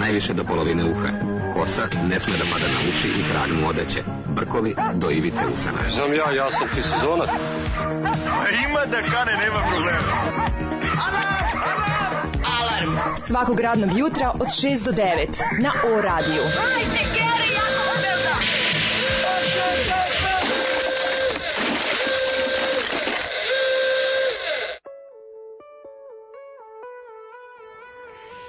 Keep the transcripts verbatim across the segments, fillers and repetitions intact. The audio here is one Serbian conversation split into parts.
najviše do polovine uha. Kosa ne sme da pada na uši i kragnu odeće. Brkovi do ivice usana. Znam ja, ja sam ti sezonac. A ima da kane, nema problema. Alarm svakog radnog jutra od šest do devet na O radiju. Hajde, Geri, jako se belda!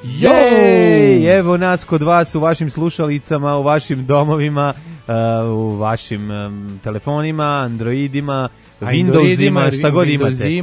Jej, evo nas kod vas u vašim slušalicama, u vašim domovima, uh, u vašim um, telefonima, Androidima, Windowsima, šta god imate.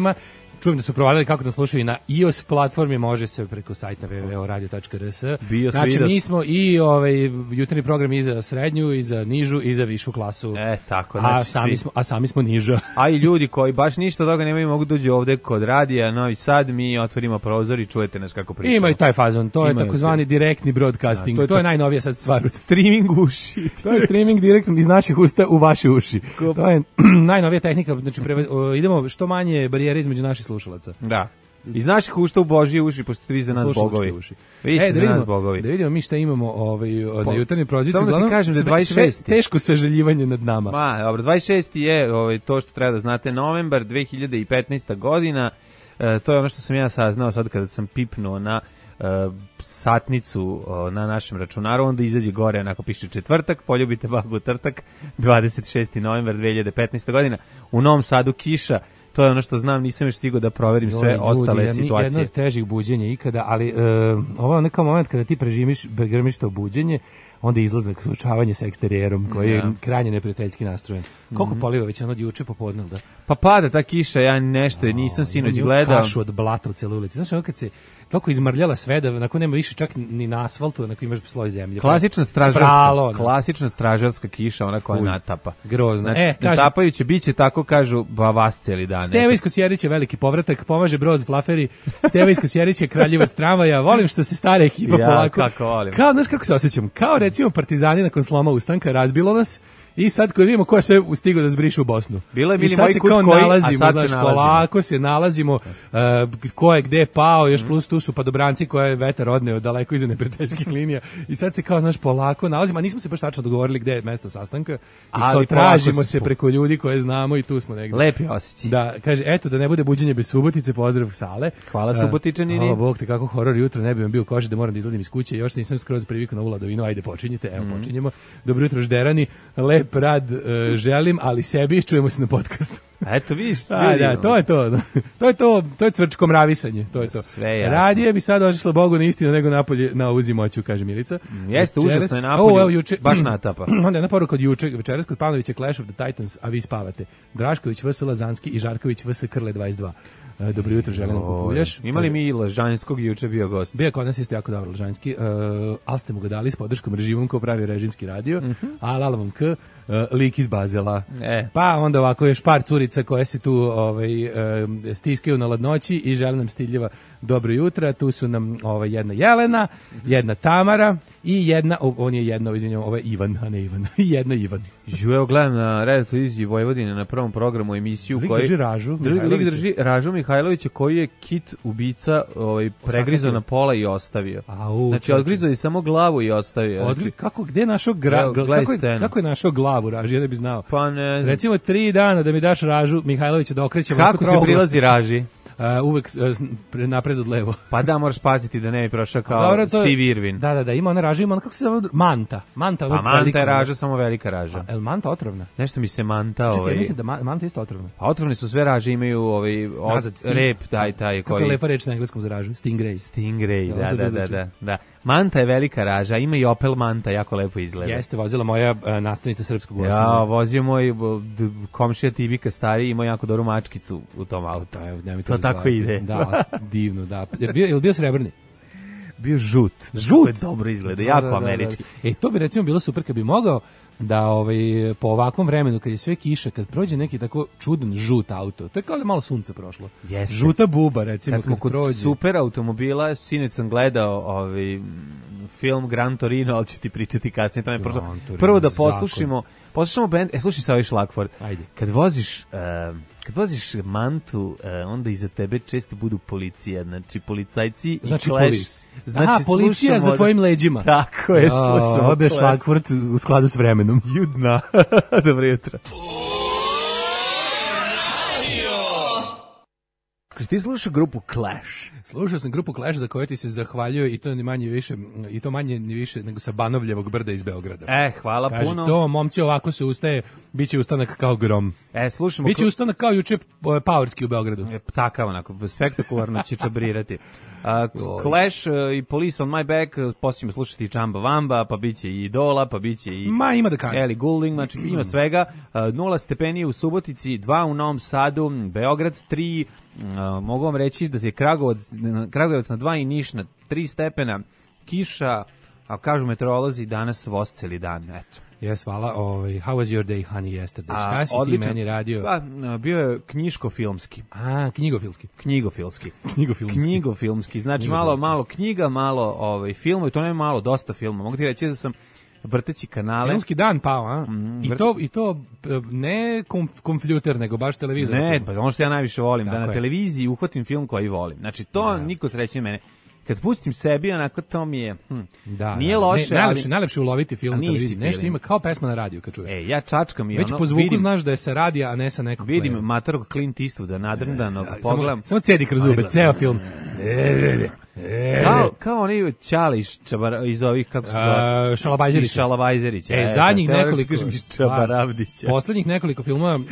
Čujem da su provalili kako da slušaju i na iOS platformi, može se preko sajta w w w tačka radio tačka r s. Znači, mi smo i ovaj jutarnji program i za srednju, i za nižu, i za višu klasu. E, tako, znači a sami, smo, a sami smo niža. A i ljudi koji baš ništa od toga nemaju mogu dođu ovde kod radija Novi Sad, mi otvorimo prozor i čujete nas kako pričamo. Ima i taj fazon, to Imaju je takozvani se. direktni broadcasting, a, to je, to je najnovija sad stvar. Streaming uši. To je streaming direktno iz naših usta u vaše uši. Ko? To je najnovija tehnika, znači preve, o, idemo što manje barijere između naših slušalaca. Da. Iz naših ušta u Božje uši, pošto vi za nas bogovi. Uši. Vi ste e, za vidimo, nas bogovi. Da vidimo mi šta imamo ovaj, na jutarnjoj proziciji. Samo da ti kažem da je dvadeset šesti. Teško sažaljivanje nad nama. Ma, dobro, dvadeset šesti je ovaj, to što treba da znate, novembar dve hiljade petnaesta godina. E, to je ono što sam ja saznao sad kada sam pipnuo na e, satnicu o, na našem računaru, onda izađe gore, onako piše četvrtak, poljubite babu trtak, dvadeset šesti novembar dve hiljade petnaesta godina. U Novom Sadu kiša. To je ono što znam, nisam još stigao da proverim sve ljudi, ostale ja, situacije. Jedno od težih buđenja ikada, ali uh, ovo je neka moment kada ti prežimiš, pregrmiš to buđenje, onda izlazak, suočavanje sa eksterijerom koji je krajnje neprijateljski nastrojen. Koliko mm-hmm. poliva već ono od juče popodne, da? Pa pada ta kiša, ja nešto oh, nisam sinoć gledao. Kašu od blata u celoj ulici. Znaš, ono kad se toliko izmrljala sve da nakon nema više čak ni na asfaltu, onako imaš sloj zemlje. Klasična stražarska, Spralo, klasična stražarska kiša, ona koja natapa. Grozna. E, natapajuće, bit će tako, kažu, ba vas cijeli dan. Steva iz Kosjerića je veliki povratak, pomaže Broz Flaferi. Steva iz Kosjerića je kraljevac tramvaja. Volim što se stara ekipa ja, polako. Kako volim. Kao, znaš kako se osjećam? Kao recimo Partizani nakon sloma ustanka, razbilo nas. I sad kad vidimo ko je sve stigao da zbriše u Bosnu. Bilo je bili moj kut koji, nalazimo, a sad znaš, se nalazimo. Polako se nalazimo, uh, ko je gde pao, još plus tu su padobranci koje je vetar odneo daleko iza neprijateljskih linija. I sad se kao, znaš, polako nalazimo, a nismo se baš tačno dogovorili gde je mesto sastanka. I ali kao tražimo se preko ljudi koje znamo i tu smo negde. Lepi osjećaj. Da, kaže, eto, da ne bude buđenje bez Subotice, pozdrav Sale. Hvala Subotičanini. Hvala Bog te, kako horor jutro, ne bi vam bio koži da moram da izlazim iz kuće, još nisam skroz privikao na ovu ladovinu, ajde počinjite, evo mm. počinjemo. Dobro jutro Žderani, lep rad uh, želim, ali sebi čujemo se na podcastu. Eto vidiš, a, da, to je to. To je to, to je cvrčko mravisanje, to je to. Radije bi sad otišlo Bogu na istinu nego napolje na uzimoću, kaže Milica. Mm, jeste užasno je napolje. O, juče, baš natapa. Onda jedna poruka od juče, večeras kod Pavlovića Clash of the Titans, a vi spavate. Drašković V S Lazanski i Žarković V S Krle dvadeset dva. Dobro jutro, želim da Kupuljaš. Imali mi i Lažanskog juče bio gost. Bio kod nas isto jako dobro Lažanski, uh, ali ste mu ga dali s podrškom režimom ko pravi režimski radio, mm-hmm. a lalavom k, uh, lik iz Bazela. E. Pa onda ovako još par curica koje se tu ovaj, uh, stiskaju na ladnoći i žele nam stiljeva dobro jutra. Tu su nam ovaj, jedna Jelena, jedna Tamara i jedna, on je jedna, izvinjam, ovo je Ivan, a ne Ivan, jedna Ivan. Žu, evo gledam na Radio televiziji Vojvodine na prvom programu emisiju. Lik koji drži Ražu Lik drži Ražu Mihajlovića koji je kit ubica ovaj, pregrizao na pola i ostavio. Au, znači odgrizao je samo glavu i ostavio. Odgri, znači, kako, gde našo gra, evo, kako, je, kako je našao glavu Raži, ja ne bi znao. Pa ne znam. Recimo tri dana da mi daš Ražu Mihajlovića da okrećemo. Kako se prilazi Raži? Uh, uvek uh, napred od levo. Pa da, moraš paziti da ne bi prošao kao dobro, to, Steve Irwin. Da, da, da, ima ona Raža, ima ona, kako se zove, Manta. Manta, pa Manta je Raža, samo velika Raža. A, el Manta otrovna? Nešto mi se Manta... Čekaj, ovaj... mislim da ma, Manta isto otrovna. Pa otrovni su sve Raže, imaju ovaj, od, Nazad, rep, taj, taj. Kako koji... je lepa reč na engleskom za Ražu? Stingray. Stingray, da, da, da, da, da. Manta je velika Raža, ima i Opel Manta, jako lepo izgleda. Jeste, vozila moja uh, nastavnica srpskog osnovne. Ja, vozio moj komšija Tibika stari, imao jako dobru mačkicu u tom autu. To, to, to tako ide. Da, divno, da. Je bio, je bio srebrni? Bio žut. Žut? Je dobro izgleda, jako da, da, američki. Da, da. E, to bi recimo bilo super kad bi mogao da ovaj, po ovakvom vremenu, kad je sve kiša, kad prođe neki tako čudan žut auto, to je kao da malo sunce prošlo. Jeste. Žuta buba, recimo, kad, smo kad kod prođe. Super automobila, sinoć sam gledao ovaj, film Gran Torino, ali ću ti pričati kasnije. To je prvo, prvo da poslušimo Poslušamo band, e, slušaj sa ovaj šlagford. Ajde. Kad voziš, uh, kad voziš mantu, uh, onda iza tebe često budu policija, znači policajci znači i Clash. Polis. Znači, Aha, policija za tvojim leđima. Tako je, slušamo. Ovo je šlagford u skladu s vremenom. Judna. Dobro jutro. Ti slušao grupu Clash? Slušao sam grupu Clash za koju ti se zahvaljuje i to ni manje više i to manje ni više nego sa Banovljevog brda iz Beograda. E, hvala Kaže, puno. to momci ovako se ustaje, biće ustanak kao grom. E, slušamo. Biće ustanak kao juče Powerski u Beogradu. E, takav onako, spektakularno će čabrirati. Uh, Clash uh, i Police on my back, uh, poslije ćemo slušati i Čamba Vamba, pa biće i Idola, pa biće i Ma, ima da kaže. Ellie Goulding, znači ima svega. Uh, nula stepeni u Subotici, dva u Novom Sadu, Beograd tri, uh, mogu vam reći da se Kragujevac, Kragujevac na dva i Niš na tri stepena, kiša, a kažu meteorolozi danas voz celi dan, eto. Jes, hvala. Ovaj, how was your day, honey, yesterday? A, Šta si odličan. ti meni radio? Pa, bio je knjiško-filmski. A, knjigofilski. Knjigofilski. Knjigofilmski. Knjigofilmski. Znači Knjigofilmski. malo malo knjiga, malo ovaj filmova, i to ne malo, dosta filma. Mogu ti reći da sam vrteći kanale. Filmski dan pao, a? Mm, I vrt- to i to e, ne konf, kompjuter, nego baš televizor. Ne, pa ono što ja najviše volim, Tako da na je. televiziji uhvatim film koji volim. Znači to Da. niko srećnije mene. Kad pustim sebi, onako to mi je, hm, Da, nije da. loše, ne, najlepše, ali... najlepše uloviti film A na nije isti televiziji. Nešto film. ima kao pesma na radiju kad čuješ. E, ja čačkam i Već ono, po zvuku vidim, znaš da je sa radija, a ne sa nekog vidim playa. matorog Clint Eastwooda nadrndanog, Samo, pogledam. samo cedi kroz zube, ceo film. E, e, e. Kao, kao oni Ćale iz, čabar, iz ovih, kako se zove? A, Šalabajzerića. Iz Šalabajzerića. E, zadnjih teo nekoliko kažem iz Čabaravdića. Poslednjih nekoliko filmova uh,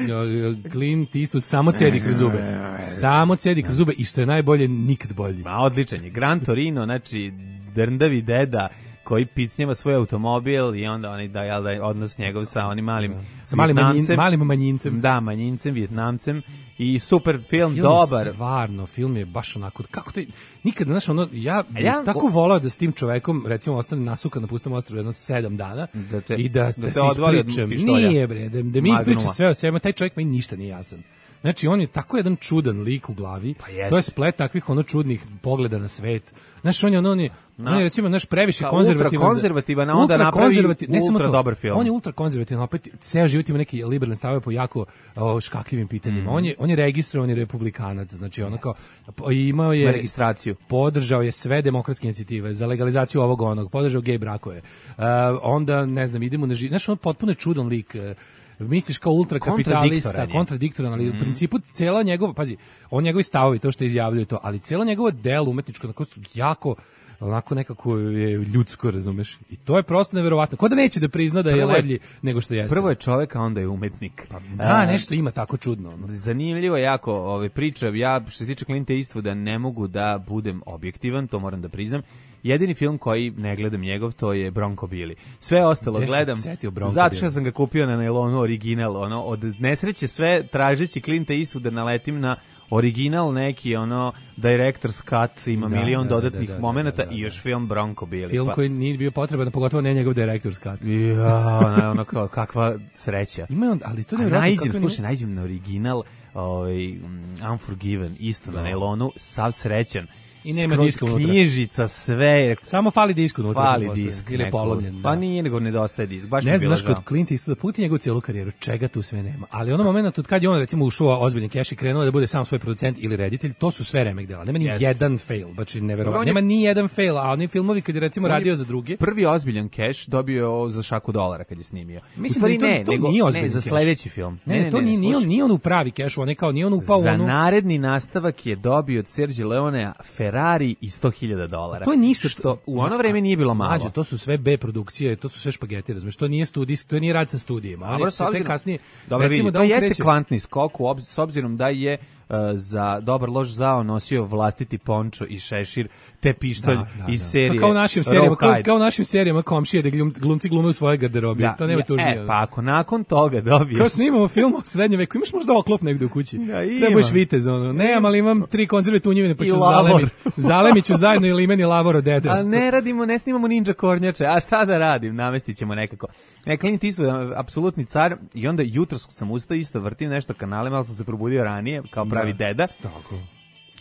Clint Eastwood samo cedi kroz zube. Samo cedi kroz zube i što je najbolje, nikad bolji. Ma, odličan je. Gran Torino, znači, drndavi deda koji picnjeva svoj automobil i onda oni da, jel da, odnos njegov sa onim malim Sa malim, manjin, Vijetnamcem. malim manjincem. Da, manjincem, Vijetnamcem i super film, Film dobar. je stvarno, film je baš onako, kako te, nikad, znaš, ono, ja, A ja- ja tako volao da s tim čovekom, recimo, ostane nasukan na pustom ostrovu jedno sedam dana Da te- i da, da da, te se odvali od ispričam. pištolja. Nije, bre, da, da mi Magnuma. ispriča sve o sebi, taj čovjek meni ništa nije jasan. Znači, on je tako jedan čudan lik u glavi, Pa jeste. to je splet takvih ono čudnih pogleda na svet. Znaš, on je, ono, on je, Na- on je recimo, naš previše Kao konzervativan. ultra konzervativan, a onda napravi konzervati- ne samo ultra to, dobar film. On je ultra konzervativan, opet ceo život ima neki liberalne stavove po jako o, škakljivim pitanjima. On je on je registrovan republikanac, znači ono kao po- imao Na je registraciju. podržao je sve demokratske inicijative za legalizaciju ovog onog, podržao gej brakove. Uh, onda ne znam, idemo na ži... Znaš, on potpuno je čudan lik. uh, Misliš kao ultrakapitalista, Kontradiktoran je. kontradiktoran, ali u principu cela njegova, pazi, on njegovi stavovi, to što izjavljuje to, ali celo njegovo delo umetničko, onako su jako, onako nekako je ljudsko, razumeš? I to je prosto neverovatno. Ko da neće da prizna da je Prvo je- ledlji nego što jeste? Prvo je čovek, a onda je umetnik. Da, A, nešto ima tako čudno. ono. Zanimljivo je jako ove priča. Ja, što se tiče Clinta Eastwooda, ne mogu da budem objektivan, to moram da priznam. Jedini film koji ne gledam njegov, to je Bronco Billy. Sve ostalo Gde si gledam, setio Bronco zato što Billy? sam ga kupio na nailonu original. Ono, od nesreće sve tražeći Clinta Eastwooda naletim na original neki, ono, director's cut, ima Da, milion da, dodatnih da, da, momenata da, da, i još film Bronco Billy. Film pa, koji nije bio potreban, pogotovo ne njegov director's cut. Ja, ono, ono kao, kakva sreća. Ima on, ali to A ne vjerojatno najđem, kako slušaj, najđem na original, ovaj, mm, Unforgiven, isto na nailonu, sav srećan. I nema Skroz diska unutra. knjižica, sve, Samo fali disk unutra. fali pretpostavljam. disk. Ili je neko. polomljen. Pa da. nije, nego nedostaje disk, baš mi Ne je bilo znaš, kod žao. Clint Eastwooda puti njegovu cijelu karijeru, čega tu sve nema. Ali ono moment od kad je on recimo ušao u ozbiljni keš i krenuo da bude sam svoj producent ili reditelj, to su sve remek dela. Nema ni Jeste. jedan fail, baš je neverovatno. On je- Nema ni jedan fail, a oni filmovi kad je recimo On je radio za druge, Prvi ozbiljan keš dobio je za šaku dolara kad je snimio. mislim U stvari da je to, ne, to nego nije ne, ozbiljan za keš. sledeći film. Ne, ne, to nije, nije, on, slušaj. nije on u pravi keš, on je kao, nije on upao u Za onu... naredni nastavak je dobio od Sergio Leonea Ferrari i sto hiljada dolara. To je ništa Što u ono vreme nije bilo malo. Mađo, to su sve B produkcije, to su sve špageti, razumeš? To nije studijski, to nije rad sa studijima. Oni Dobro, se s te obzirom- kasnije, Dobro, recimo vidi, da to on jeste kreće- kvantni skok u obz- s obzirom da je uh, za dobar loš zao nosio vlastiti pončo i šešir te pištolj Da, da, iz da. serije Pa kao u našim serijama, kao, Rawhide. kao u našim serijama komšije da glum, glumci glume u svojoj garderobi. Da, to nema ja- tužnije. E, pa ako nakon toga dobiješ... Kao snimamo film o srednjem veku, imaš možda oklop negde u kući. Ja, imam. Treba budeš vitez, ono. Nemam, ali imam tri konzerve tunjevine, pa I ću lavor. zalemi, zalemiću zajedno ili meni lavor od dede. A ne radimo, ne snimamo ninja kornjače, a šta da radim, namestit ćemo nekako. Ne, Clint Eastwood, apsolutni car, i onda jutros sam ustao, isto vrtim nešto kanale, malo sam se probudio ranije, kao pravi deda, Tako.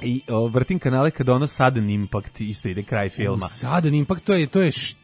i o, vrtim kanale kada ono Sudden Impact, isto ide kraj filma. Sudden Impact, to je, to je š-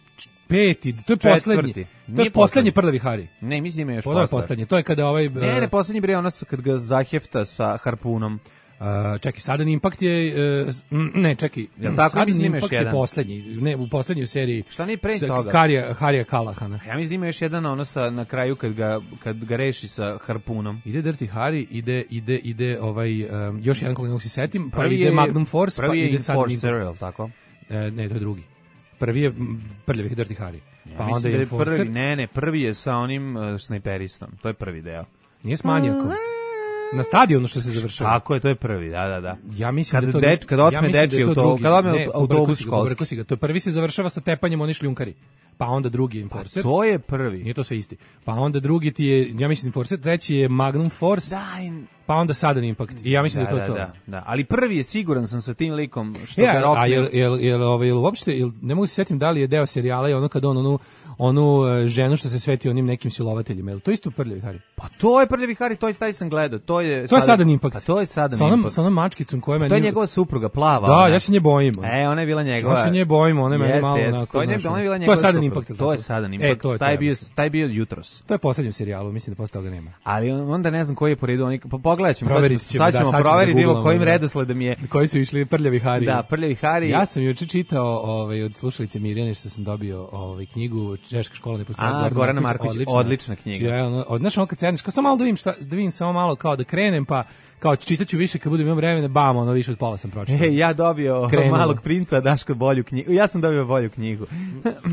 Peti, to je Četvrti. poslednji. To Nije je poslednji poslednji. Prljavi Hari. Ne, mislim da ima još To je posle. poslednji. To je kada ovaj Ne, ne, poslednji bre ono sa- kad ga zahefta sa harpunom. Uh, čekaj, Sudden Impact je uh, s- mm, ne, čekaj. Jel tako? Sudden Mislim da ima još Impact je jedan. poslednji. Ne, u poslednjoj seriji. Šta nije pre sa toga? Harija, Harija Kalahana. Ja mislim da ima još jedan ono sa, na kraju kad ga, kad ga reši sa harpunom. Ide Dirty Harry, ide ide ide ovaj um, još jedan koga ne mogu se setim, pa Prvi ide je- Magnum Force, prvi pa je ide Sudden Enforcer, Impact. jel tako? E, ne, to je drugi. Prvi je m, Prljavi Dirty Harry. Ja Pa mislim onda da je je Enforcer. prvi, ne, ne, prvi je sa onim uh, snajperistom. To je prvi deo. Nije s manijakom. Na stadionu što se završava. Tako je, to je prvi, da, da, da. Ja mislim Kad da to deč- kad otme ja mislim dečiji da je to auto- drugi. kad otme Ne, autobus pobrko si ga, školski. pobrko si ga. To prvi se završava sa tepanjem oni šljunkari. Pa onda drugi je Enforcer. To je prvi. Nije to sve isti. Pa onda drugi ti je, ja mislim Enforcer, treći je Magnum Force, Da, in- pa onda Sudden Impact. I ja mislim da, da, je to da, to. da, da. Ali prvi je siguran sam sa tim likom što Ja, ga a rokne. jel, jel, jel, ovaj, jel uopšte, jel, ne mogu se setim da li je deo serijala i ono kad on onu, onu e, ženu što se sveti onim nekim silovateljima. Jel to isto Prljavi Hari? Pa to je Prljavi Hari, to je taj sam gledao. To je To je Sudden Impact. Pa to je Sudden Sa onom, Impact. sa onom mačkicom koja meni... To je njegova supruga, plava. Da, ona. ja se nje bojim. ono. E, ona je bila njegova. Ja se nje bojim, ona je meni Jeste, malo jeste. onako, To je, nje- znaš, ona je bila to je njegova Sudden supruga. Impact, jel To je tako? Sudden E, Impact. to je to, taj, ja bio, mislim. taj bio jutros. To je poslednji serijalu, mislim da posle toga nema. Ali onda ne znam koji je po redu. Oni, po, pogledat ćemo, sad ćemo, Proverit ćemo, sad da, ćemo sad ćemo proveriti, da vidimo googlamo, kojim da. redosledom je. Koji su išli Prljavi Hari? Da, Prljavi Hari. Ja sam juče čitao ovaj, od slušalice Mirjane što sam dobio ovaj, knjigu Češka škola ne postoji. A, Gorana Marković, odlična knjiga. Čija je ono, od, znaš, ono kad sedneš, kao samo malo da vidim, šta, da vidim samo malo kao da krenem, pa kao čitaću više kad budem imam vremena, bam, ono više od pola sam pročitao. E, ja dobio Krenulo. Malog princa, Daško bolju knjigu. Ja sam dobio bolju knjigu.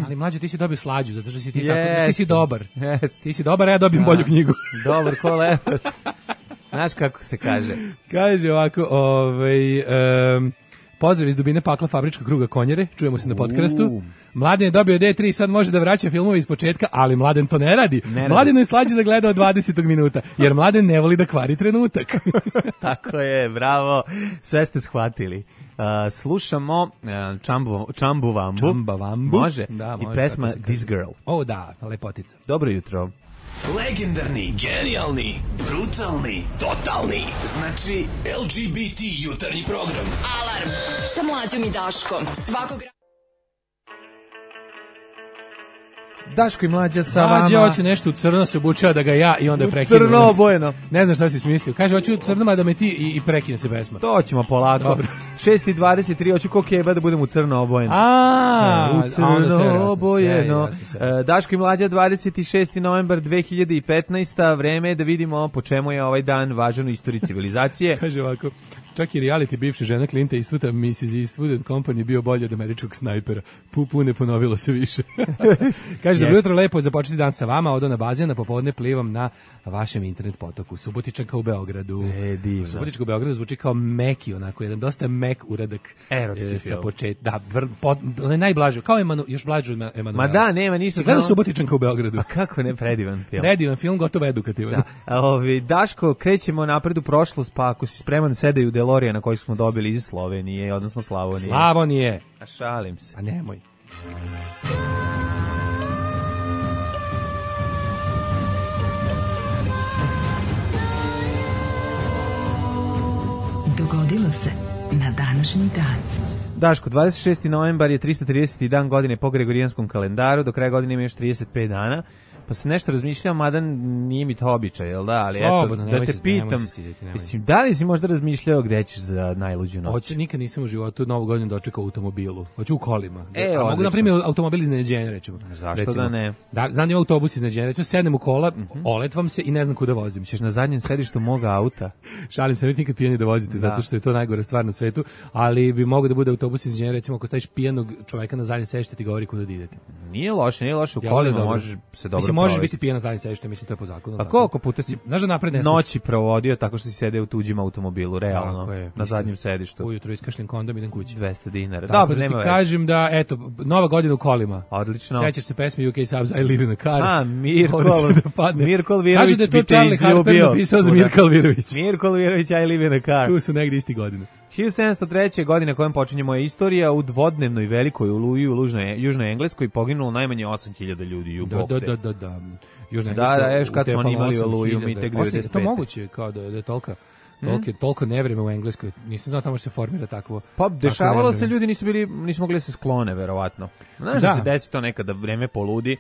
Ali mlađe, ti si dobio slađu, zato što si ti Jeste. tako, ti si dobar. Jeste. Ti si dobar, a ja dobijem Da. bolju knjigu. Dobar ko lepac. Znaš kako se kaže? Kaže ovako, ovaj, um, pozdrav iz dubine pakla fabričkog kruga Konjere, čujemo se na podcastu. U. Mladen je dobio D tri i sad može da vraća filmove iz početka, ali Mladen to ne radi. Ne radi. Mladenu je slađe da gleda od dvadesetog minuta, jer Mladen ne voli da kvari trenutak. Tako je, bravo. Sve ste shvatili. Uh, slušamo uh, Čambu, Čambu Vambu. Čamba Vambu. Može. Da, I može, pesma tako se kaže. This Girl. O da, lepotica. Dobro jutro. Legendarni, genijalni, brutalni, totalni. Znači L G B T jutarnji program. Alarm sa mlađom i Daškom. Svakog Daško i Mlađa sa Mlađe vama. hoće nešto u crno se obučava da ga ja i onda je U prekine. crno obojeno. Ne znam šta si smislio. Kaže, hoću u crnoma da me ti i, i prekine se pesma. To ćemo polako. Dobro. šest i dvadeset tri, hoću ko keba da budem u crno obojeno. A, u a onda sve je crno jasno, obojeno. sve je jasno, sve je jasno. E, Daško i Mlađa, dvadeset šesti novembar dve hiljade petnaeste. Vreme je da vidimo po čemu je ovaj dan važan u istoriji civilizacije. Kaže ovako, čak i reality bivše žena Clint Eastwooda, missus Eastwood and Company bio bolje od američkog snajpera. Pupu ne ponovilo se više. Kaže, dobro jutro, lepo je započeti dan sa vama, odo na bazen, a popodne plivam na vašem internet potoku. Subotičanka u Beogradu. E, divno. Subotička u Beogradu zvuči kao meki, onako, jedan dosta mek uradak. Erotski e, sa film. počet, da, vr, pot, onaj najblaže, kao Emanu, još blađu od Emanuela. Ma da, nema ništa. Si gledao samo- Subotičanka u Beogradu? A kako ne, predivan film. Predivan film, gotovo edukativan. Da. A, Ovi, Daško, krećemo napred u prošlost, pa ako si spreman, sedaj u Delorija na koji smo dobili iz Slovenije, odnosno Slavonije. Slavonije. A šalim se. A nemoj. Dogodilo se na današnji dan. Daško, dvadeset šesti novembar je tristo trideseti dan godine po Gregorijanskom kalendaru, do kraja godine ima još trideset pet dana, pa se nešto razmišljam, mada nije mi to običaj, jel da? Ali Slobodno, eto, nemoj da te se- nemoj pitam, se stidjeti, nemoj. mislim, da li si možda razmišljao gde ćeš za najluđu noć? Hoće, nikad nisam u životu novu godinu dočekao u automobilu. Hoću u kolima. E, A mogu, odlično. na primjer, automobil iznenađenja, recimo. Zašto recimo. da ne? Da, znam da ima autobus iznenađenja, recimo, sednem u kola, oletvam se i ne znam kuda vozim. Ćeš na zadnjem sedištu moga auta? Šalim se, nemojte nikad pijani da vozite, zato što je to najgore stvar na svetu, ali bi mogao da bude autobus iznenađenja, recimo, ako staviš pijanog čoveka na zadnje sedište, ti govori kuda da idete. Nije loše, nije loše, u Jel, ovo je kolima dobro? možeš se dobro Mislim, možeš provesti. biti pijan na zadnje sedište, mislim, to je po zakonu. Pa tako. koliko puta si Znaš da napred ne smiješ? noći provodio tako što si sedeo u tuđim automobilu, realno, Tako je. na Mislim, zadnjem sedištu? Ujutro iskašljem kondom, idem kući. dvesta dinara. Tako Dobro, da nema ti veze. kažem da, eto, nova godina u kolima. Odlično. Sećaš se pesme U K Subs, I live in a car. A, Mirko, Ovdje će da padne. Mirko Alvirović Kaže da je to bi te Charlie Harper izljubio. napisao za Svuda. Mirka Alvirović. Mirko Alvirović, I live in a car. Tu su negde isti godine. hiljadu sedamsto treće. godine kojom počinje moja istorija, u dvodnevnoj velikoj oluji u Lužnoj, Južnoj Engleskoj poginulo najmanje osam hiljada ljudi u Da, da, Bogde. da, da, da. Južna Da, Engleska da, još kad su oni utepala imali osam oluju, hiljada. mi tek Osam- devedeset To pete. moguće, kao da, da je tolika. Toliko, toliko nevreme u Engleskoj. Nisam znao tamo se formira takvo. Pa dešavalo se, ljudi nisu bili, nisu mogli da se sklone, verovatno. Znaš da, da se desi to nekada, vreme poludi,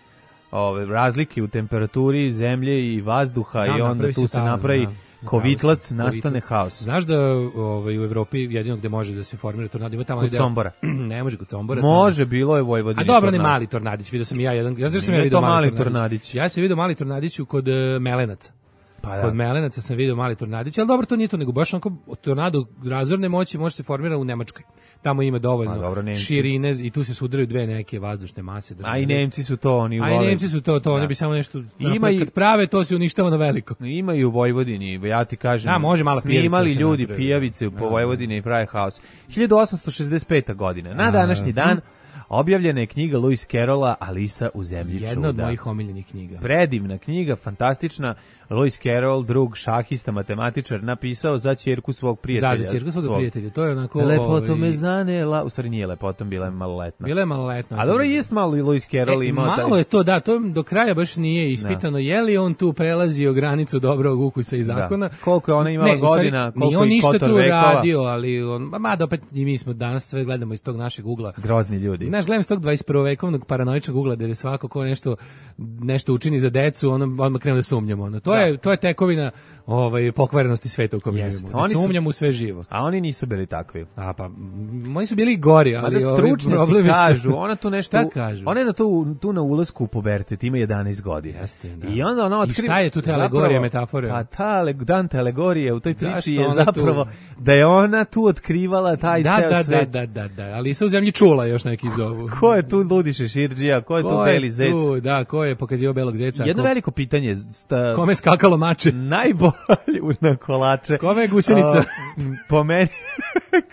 ove, razlike u temperaturi zemlje i vazduha. Znam, i onda tu se ta, napravi da. Kovitlac, nastane haos. Znaš da ovaj, u Evropi jedino gde može da se formira tornado ima tamo kod Sombora. Ne može kod Sombora. Može, bilo je u Vojvodini. A dobro, ne mali tornadić, vidio sam i ja jedan. Ja znaš sam ja video mali tornadić. tornadić. Ja sam video mali tornadić kod uh, Melenaca. Pa da. Kod Melenaca sam video mali tornadić, ali dobro, to nije to, nego baš onako tornado razorne moći može se formirati u Nemačkoj. Tamo ima dovoljno dobro, širine i tu se sudaraju dve neke vazdušne mase. A i Nemci su to, oni vole. A i Nemci su to, to, oni bi samo nešto, ima i, kad prave, to se uništava na veliko. Ima i u Vojvodini, ja ti kažem, a, može malo snimali ljudi napravi. Pijavice po Vojvodini i pravi haos. hiljadu osamsto šezdeset peta. godine, na današnji dan, objavljena je knjiga Lewis Carrolla Alisa u zemlji čuda. Jedna od mojih omiljenih knjiga. Predivna knjiga, fantastična. Lewis Carroll, drug šahista, matematičar, napisao za ćerku svog prijatelja. Za, za ćerku svog, svog prijatelja, to je onako... Lepoto ovaj... me zanela, u stvari nije lepotom, bila je maloletna. Bila je maloletna. A dobro, jest malo i Lewis Carroll e, imao... Malo taj... je to, da, to do kraja baš nije ispitano. Da. Je li on tu prelazio granicu dobrog ukusa i zakona? Da. Koliko je ona imala ne, godina, koliko on i kotor vekova. Nije on ništa tu radio, ali on... Ma da, opet i mi smo danas sve gledamo iz tog našeg ugla. Grozni ljudi. Znaš, gledam iz tog dvadeset prvovekovnog paranoičnog ugla, gde svako ko nešto, nešto učini za decu, ono, odmah krenu da sumnjamo. Ono. To, da. je, to je tekovina ovaj pokvarenosti sveta u kom živimo. Oni sumnjamo u sve živo. A oni nisu bili takvi. A pa oni su bili gori, ali da stručnjaci kažu, ona tu nešto, šta kažu? Ona je na tu tu na ulasku u pubertet, ima jedanaest godina. Jeste, da. I onda ona otkriva. I šta je tu ta alegorija, metafora? Pa ta Dante alegorija u toj priči je zapravo tu... da je ona tu otkrivala taj da, ceo da, svet. Da, da, da, da, ali se u zemlji čula još neki zovu. Ko je tu ludi šeširđija, ko je ko tu beli je zec? Tu, da, ko je pokazivao belog zeca? Jedno ko... veliko pitanje. Sta... Kome skakalo mače? Najbolje na kolače. Kome je gusenica? Uh, po meni,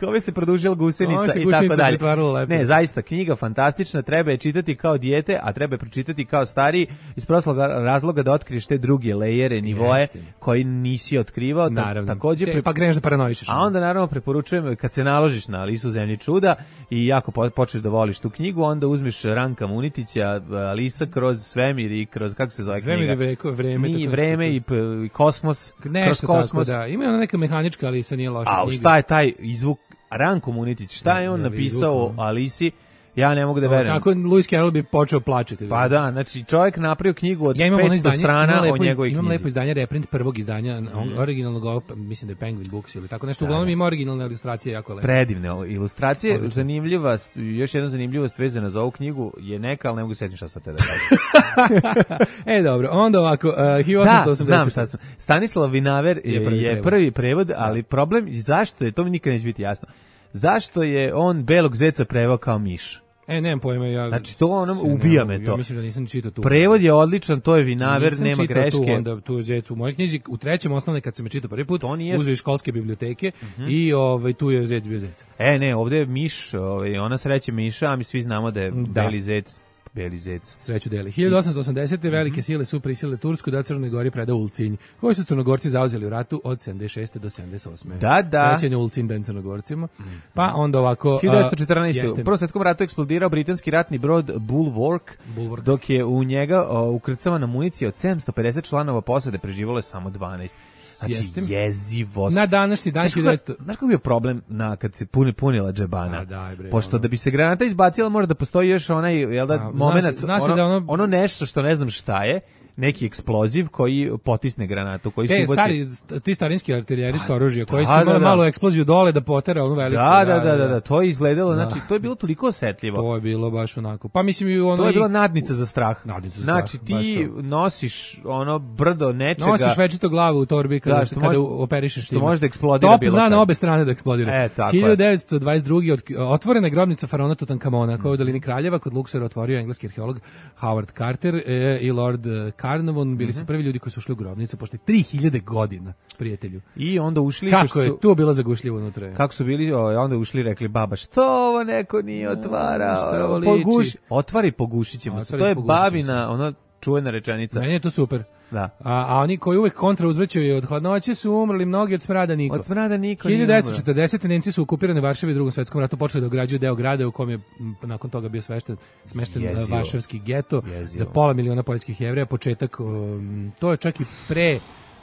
kome se produžila gusenica i tako dalje. Ne, zaista, knjiga fantastična, treba je čitati kao dijete, a treba je pročitati kao stariji, iz prostog razloga da otkriješ te druge lejere, nivoe, Jeste. koji nisi otkrivao. Naravno. Takođe, te, pa kreneš da paranoišeš. A onda naravno preporučujem, kad se naložiš na Alisu u zemlji čuda i jako po, počneš da voliš tu knjigu, onda uzmeš Ranka Munitića, Alisa kroz svemir i kroz, kako se zove knjiga? Svemir i vreme. I vreme i, i kosmos. Nešto kroz kosmos. Tako, da. Ima ona neka mehanička, ali sa nije loša knjiga. A šta je taj izvuk? Ranko Munitić, šta je on da, napisao o Alisi? Ja ne mogu da verujem. Tako Lewis Carroll bi počeo plače. Pa da, znači čovjek napravio knjigu od ja petsto izdanje, strana o njegovoj knjizi. Imam lepo izdanje, reprint prvog izdanja, mm. originalnog, mislim da je Penguin Books ili tako nešto. Uglavnom ima originalne ilustracije, jako lepo. Predivne ilustracije. Odlično. Zanimljiva, još jedna zanimljivost vezana za ovu knjigu je neka, ali ne mogu se setiti šta sad te da kažem. E, dobro, onda ovako, uh, hiljadu osamsto osamdeset. Da, znam šta smo. Stanislav Vinaver je prvi, je prvi prevod, ali problem, zašto je, to mi nikad neće biti jasno, zašto je on belog zeca preveo kao miš? E, nemam pojma, ja... Znači, to ono, ubija me to. Ja mislim da nisam čitao tu. Prevod je odličan, to je Vinaver, nisam nema greške. Tu, onda, tu je zec u mojoj knjizi, u trećem osnovne, kad sam me čitao prvi put, uzeo iz školske biblioteke uh -huh. i ovaj, tu je zec bio zec. E, ne, ovde je miš, ovaj, ona sreće miša, a mi svi znamo da je da. beli zec. Beli zec. Sreću deli. hiljadu osamsto osamdesete. velike sile su prisilile Tursku da Crnoj Gori preda Ulcinj, koji su Crnogorci zauzeli u ratu od sedamdeset šeste do sedamdeset osme. Da, da. Srećen je Ulcinj dan Crnogorcima. Pa onda ovako... hiljadu devetsto četrnaeste. U Prvom svetskom ratu eksplodirao britanski ratni brod Bulwark, Bulwark. dok je u njega o, ukrcavana municija od sedamsto pedeset članova posade, preživalo je samo dvanaest. Znači, Jestem. jezivost. Na današnji dan hiljadu devetsto... Znaš kako je bio problem na, kad se puni, punila džebana? A, daj, bre, Pošto ono. da bi se granata izbacila, mora da postoji još onaj, jel da, A, moment, zna se, ono, da ono... ono nešto što ne znam šta je, neki eksploziv koji potisne granatu, koji Te, su stari, ti starinski artiljerijsko oružje, koji da, su imali da, da. malo eksploziju dole da potera onu veliku. Da, da, da, da, da, to je izgledalo, da. znači, to je bilo toliko osetljivo. To je bilo baš onako. Pa mislim i ono... To je bila nadnica za strah. Nadnica za znači, strah, ti nosiš ono brdo nečega... Nosiš večito glavu u torbi kada, da, kada može, operišeš što može da eksplodira Top bilo zna na obe strane da eksplodira. E, tako hiljadu devetsto dvadeset druge. Od, otvorena grobnica faraona Tutankamona, koja u dolini Kraljeva kod Luksora otvorio engleski arheolog Howard Carter e, i Lord Carnarvon, bili su prvi ljudi koji su ušli u grobnicu posle tri hiljade godina, prijatelju. I onda ušli... Kako su, je tu bilo zagušljivo unutra? Kako su bili, o, onda ušli i rekli, baba, što ovo neko nije otvarao? Poguš, otvari, pogušit ćemo se. To je babina, ona čuvena rečenica. Meni je to super. Da. A, a oni koji uvek kontra uzvraćaju od hladnoće su umrli mnogi od smrada niko. Od smrada niko. hiljadu devetsto četrdesete. Nemci su okupirani Varšavi u Drugom svetskom ratu, počeli da ograđuju deo grada u kom je nakon toga bio svešten, smešten Jezivo. varšavski geto Jezivo. za pola miliona poljskih Jevreja, početak um, to je čak i pre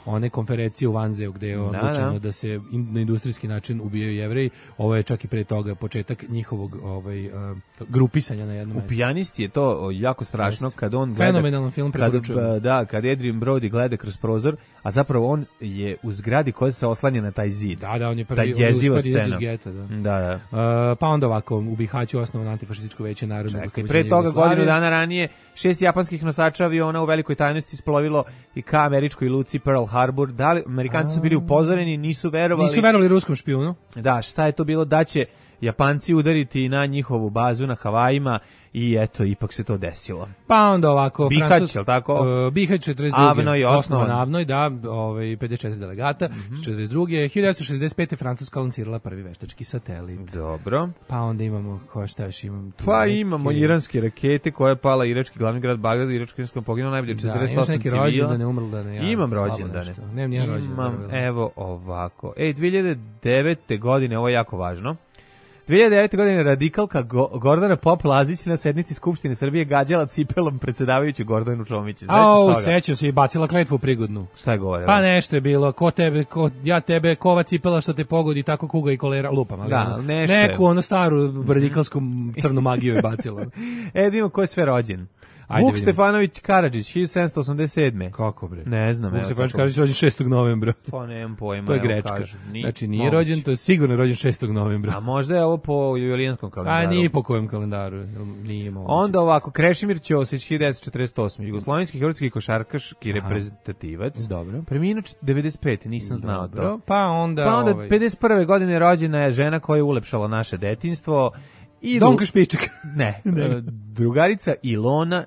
one konferencije u Vanzeu gde je odlučeno da, da. da se in, na industrijski način ubijaju Jevreji. Ovo je čak i pre toga početak njihovog ovaj, uh, grupisanja na jednom mestu. U Pijanisti je to jako strašno Jest. kad on gleda... Fenomenalan film, preporučujem. Da, kad Adrian Brody gleda kroz prozor, a zapravo on je u zgradi koja se oslanja na taj zid. Da, da, on je prvi, ta jeziva scena. Geta, da. Da, da. Uh, pa onda ovako, u Bihaću osnovno antifašističko veće narodnog oslobođenja. Pre toga godinu dana ranije šest japanskih nosača aviona u velikoj tajnosti isplovilo i ka američkoj luci Pearl Harbor. Da li, Amerikanci su bili upozoreni, nisu verovali. Nisu verovali ruskom špijunu. Da, šta je to bilo da će Japanci udariti na njihovu bazu na Havajima i eto, ipak se to desilo. Pa onda ovako... Bihać, Francus, je li tako? Uh, Bihać četrdeset druge Avnoj osnovan. Avnoj, da, ovaj, pedeset četiri delegata. Mm-hmm. četrdeset druge hiljadu devetsto šezdeset pete. Francuska lansirala prvi veštački satelit. Dobro. Pa onda imamo, ko šta još imam tu? Pa neke... imamo iranske rakete koja je pala irački glavni grad Bagdad, irački je poginuo najbolje četrdeset osam civila. Da, imaš neki rođendane, umrldane. Ja, imam rođendane. Nemam nijedan rođendan. Imam, evo ovako. Ej, dve hiljade devete. godine, ovo je jako važno. dve hiljade devete. godine radikalka Go Gordana Pop-Lazić na sednici Skupštine Srbije gađala cipelom predsjedavajuću Gordanu Čomić. Au, sećam se i bacila kletvu prigodnu. Šta je govorila? Pa nešto je bilo, ko tebe, ko, ja tebe, kova cipela što te pogodi, tako kuga i kolera, lupam. Ali da, nešto neku ono staru radikalsku crnu magiju je bacila. E, da ima ko je sve rođen. Ajde, Vuk vidim. Stefanović Karadžić, hiljadu sedamsto osamdeset sedme. Kako bre? Ne znam. Vuk Stefanović Karadžić rođen šestog novembra. Pa nemam pojma. To je grečka. Ni, znači nije moguće. Rođen, to je sigurno rođen šestog novembra. A možda je ovo po julijanskom kalendaru. A nije po kojem kalendaru. Nije moguće. Onda ovako, Krešimir Ćosić, hiljadu devetsto četrdeset osme. Jugoslovenski hrvatski košarkaški Aha. reprezentativac. Dobro. Preminuo devedeset pete. Nisam znao Dobro. to. Pa onda... Pa onda ovaj... pedeset prve. godine rođena je žena koja je ulepšala naše detinjstvo. I Donka Špičak. Ne. Drugarica Ilona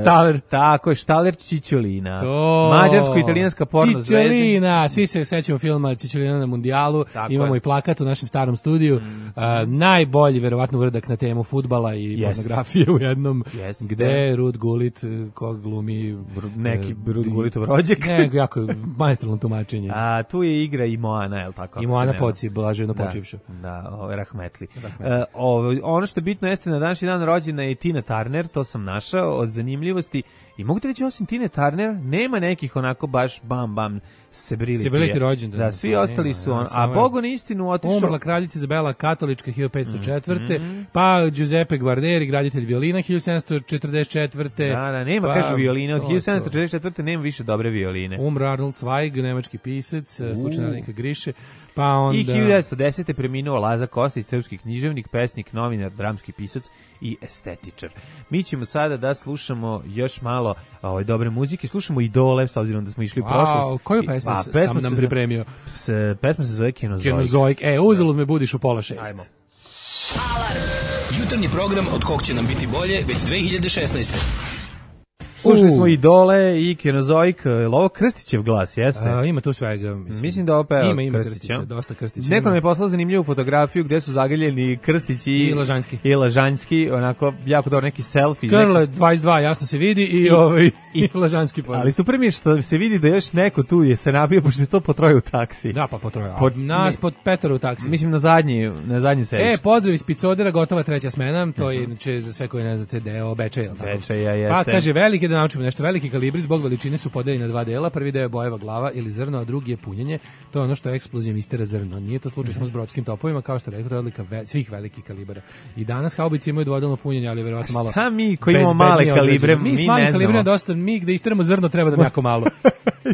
Štaler. Tako je, Štaler Čičolina. To. Mađarsko-italijanska porno zvezda. Čičolina, svi se sećamo filma Čičolina na mundijalu. Tako imamo je. I plakat u našem starom studiju. Mm. Uh, najbolji, verovatno, uradak na temu fudbala i yes. pornografije u jednom. Yes. Gde Rud Gulit, kog glumi... Br neki uh, Rud Gulitov rođak. Ne, jako maestralno tumačenje. A tu je igra i Moana, je li tako? I Moana Poci, blaženo da, počivša. Da, o, rahmetli. rahmetli. Uh, o, ono što je bitno jeste na današnji dan rođena je Tina Turner, to sam našao, od zanimljivosti. I mogu ti reći, osim Tine Turner, nema nekih onako baš bam bam sebrili. Sebrili rođendan. Da, svi ostali nema, su on. A Bogu na istinu otišao. Umrla kraljica Izabela katolička hiljadu petsto četvrte. Mm-hmm. Pa Giuseppe Guarneri, graditelj violina hiljadu sedamsto četrdeset četvrte. Da, da, nema, pa, kaže violine. Od hiljadu sedamsto četrdeset četvrte nema više dobre violine. Umro Arnold Zweig, nemački pisac, slučajnika Griše. Pa onda... I hiljadu devetsto desete. preminuo Laza Kostić, srpski književnik, pesnik, novinar, dramski pisac i estetičar. Mi ćemo sada da slušamo još malo ovaj, dobre muzike. Slušamo Idole, s obzirom da smo išli u wow, prošlost. Koju pesmu pa, sam nam pripremio? S, pesma se zove Kenozoik. Kenozoik. E, uzalud me budiš u pola šest. Ajmo. Alarm. Jutarnji program od kog će nam biti bolje već dve hiljade šesnaeste. Slušali smo Idole i Kenozoik, ovo Krstićev glas, jeste? A, ima tu svega, mislim. Mislim da ovo peva ima, ima Krstića. Krstića, dosta Krstića. Neko nam je poslao zanimljivu fotografiju gde su zagaljeni Krstić i, I Lažanjski. I Lažanjski, onako jako dobro neki selfie. Krle dvadeset dva, jasno se vidi i, I ovaj i, i Lažanski pored. Ali super mi je što se vidi da još neko tu je se nabio, pošto je to potroje u taksi. Da, pa potroje. Pod, nas pod Petar u taksi. Mislim na zadnji, na zadnji sedište. E, pozdrav iz Picodera, gotova treća smena, to je inače za sve koji ne znate deo Bečeja, tako. Bečeja jeste. Pa kaže veliki da naučimo nešto, veliki kalibri zbog veličine su podeljeni na dva dela. Prvi deo je bojeva glava ili zrno, a drugi je punjenje. To je ono što eksplozijom istera zrno. Nije to slučaj samo s brodskim topovima, kao što rekao, to je odlika ve, svih velikih kalibara. I danas haubice imaju dvodelno punjenje, ali verovatno malo. Šta mi koji imamo male kalibre, mi, mi s malim kalibrima dosta, mi gde isteramo zrno treba da jako malo.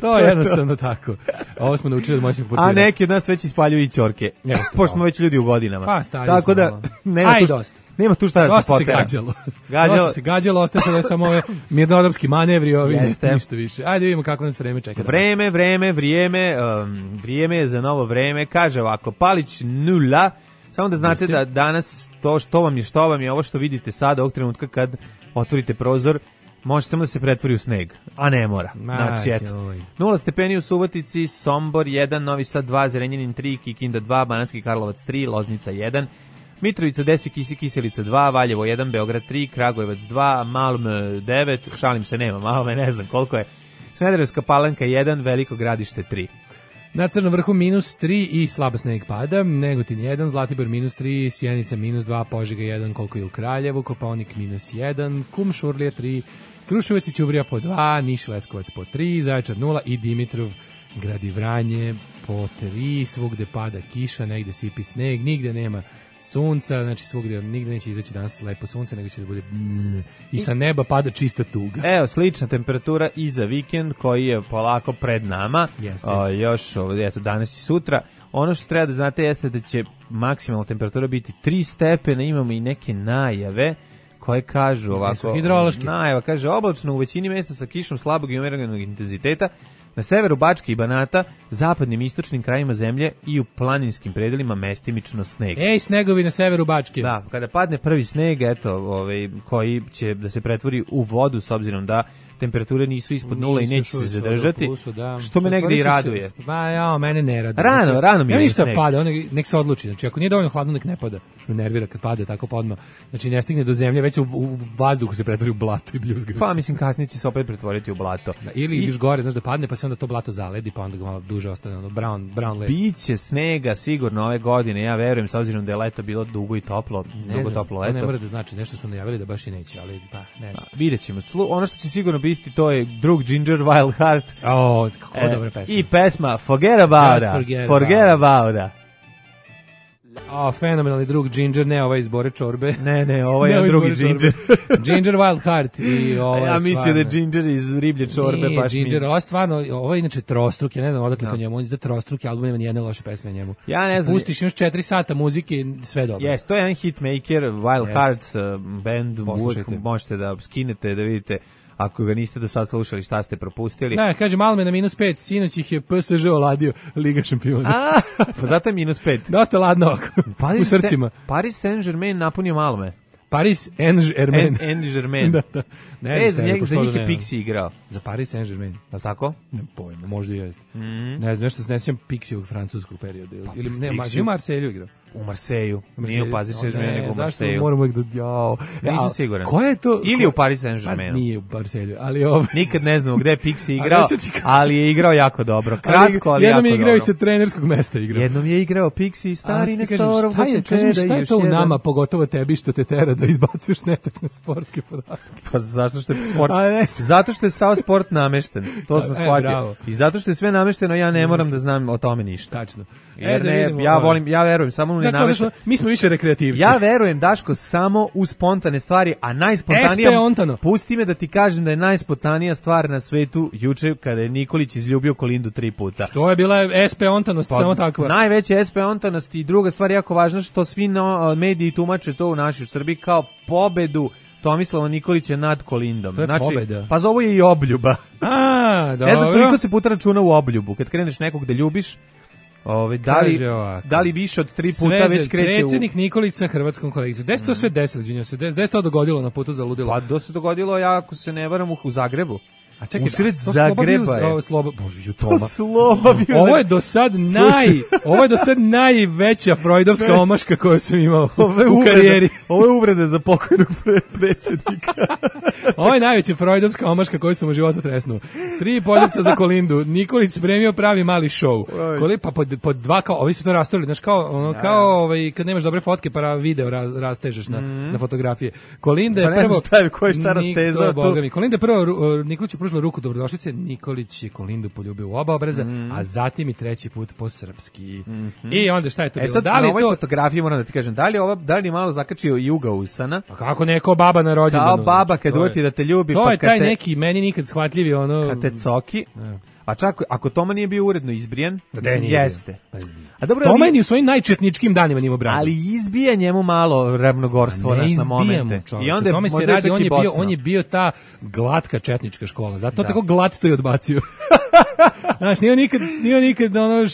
To je jednostavno tako. Ovo smo naučili od moćnih portira. A neki od nas već ispaljuju i ćorke. Pošto smo već ljudi u godinama. Pa, stari tako da malo. nema Aj, tu, dosta. Nema tu šta da se potera. Gađalo. Gađalo. Dosta se gađalo, ostaje sada samo ove mirnodopski manevri, ovi ništa više. Ajde vidimo kako nas vreme čeka. Vreme, vreme, vrijeme, um, vrijeme je za novo vreme. Kaže ovako, Palić nula. Samo da znate da danas to što vam je, što vam je, ovo što vidite sada, ovog trenutka kad otvorite prozor, može samo da se pretvori u sneg, a ne mora. Znači, eto. nula stepeni u Subotici, Sombor jedan, Novi Sad dva, Zrenjanin tri, Kikinda dva, Banatski Karlovac tri, Loznica jedan, Mitrovica deset, Kisi Kiselica dva, Valjevo jedan, Beograd tri, Kragujevac dva, Malm devet, šalim se, nema Malme, ne znam koliko je, Smederevska Palanka jedan, Veliko Gradište tri. Na Crnom vrhu minus tri i slaba sneg pada, Negotin jedan, Zlatibor minus tri, Sjenica minus dva, Požega jedan, koliko je u Kraljevu, Kopaonik minus jedan, Kum Šurlija tri, Kruševac i Ćubrija po dva, Niš Leskovac po tri, Zaječar nula i Dimitrov gradi Vranje, po tri, svugde pada kiša, negde sipi sneg, nigde nema sunca, znači svugde nigde neće izaći danas lepo sunce, nego će da bude i sa neba pada čista tuga. Evo, slična temperatura i za vikend koji je polako pred nama, o, još eto, danas i sutra. Ono što treba da znate jeste da će maksimalna temperatura biti tri stepena, imamo i neke najave koje kažu ovako, najava kaže oblačno u većini mesta sa kišom slabog i umjerenog intenziteta, na severu Bačke i Banata, zapadnim i istočnim krajima zemlje i u planinskim predelima mestimično sneg. Ej, snegovi na severu Bačke. Da, kada padne prvi sneg, eto, ovaj, koji će da se pretvori u vodu s obzirom da temperature nisu ispod nula i neće se zadržati, plusu, da. Što me negde i raduje. Ba, ja, mene ne raduje. Rano, znači, rano mi je ništa sneg. Pada, on nek se odluči. Znači, ako nije dovoljno hladno, nek ne pada. Što me nervira kad pade tako podno. Znači, ne stigne do zemlje, već u, u vazduhu se pretvori u blato i bljuzgavice. Pa, mislim, kasnije će se opet pretvoriti u blato. Da, ili I, još gore, znaš, da padne, pa se onda to blato zaledi, pa onda ga malo duže ostane, ono, brown, brown led. Biće snega sigurno ove godine, ja verujem, s obzirom da je leto bilo dugo i toplo, ne dugo znam, toplo leto. leto. To ne mora da znači, nešto su najavili da baš i neće, ali pa, ne znam. Vidjet ćemo. Ono što će sigurno biti, to je drug Ginger Wild Heart. O, kako e, dobra pesma. I pesma Forget About It. Forget, forget About It. O, fenomenalni drug Ginger, ne ovaj iz Bore čorbe. Ne, ne, ovo je drugi Ginger. Ginger Wild Heart. I ovo ja mislim da je Ginger iz riblje čorbe. Nije baš Ginger, mi... ovo je stvarno, ovo je inače trostruk, ja ne znam odakle no. to njemu, on izda trostruki album, nema nijedne loše pesme njemu. Ja ne znam. Pustiš još četiri sata muzike, sve dobro. Jes, to je jedan hitmaker, Wild yes. Hearts uh, band, uvijek možete da skinete, da vidite ako ga niste do sad slušali šta ste propustili. Da, kaže Malme na minus pet, sinoć ih je P S Ž oladio Liga šampiona. A, pa zato je minus pet. Dosta ladno oko, u srcima. Paris Saint-Germain napunio Malme. Paris Saint-Germain. Saint-Germain. da, da. Ne, e, za, njeg, za njih je Pixi igrao. Za Paris Saint-Germain. Je li tako? Ne pojma, možda i jeste. Mm. Ne znam, nešto se ne sjećam Pixijevog francuskog perioda. Ili, pa, ili ne, Pixi... u Marselju igrao. U Marseju. Nije u Paris Saint-Germain, nego u Marseju. Zašto moram uvijek da... Jao. Nisam siguran. Ko je to? Ili ko... u Paris Saint-Germainu. Pa nije u Marselju, ali ovo... Nikad ne znamo gde je Pixi igrao, ali je igrao jako dobro. Kratko, ali, ali jako dobro. Jednom je igrao i sa trenerskog mesta igrao. Jednom je igrao Pixi, stari Nestorov. Šta je, kažem, šta je to u nama, pogotovo tebi što te tera da izbacuješ netačne sportske podatke? Pa zašto što je sport... Zato što je sav sport namešten. To sam shvatio. I zato što je sve namešteno, ja ne moram da znam o tome ništa. Tačno. Jer ne, ja volim, ja verujem samo u nenamešteno. Mi smo više rekreativci. Ja verujem, Daško, samo u spontane stvari, a najspontanija... Pusti me da ti kažem da je najspontanija stvar na svetu juče kada je Nikolić izljubio Kolindu tri puta. Što je bila S P ontanost, pa, samo takva. Najveća S P ontanost i druga stvar jako važna što svi no, mediji tumače to u našoj Srbiji kao pobedu Tomislava Nikolića nad Kolindom. To je znači, pobeda. Pa zovu je i obljuba. A, dobro. Ne znam koliko se puta računa u obljubu. Kad kreneš nekog da ljubiš, Ove, da, li, da li više od tri puta Sveze, već kreće predsjednik u... Nikolić sa hrvatskom kolegicom. Gde se to sve desilo, izvinjam se? Gde se to dogodilo na putu za ludilo? Pa do se dogodilo, ja ako se ne varam, u Zagrebu. A čekaj, usred Zagreba je. Ovo sloba, Bože, jutoma. To sloba bio. Ovo je do sad naj, ovo je do sad najveća freudovska omaška koju sam imao u karijeri. Ovo je uvreda za pokojnog pre, predsjednika. Ovo je najveća freudovska omaška koju sam u životu tresnuo. Tri poljupca za Kolindu. Nikolić spremio pravi mali show. Koli pa pod, pod dva kao, ovi su to rastorili, znaš kao, ono, kao ovaj, kad nemaš dobre fotke pa video raz, rastežeš na, mm. na fotografije. Kolinda je pa prvo... Šta je, ko je šta rastezao tu? Kolinda je prvo, Nikolić pružila ruku dobrodošlice, Nikolić je Kolindu poljubio u oba obraza, mm. a zatim i treći put po srpski. Mm -hmm. I onda šta je to e bilo? Sad, da li na ovoj to... fotografiji moram da ti kažem, da li, ova, da li malo zakačio Juga usana? Pa kako neko baba na rođendanu? Kao baba kad uvati da te ljubi. To pa je taj te, neki, meni nikad shvatljivi ono... Kad te coki. Ne. A čak, ako Toma nije bio uredno izbrijen, mislim, jeste. Bio. A dobro, Toma je u svojim najčetničkim danima njima brano. Ali izbija njemu malo ravnogorstvo naš na momente. I onda Tome se radi, on je, bio, on je bio ta glatka četnička škola. Zato da. Tako glat to je odbacio. Znaš, nije nikad, nije nikad ono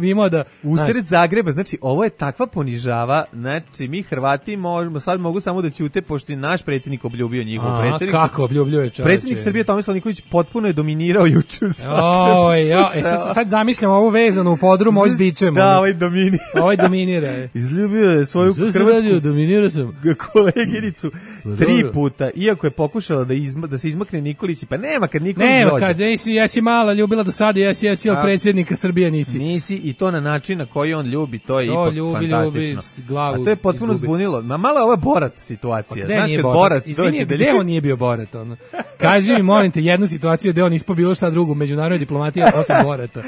imao da... Usred Zagreba, znači, ovo je takva ponižava, znači, mi Hrvati možemo, sad mogu samo da ćute, pošto je naš predsjednik obljubio njihov predsjednik. Kako obljubljuje čovječe? Predsjednik Srbije Tomislav Nikolić potpuno je dominirao juče u Zagrebu. Oj, jo, e, sad, sad zamišljam ovo vezano u podrum, ovo s bičem. Da, ovaj dominira. Ovaj dominira. Izljubio je svoju hrvatsku dominirao sam. koleginicu tri puta, iako je pokušala da, izma, da se izmakne Nikolić, pa nema kad Nikolić nema, dođe. Nema kad, ja si mala ljubila do do sada jesi, jesi, ali predsjednika Srbije nisi. Nisi i to na način na koji on ljubi, to je to ipak ljubi, fantastično. Ljubi, glavu A to je potpuno izgubi. zbunilo. Ma malo je ovo Borat situacija. Pa Znaš kad Borat? Borat Izvini, dođe da gde ljubi- on nije bio Borat? Ono? Kaži mi, molim te, jednu situaciju gde on ispo bilo šta drugo u međunarodnoj diplomatiji osim Borata.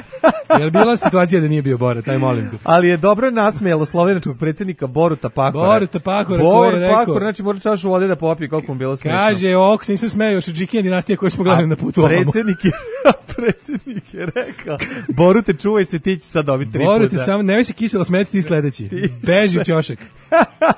Je li bila situacija da nije bio Borat? Aj molim te. Ali je dobro nasmejalo slovenačkog predsjednika Boruta Pahora. Boruta Pahora koji je Borut rekao- Pahor, znači mora čašu vode da popije, koliko mu bilo smiješno. Kaže, ok, se nisam smeo još od Džikija dinastije koju smo gledali na putu ovamo. Predsjednik je, predsjednik je rekao, Borute, čuvaj se, ti će sad dobiti tri Borut puta. je samo, nemoj se kiselo smeti, ti sledeći. Ti Beži u ćošak.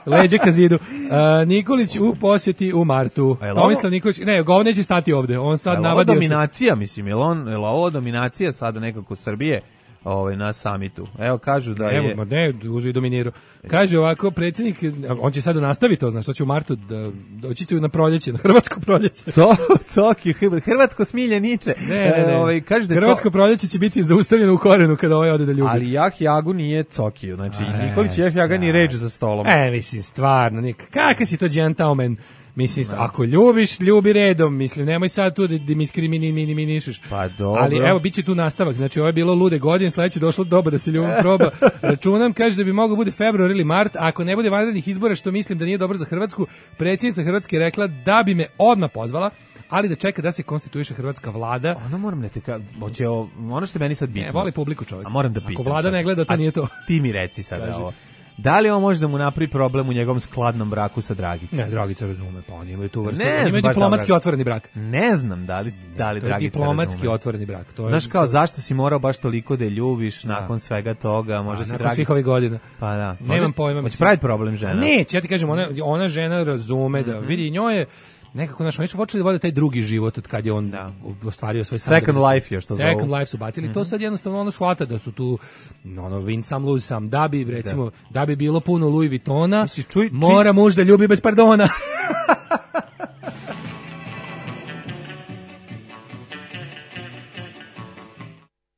Leđe ka zidu. Uh, Nikolić u posjeti u martu. A je li ovo- Tomislav Nikolić, ne, ovo neće stati ovde. On sad Jel ovo navadio se. dominacija, mislim, je li on, je li ovo dominacija sada nekako Srbije ovaj, na samitu? Evo, kažu da Evo, je... ma ne, uži dominirao. Kaže ovako, predsjednik, on će sad nastaviti to, znaš, što će u martu, da, doći će na proljeće, na hrvatsko proljeće. Co, coki, hrvatsko smiljeniče. Ne, ne, ne. E, ovaj, kaže da je Hrvatsko proljeće će biti zaustavljeno u korenu kada ovaj ode da ljubi. Ali Jah Jagu nije Cokiju, znači A, Nikolić i Jah Jaga ni reč za stolom. E, mislim, stvarno, nik, kakav si to gentleman? Mislim, ako ljubiš, ljubi redom, mislim, nemoj sad tu da, da mi iskriminišeš. Pa dobro. Ali evo, bit će tu nastavak, znači ovo je bilo lude godine, sledeće došlo doba da se ljubav proba. Računam, kaže da bi moglo bude februar ili mart, a ako ne bude vanrednih izbora, što mislim da nije dobro za Hrvatsku, predsjednica Hrvatske je rekla da bi me odmah pozvala, ali da čeka da se konstituiše hrvatska vlada. Ono moram ne te ka, hoće o- ono što je meni sad bitno. Ne, voli publiku čovjek. A moram da pitam. Ako vlada sad. ne gleda, to A nije to. Ti mi reci sada Kaži. ovo. Da li on može da mu napravi problem u njegovom skladnom braku sa Dragicom? Ne, Dragica razume, pa oni imaju tu vrstu. Ne Oni znam imaju baš diplomatski da, otvoreni brak. Ne znam da li, da li To je Dragica diplomatski razume. otvoreni brak. To je, Znaš kao, zašto si morao baš toliko da je ljubiš nakon svega toga? Možda će nakon Dragica... svih ovih godina. Pa da. Nemam Možda- pojma, Hoće mislim. praviti problem žena. Neće, ja ti kažem, ona, ona žena razume da, vidi, njoj je nekako, znaš, oni su počeli da vode taj drugi život od kad je on Da. ostvario svoj Second sadržaj. life još to zovu. Second life su bacili. To sad jednostavno ono shvata da su tu ono, win some, lose some. Da bi, recimo, da, bi bilo puno Louis Vuittona, Misliš, čuj, mora muž da ljubi bez pardona.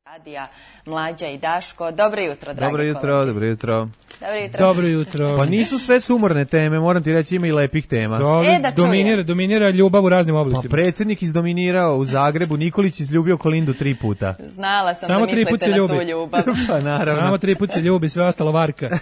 Adija, Mlađa i Daško. Dobro jutro, dragi Dobro jutro, kolege. dobro jutro. Dobro jutro. Dobro jutro. Pa nisu sve sumorne teme, moram ti reći, ima i lepih tema. To E, da dominira, čujem. dominira ljubav u raznim Pa oblicima. predsjednik izdominirao u Zagrebu, Nikolić izljubio Kolindu tri puta. Znala sam Samo da tri put mislite se na ljubi. tu ljubav. Pa naravno. Samo tri put se ljubi, sve ostalo varka. To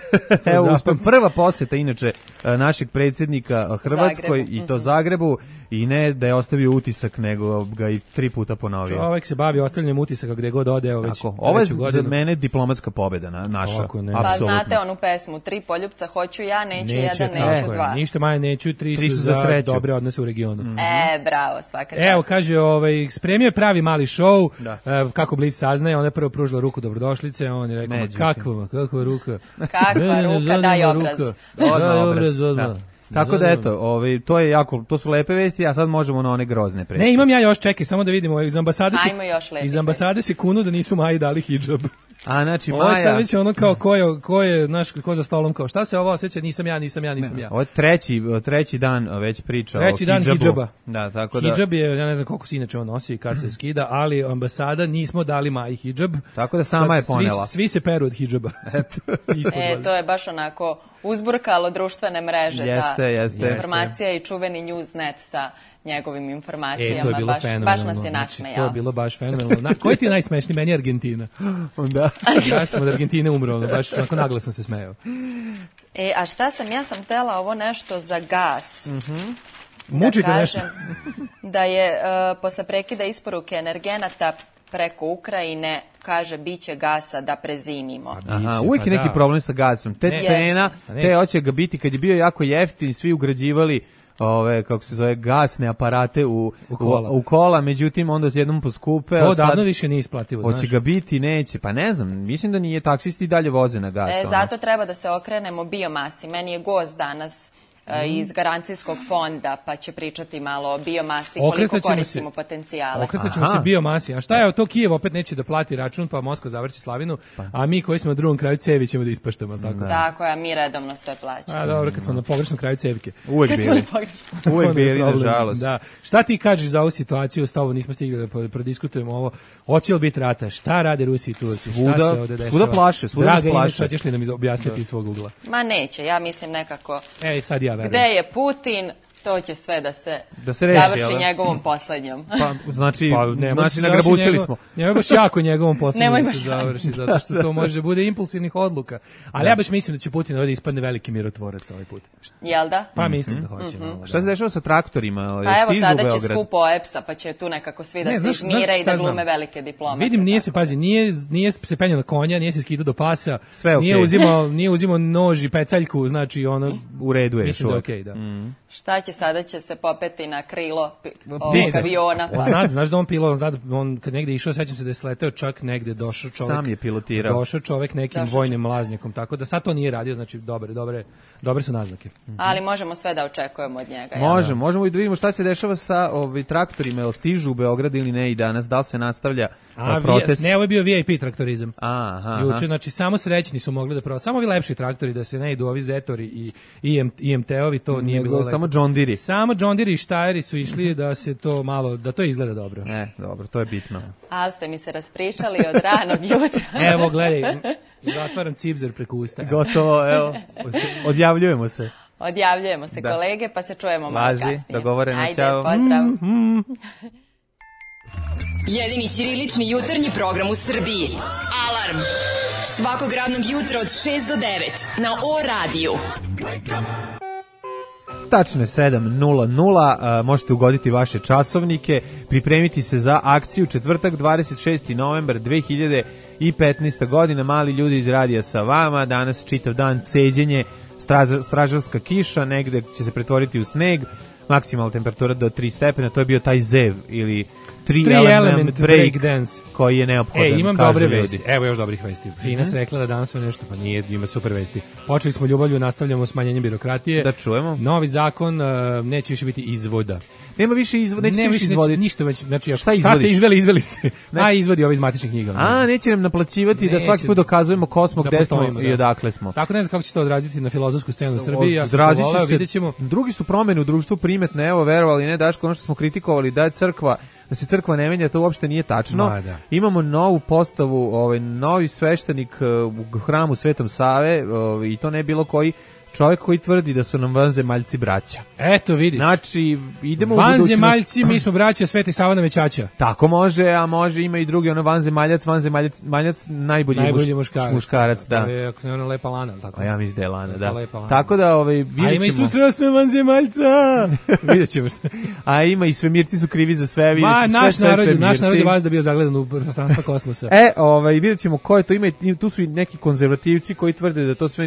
Evo, zapamti. uspem, prva posjeta inače e, našeg predsjednika e, Hrvatskoj Zagrebu. i to Zagrebu i ne da je ostavio utisak, nego ga i tri puta ponovio. Čovek se bavi ostavljanjem utisaka gde god ode, evo već Tako, ovo je treću za godinu. mene diplomatska pobjeda na, naša. Kako ne. Pa Apsolutno. znate onu pesmu, tri poljupca hoću ja, neću, Neću, jedan, tako neću je. dva. Ništa manje neću, tri, Tri su su za za sreću. dobre odnose u regionu. E, bravo, svaka čast. Evo, kaže, ovaj, spremio je pravi mali show, Da. e, kako Blic saznaje, ona je prvo pružila ruku dobrodošlice, a on je rekao, ma Međutim. kakva, kakva ruka. Kakva Mene ne ruka, zanima daj obraz. ruka. Odmah Daj obraz, obraz, da. odmah. Tako da Zanima eto, ovaj, to je jako, to su lepe vesti, a sad možemo na one grozne preći. Ne, imam ja još, čekaj, samo da vidimo, iz ambasade se, Ajmo još lepih iz ambasade se kunu da nisu Maji dali hidžab. A znači Ovo je sad Maja, već ono kao ko je, ko je, znaš, ko za stolom, kao šta se ovo osjeća, nisam ja, nisam ja, nisam ja. ovo je treći, treći dan već priča Treći o dan hidžabu. hidžaba. Da, tako da, Hidžab je, ja ne znam koliko se inače on nosi i kad se skida, ali ambasada nismo dali Maji hidžab. tako da sama je Sad ponela. Svi, svi se peru od hidžaba. Ispod E, valjda. to je baš onako uzburkalo društvene mreže. Jeste, ta jeste. informacija i čuveni Newsnet sa njegovim informacijama. E, to je bilo baš, fenomenalno. baš nas je Znači, nasmejao. to je bilo baš fenomenalno. Na, koji ti je najsmešniji? Meni je Argentina. Da. Ja sam od Argentine umro, ono, baš onako naglo sam se smejao. E, a šta sam, ja sam tela ovo nešto za gas. Mučite da nešto. kažem da je uh, posle prekida isporuke energenata preko Ukrajine, kaže, biće gasa da prezimimo. Aha, Biće, uvijek pa je neki da. problem sa gasom. Te Ne. cena, Pa ne. te hoće ga biti, kad je bio jako jeftin, svi ugrađivali ove, kako se zove, gasne aparate u, U kola. u, u kola, međutim onda se jednom poskupe, To a sad davno više nije isplativo, hoće znaš. ga biti, neće, pa ne znam, mislim da nije, taksisti i dalje voze na gas. E, ono. zato treba da se okrenemo biomasi. Meni je gost danas e, iz garancijskog fonda, pa će pričati malo o biomasi, koliko Okretat ćemo koristimo se- potencijale. Okretat ćemo Aha. se biomasi. A šta je, to Kijev opet neće da plati račun, pa Moskva završi slavinu, a mi koji smo na drugom kraju cevi ćemo da ispaštamo. Tako. Tako je, a mi redovno sve plaćamo. A dobro, kad smo na pogrešnom kraju cevike. Uvijek Kad smo bili. na pogrešnom. Uvijek To nam je bili, problem. nažalost. Da. Šta ti kažeš za ovu situaciju, s tobom nismo stigli da po- prodiskutujemo ovo. Hoće li biti rata? Šta rade Rusi i Turci? Šta Svuda- se ovde dešava? svuda plaše, svuda nas Draga plaše. Ines, šta ćeš li nam iz- objasniti iz svog ugla? Ma neće, ja mislim nekako, Ej, sad ja verujem. gde je Putin, To će sve da se, da se reši, završi jel? njegovom poslednjom. Pa, znači, pa, ne, znači nagrabućili njegov, smo. Njegov baš jako njegovom poslednjom Nemoj da baš se završi, zato što to može bude impulsivnih odluka. Ali da. ja baš mislim da će Putin ovdje ispadne veliki mirotvorac ovaj put. Jel da? Pa mislim da hoće. Mm-hmm. Malo, šta se dešava sa traktorima? Pa evo sada će skup O E P S-a, pa će tu nekako svi da ne, se znaš, izmire znaš i da glume znam. velike diplomate. Vidim, nije se, pazi, nije, nije se penjao na konja, nije se skidao do pasa, sve nije, okay. uzimao, nije uzimao nož i pecaljku, znači ono... U redu je. Mislim da okej, okay, da. Mm. Šta će sada, će se popeti na krilo ovog aviona? Pa. Znaš, znaš da on pilot, zna da on kad negde išao, sećam se da je sleteo čak negde, došao čovek. Sam je pilotirao. Došao čovek nekim došao vojnim mlaznjakom, tako da sad to nije radio, znači dobre, dobre, dobre su naznake. Mm-hmm. Ali možemo sve da očekujemo od njega. Možemo, ja? možemo i da vidimo šta se dešava sa ovaj, traktorima, jel stižu u Beograd ili ne i danas, da li se nastavlja A, protest? Ne, ovo je bio V I P traktorizam. Aha. Juče, znači samo srećni su mogli da protest. Samo ovi lepši traktori, da se ne idu ovi Zetori i I M T-ovi, to nije bilo lepo. Samo John Deere. Samo John Deere i Steyri su išli da se to malo, da to izgleda dobro. Ne, dobro, to je bitno. Ali ste mi se raspričali od ranog jutra. Evo, gledaj, zatvaram cipzer preko usta. Gotovo, evo, odjavljujemo se. Odjavljujemo se, da. kolege, pa se čujemo malo Važi, kasnije. dogovoreno, ajde, čao. pozdrav. Mm, mm. Jedini ćirilični jutarnji program u Srbiji. Alarm! Svakog radnog jutra od šest do devet na O radiju. Tačno je sedam nula nula, možete ugoditi vaše časovnike, pripremiti se za akciju četvrtak dvadeset šesti novembar dve hiljade petnaeste. godina. Mali ljudi iz radija sa vama, danas čitav dan ceđenje, straž, stražarska kiša, negde će se pretvoriti u sneg, maksimalna temperatura do tri stepena, to je bio taj zev ili tri element, element break, break dance koji je neophodan. E, imam dobre vesti. Evo još dobrih vesti. Fina se rekla da danas sve nešto, pa nije, ima super vesti. Počeli smo ljubavlju, nastavljamo smanjenjem birokratije. Da čujemo. Novi zakon, uh, neće više biti izvoda. Nema više izvoda, neće ne, više izvoditi. Ništa već, znači, šta, šta ste izveli, izveli ste. Ne. A izvodi ovi iz matičnih knjiga. A, neće nam naplaćivati neće, da svaki put dokazujemo ko smo, da gde smo da. i odakle smo. Tako ne znam kako će to odraziti na filozofsku scenu u Srbiji. Ja Odrazit će se, drugi su promene u društvu primetne, evo, verovali, ne, Daško, ono što smo kritikovali, da je crkva, da se crkva ne menja, to uopšte nije tačno. Ma, da. Imamo novu postavu, ovaj, novi sveštenik u hramu Svetom Save, ovaj, i to ne bilo koji čovjek koji tvrdi da su nam vanzemaljci braća. Eto vidiš. Znači, idemo u budućnost. Vanzemaljci, mi smo braća Sveti Sava na Većaća. Tako može, a može ima i drugi, ono vanzemaljac, vanzemaljac, maljac, najbolji, najbolji muš, muškarac. muškarac, da. To je, ako se ne ona lepa lana, tako. A ja mislim da je lana, da. Lana. Tako da, ovaj, vidjet ćemo. A ima i susreo sam vanzemaljca. Vidjet ćemo šta. A ima i svemirci su krivi za sve, vidjet ćemo naš sve, narod, sve naš narod je vas da bio zagledan u prostranstva kosmosa. E, ovaj, vidjet ćemo ko je to, ima, tu su i neki konzervativci koji tvrde da to sve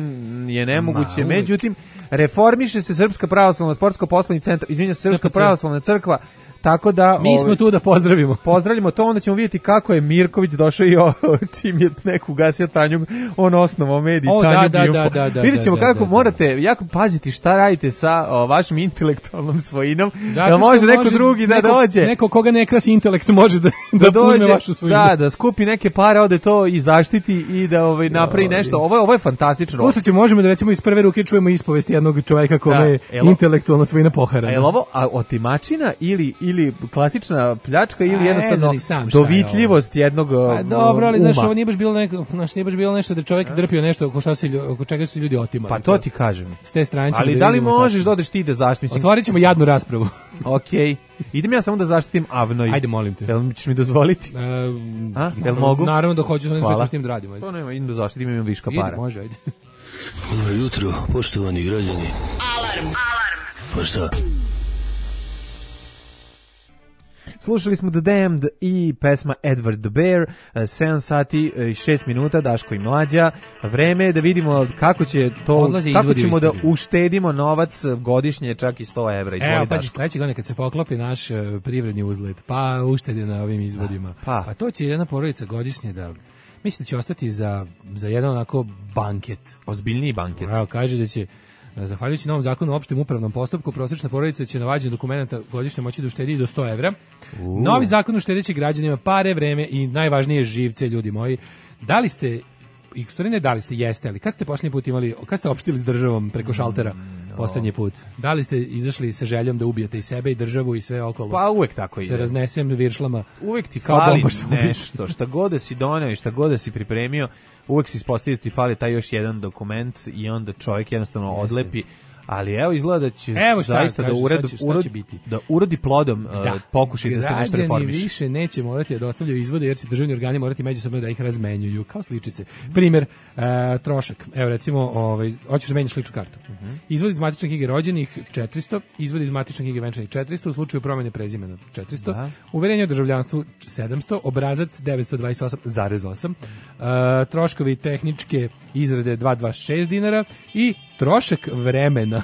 je nemoguće, Ma, međutim, reformiše se Srpska pravoslavna sportsko-poslovni centar, izvinja se Srpska pravoslavna crkva, tako da... Mi smo ove, tu da pozdravimo. Pozdravljamo to, onda ćemo vidjeti kako je Mirković došao i o, čim je neku gasio Tanjug, on osnovao medij o, Tanjug da, Info. Da, da, da, vidjet ćemo da, kako da, da, morate jako paziti šta radite sa o, vašim intelektualnom svojinom, zato da može neko može drugi da neko, dođe. Neko koga ne krasi intelekt može da, da, da dođe, uzme vašu svojinu. Da, da skupi neke pare, ode to i zaštiti i da ovaj, napravi nešto. Ovo je, ovo je fantastično. Slušajte, možemo da recimo iz prve ruke čujemo ispovest jednog čovjeka kome je intelektualna svojina poharana. A je ovo a, otimačina ili, ili klasična pljačka ili jednostavno dovitljivost jednog pa dobro, ali znaš, ovo nije baš bilo neko, znaš, nije baš bilo nešto da čovjek drpio nešto oko šta se oko čega su ljudi otimali. Pa to ti kažem. S te strane. Ali da li možeš da odeš ti da zaštitiš? Otvorit ćemo jadnu raspravu. Okej. Idem ja samo da zaštitim Avnoj. Ajde, molim te. Jel mi ćeš mi dozvoliti? E, A, jel mogu? Naravno da hoću, znači što s tim da radimo. To nema, idem da zaštitim, imam viška para. Ide, može, ajde. Dobro jutro, poštovani građani. Alarm! Alarm! Pa šta? Slušali smo The Damned i pesma Edward the Bear, sedam sati i šest minuta, Daško i Mlađa. Vreme je da vidimo kako će to, odlazi kako ćemo da uštedimo novac godišnje, čak i sto evra. Izvoli, evo, pazi, sledeće godine kad se poklopi naš uh, privredni uzlet, pa uštedi na ovim izvodima, pa. pa to će jedna porodica godišnje da, mislim da će ostati za, za jedan onako banket. Ozbiljniji banket. Evo, kaže da će zahvaljujući novom zakonu o opštem upravnom postupku, prosječna porodica će na vađenju dokumenta godišnje moći da uštedi do sto evra. Uh. Novi zakon uštedeći građanima pare, vreme i najvažnije živce, ljudi moji. Da li ste, i stvari ne da li ste, jeste, ali kad ste posljednji put imali, kad ste opštili s državom preko šaltera no. posljednji put? Da li ste izašli sa željom da ubijete i sebe i državu i sve okolo? Pa uvek tako ide. Se raznesem viršlama. Uvek ti fali nešto, šta god da si doneo i šta god da si pripremio, uvek se ispostavi da ti fali taj još jedan dokument i onda čovjek jednostavno Jeste. odlepi. Ali evo izgleda da će evo šta, zaista kaže, da uredi, šta će, šta uredi, će biti. da urodi plodom da. uh, pokušaj da se nešto reformiše. Građani više neće morati da dostavljaju izvode jer će državni organi morati međusobno da ih razmenjuju kao sličice. Primjer, uh, trošak. Evo recimo, ovaj hoćeš da menjaš ličnu kartu. Uh -huh. Izvod iz matične knjige rođenih četiristo, izvod iz matične knjige venčanih četiristo, u slučaju promjene prezimena četiristo, da. Uverenje o državljanstvu sedamsto, obrazac devetsto dvadeset osam zarez osam, uh, troškovi tehničke izrade dvesta dvadeset šest dinara i trošak vremena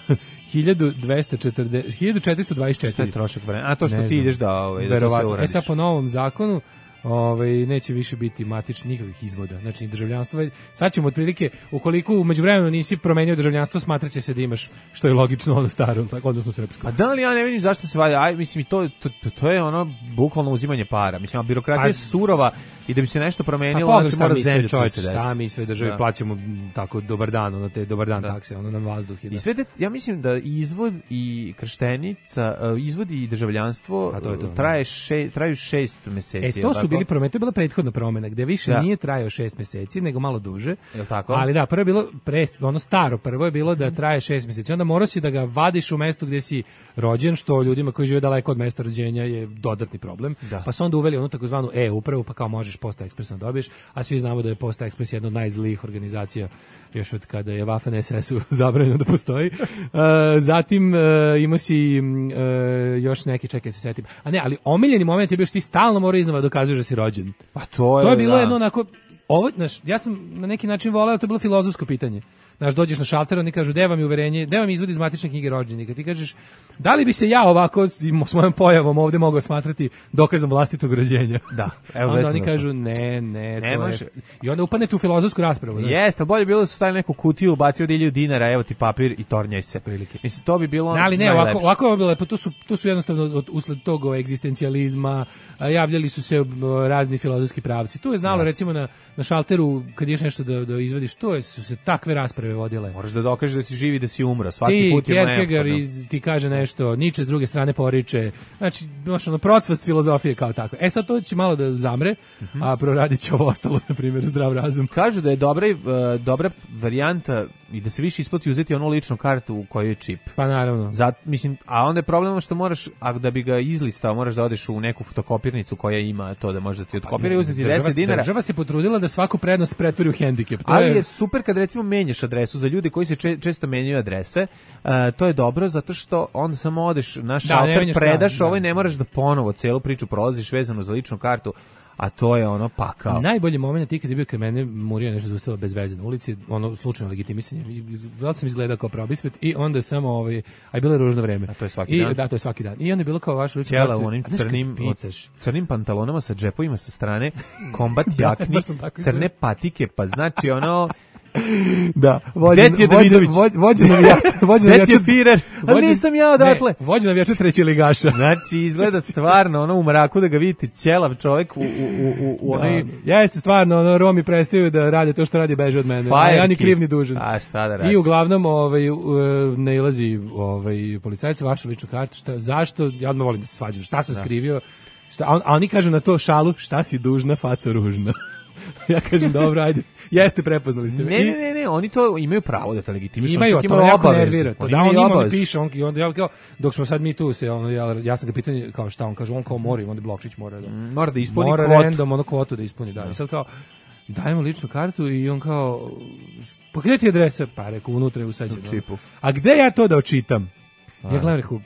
hiljadu dvesta četrdeset hiljadu četiristo dvadeset četiri. Šta je trošak vremena? A to što ne ti znam. ideš da, ovaj, da to se uradiš. E sad po novom zakonu ovaj neće više biti matičnih nikakvih izvoda. Znači državljanstvo sad ćemo otprilike ukoliko u međuvremenu nisi promenio državljanstvo smatraće se da imaš što je logično ono staro, tako odnosno srpsko. A da li ja ne vidim zašto se valja? Aj mislim i to, to to to je ono bukvalno uzimanje para. Mislim a birokratija je surova i da bi se nešto promenilo pa, znači mora zemlju čovjek, šta mi sve državi da. Plaćamo tako dobar dan, ono te dobar dan da. Takse, ono nam vazduh i da. I sve de, ja mislim da izvod i krštenica, izvod i državljanstvo to to, traje še, traju šest meseci. E to su bili promene, to je bila prethodna promena gde više da. Nije trajao šest meseci nego malo duže. Je tako? Ali da, prvo je bilo pre, ono staro, prvo je bilo da traje šest meseci. Onda morao si da ga vadiš u mestu gde si rođen, što ljudima koji žive daleko od mesta rođenja je dodatni problem. Da. Pa su onda uveli onu takozvanu e-upravu, pa kao možeš Posta Ekspresno dobiješ, a svi znamo da je Posta Ekspres jedna od najzlijih organizacija još od kada je Waffen es esu zabranjeno da postoji. Uh, zatim uh, imao si uh, još neki, čekaj se setim. A ne, ali omiljeni moment je bio što ti stalno mora iznova dokazuješ da si rođen. Pa to je, to je bilo da. jedno onako, ovo, znaš, ja sam na neki način voleo, to je bilo filozofsko pitanje. Znaš, dođeš na šalter, oni kažu, gde vam je uverenje, gde vam je izvod iz matične knjige rođenika. Ti kažeš, da li bi se ja ovako s mojom pojavom ovde mogao smatrati dokazom vlastitog rođenja? Da. Evo onda oni kažu, ne, ne, ne to može. je... I onda upadnete u filozofsku raspravu. Jeste, ali bolje bilo da su stavili neku kutiju, bacio dilju dinara, evo ti papir i tornjaj se. Prilike. Mislim, to bi bilo ne, ali ne, ovako, ovako je bilo lepo, to su, to su jednostavno od, usled tog egzistencijalizma, javljali su se razni filozofski pravci. Tu je znalo, yes. recimo, na, na šalteru, kad ješ nešto da, da izvadiš, to je, su se takve rasprave vodile. Moraš da dokažeš da si živi, da si umro. Svaki ti, put je Kierkegaard ti kaže nešto, Nietzsche s druge strane poriče. Znači, baš ono, procvast filozofije kao tako. E sad to će malo da zamre, uh-huh. a proradit će ovo ostalo, na primjer, zdrav razum. Kažu da je dobra, uh, dobra varijanta i da se više isplati uzeti onu ličnu kartu u kojoj je čip. Pa naravno. Zat, mislim, a onda je problem što moraš, a da bi ga izlistao, moraš da odeš u neku fotokopirnicu koja ima to da može da ti odkopira i uzeti deset dinara. Država se potrudila da svaku prednost pretvori u hendikep. To Ali je... je super kad recimo menjaš adresu za ljudi koji se če, često menjaju adrese. Uh, to je dobro zato što onda samo odeš na šalter, da, predaš ovo i ne moraš da ponovo celu priču prolaziš vezano za ličnu kartu. A to je ono pakao. Najbolji moment je kad je bio kad mene Murija nešto zaustavila bez veze na ulici, ono slučajno legitimisanje. Već sam izgledao kao probisvet i onda samo ovaj, a je bilo ružno vreme. A to je svaki I, dan. Da, to je svaki dan. I onda je bilo kao vaš lični Ćela u onim crnim, crnim pantalonama sa džepovima sa strane, kombat jakni, crne patike, pa znači ono... Da, vođen Davidović, vođen navijača, vođen navijača Firer. A nisam ja odatle. Ne, vođen navijača treći ligaša. Znači izgleda stvarno ono u mraku da ga vidite ćelav čovjek u u u u onaj. Ja jeste stvarno ono Romi prestaju da rade to što radi beže od mene. A ja ni kriv ni dužan. A šta da radi? I uglavnom ovaj nailazi ovaj policajac vašu ličnu kartu, šta zašto? Ja odmah volim da se svađam. Šta sam da. skrivio? Šta a, a oni kažu na to šalu, šta si dužna, faco ružna. Ja kažem, dobro, ajde, jeste, prepoznali ste me. Ne, ne, ne, ne, oni to imaju pravo da te legitimišu. Imaju, to me jako nervira. To da, on njima on piše, on, on, ja, kao, dok smo sad mi tu, se, on, ja, ja sam ga pitao, kao šta, on kaže, on kao mora, onda Blokčić mora da... Mm, mora da ispuni mora kvotu. Mora random, ono kvotu da ispuni, da. I sad kao, dajemo ličnu kartu i on kao, pa gde ti adresa? Pa rekao, unutra je usađeno. U čipu. A gde ja to da očitam? A. Ja gledam, rekao,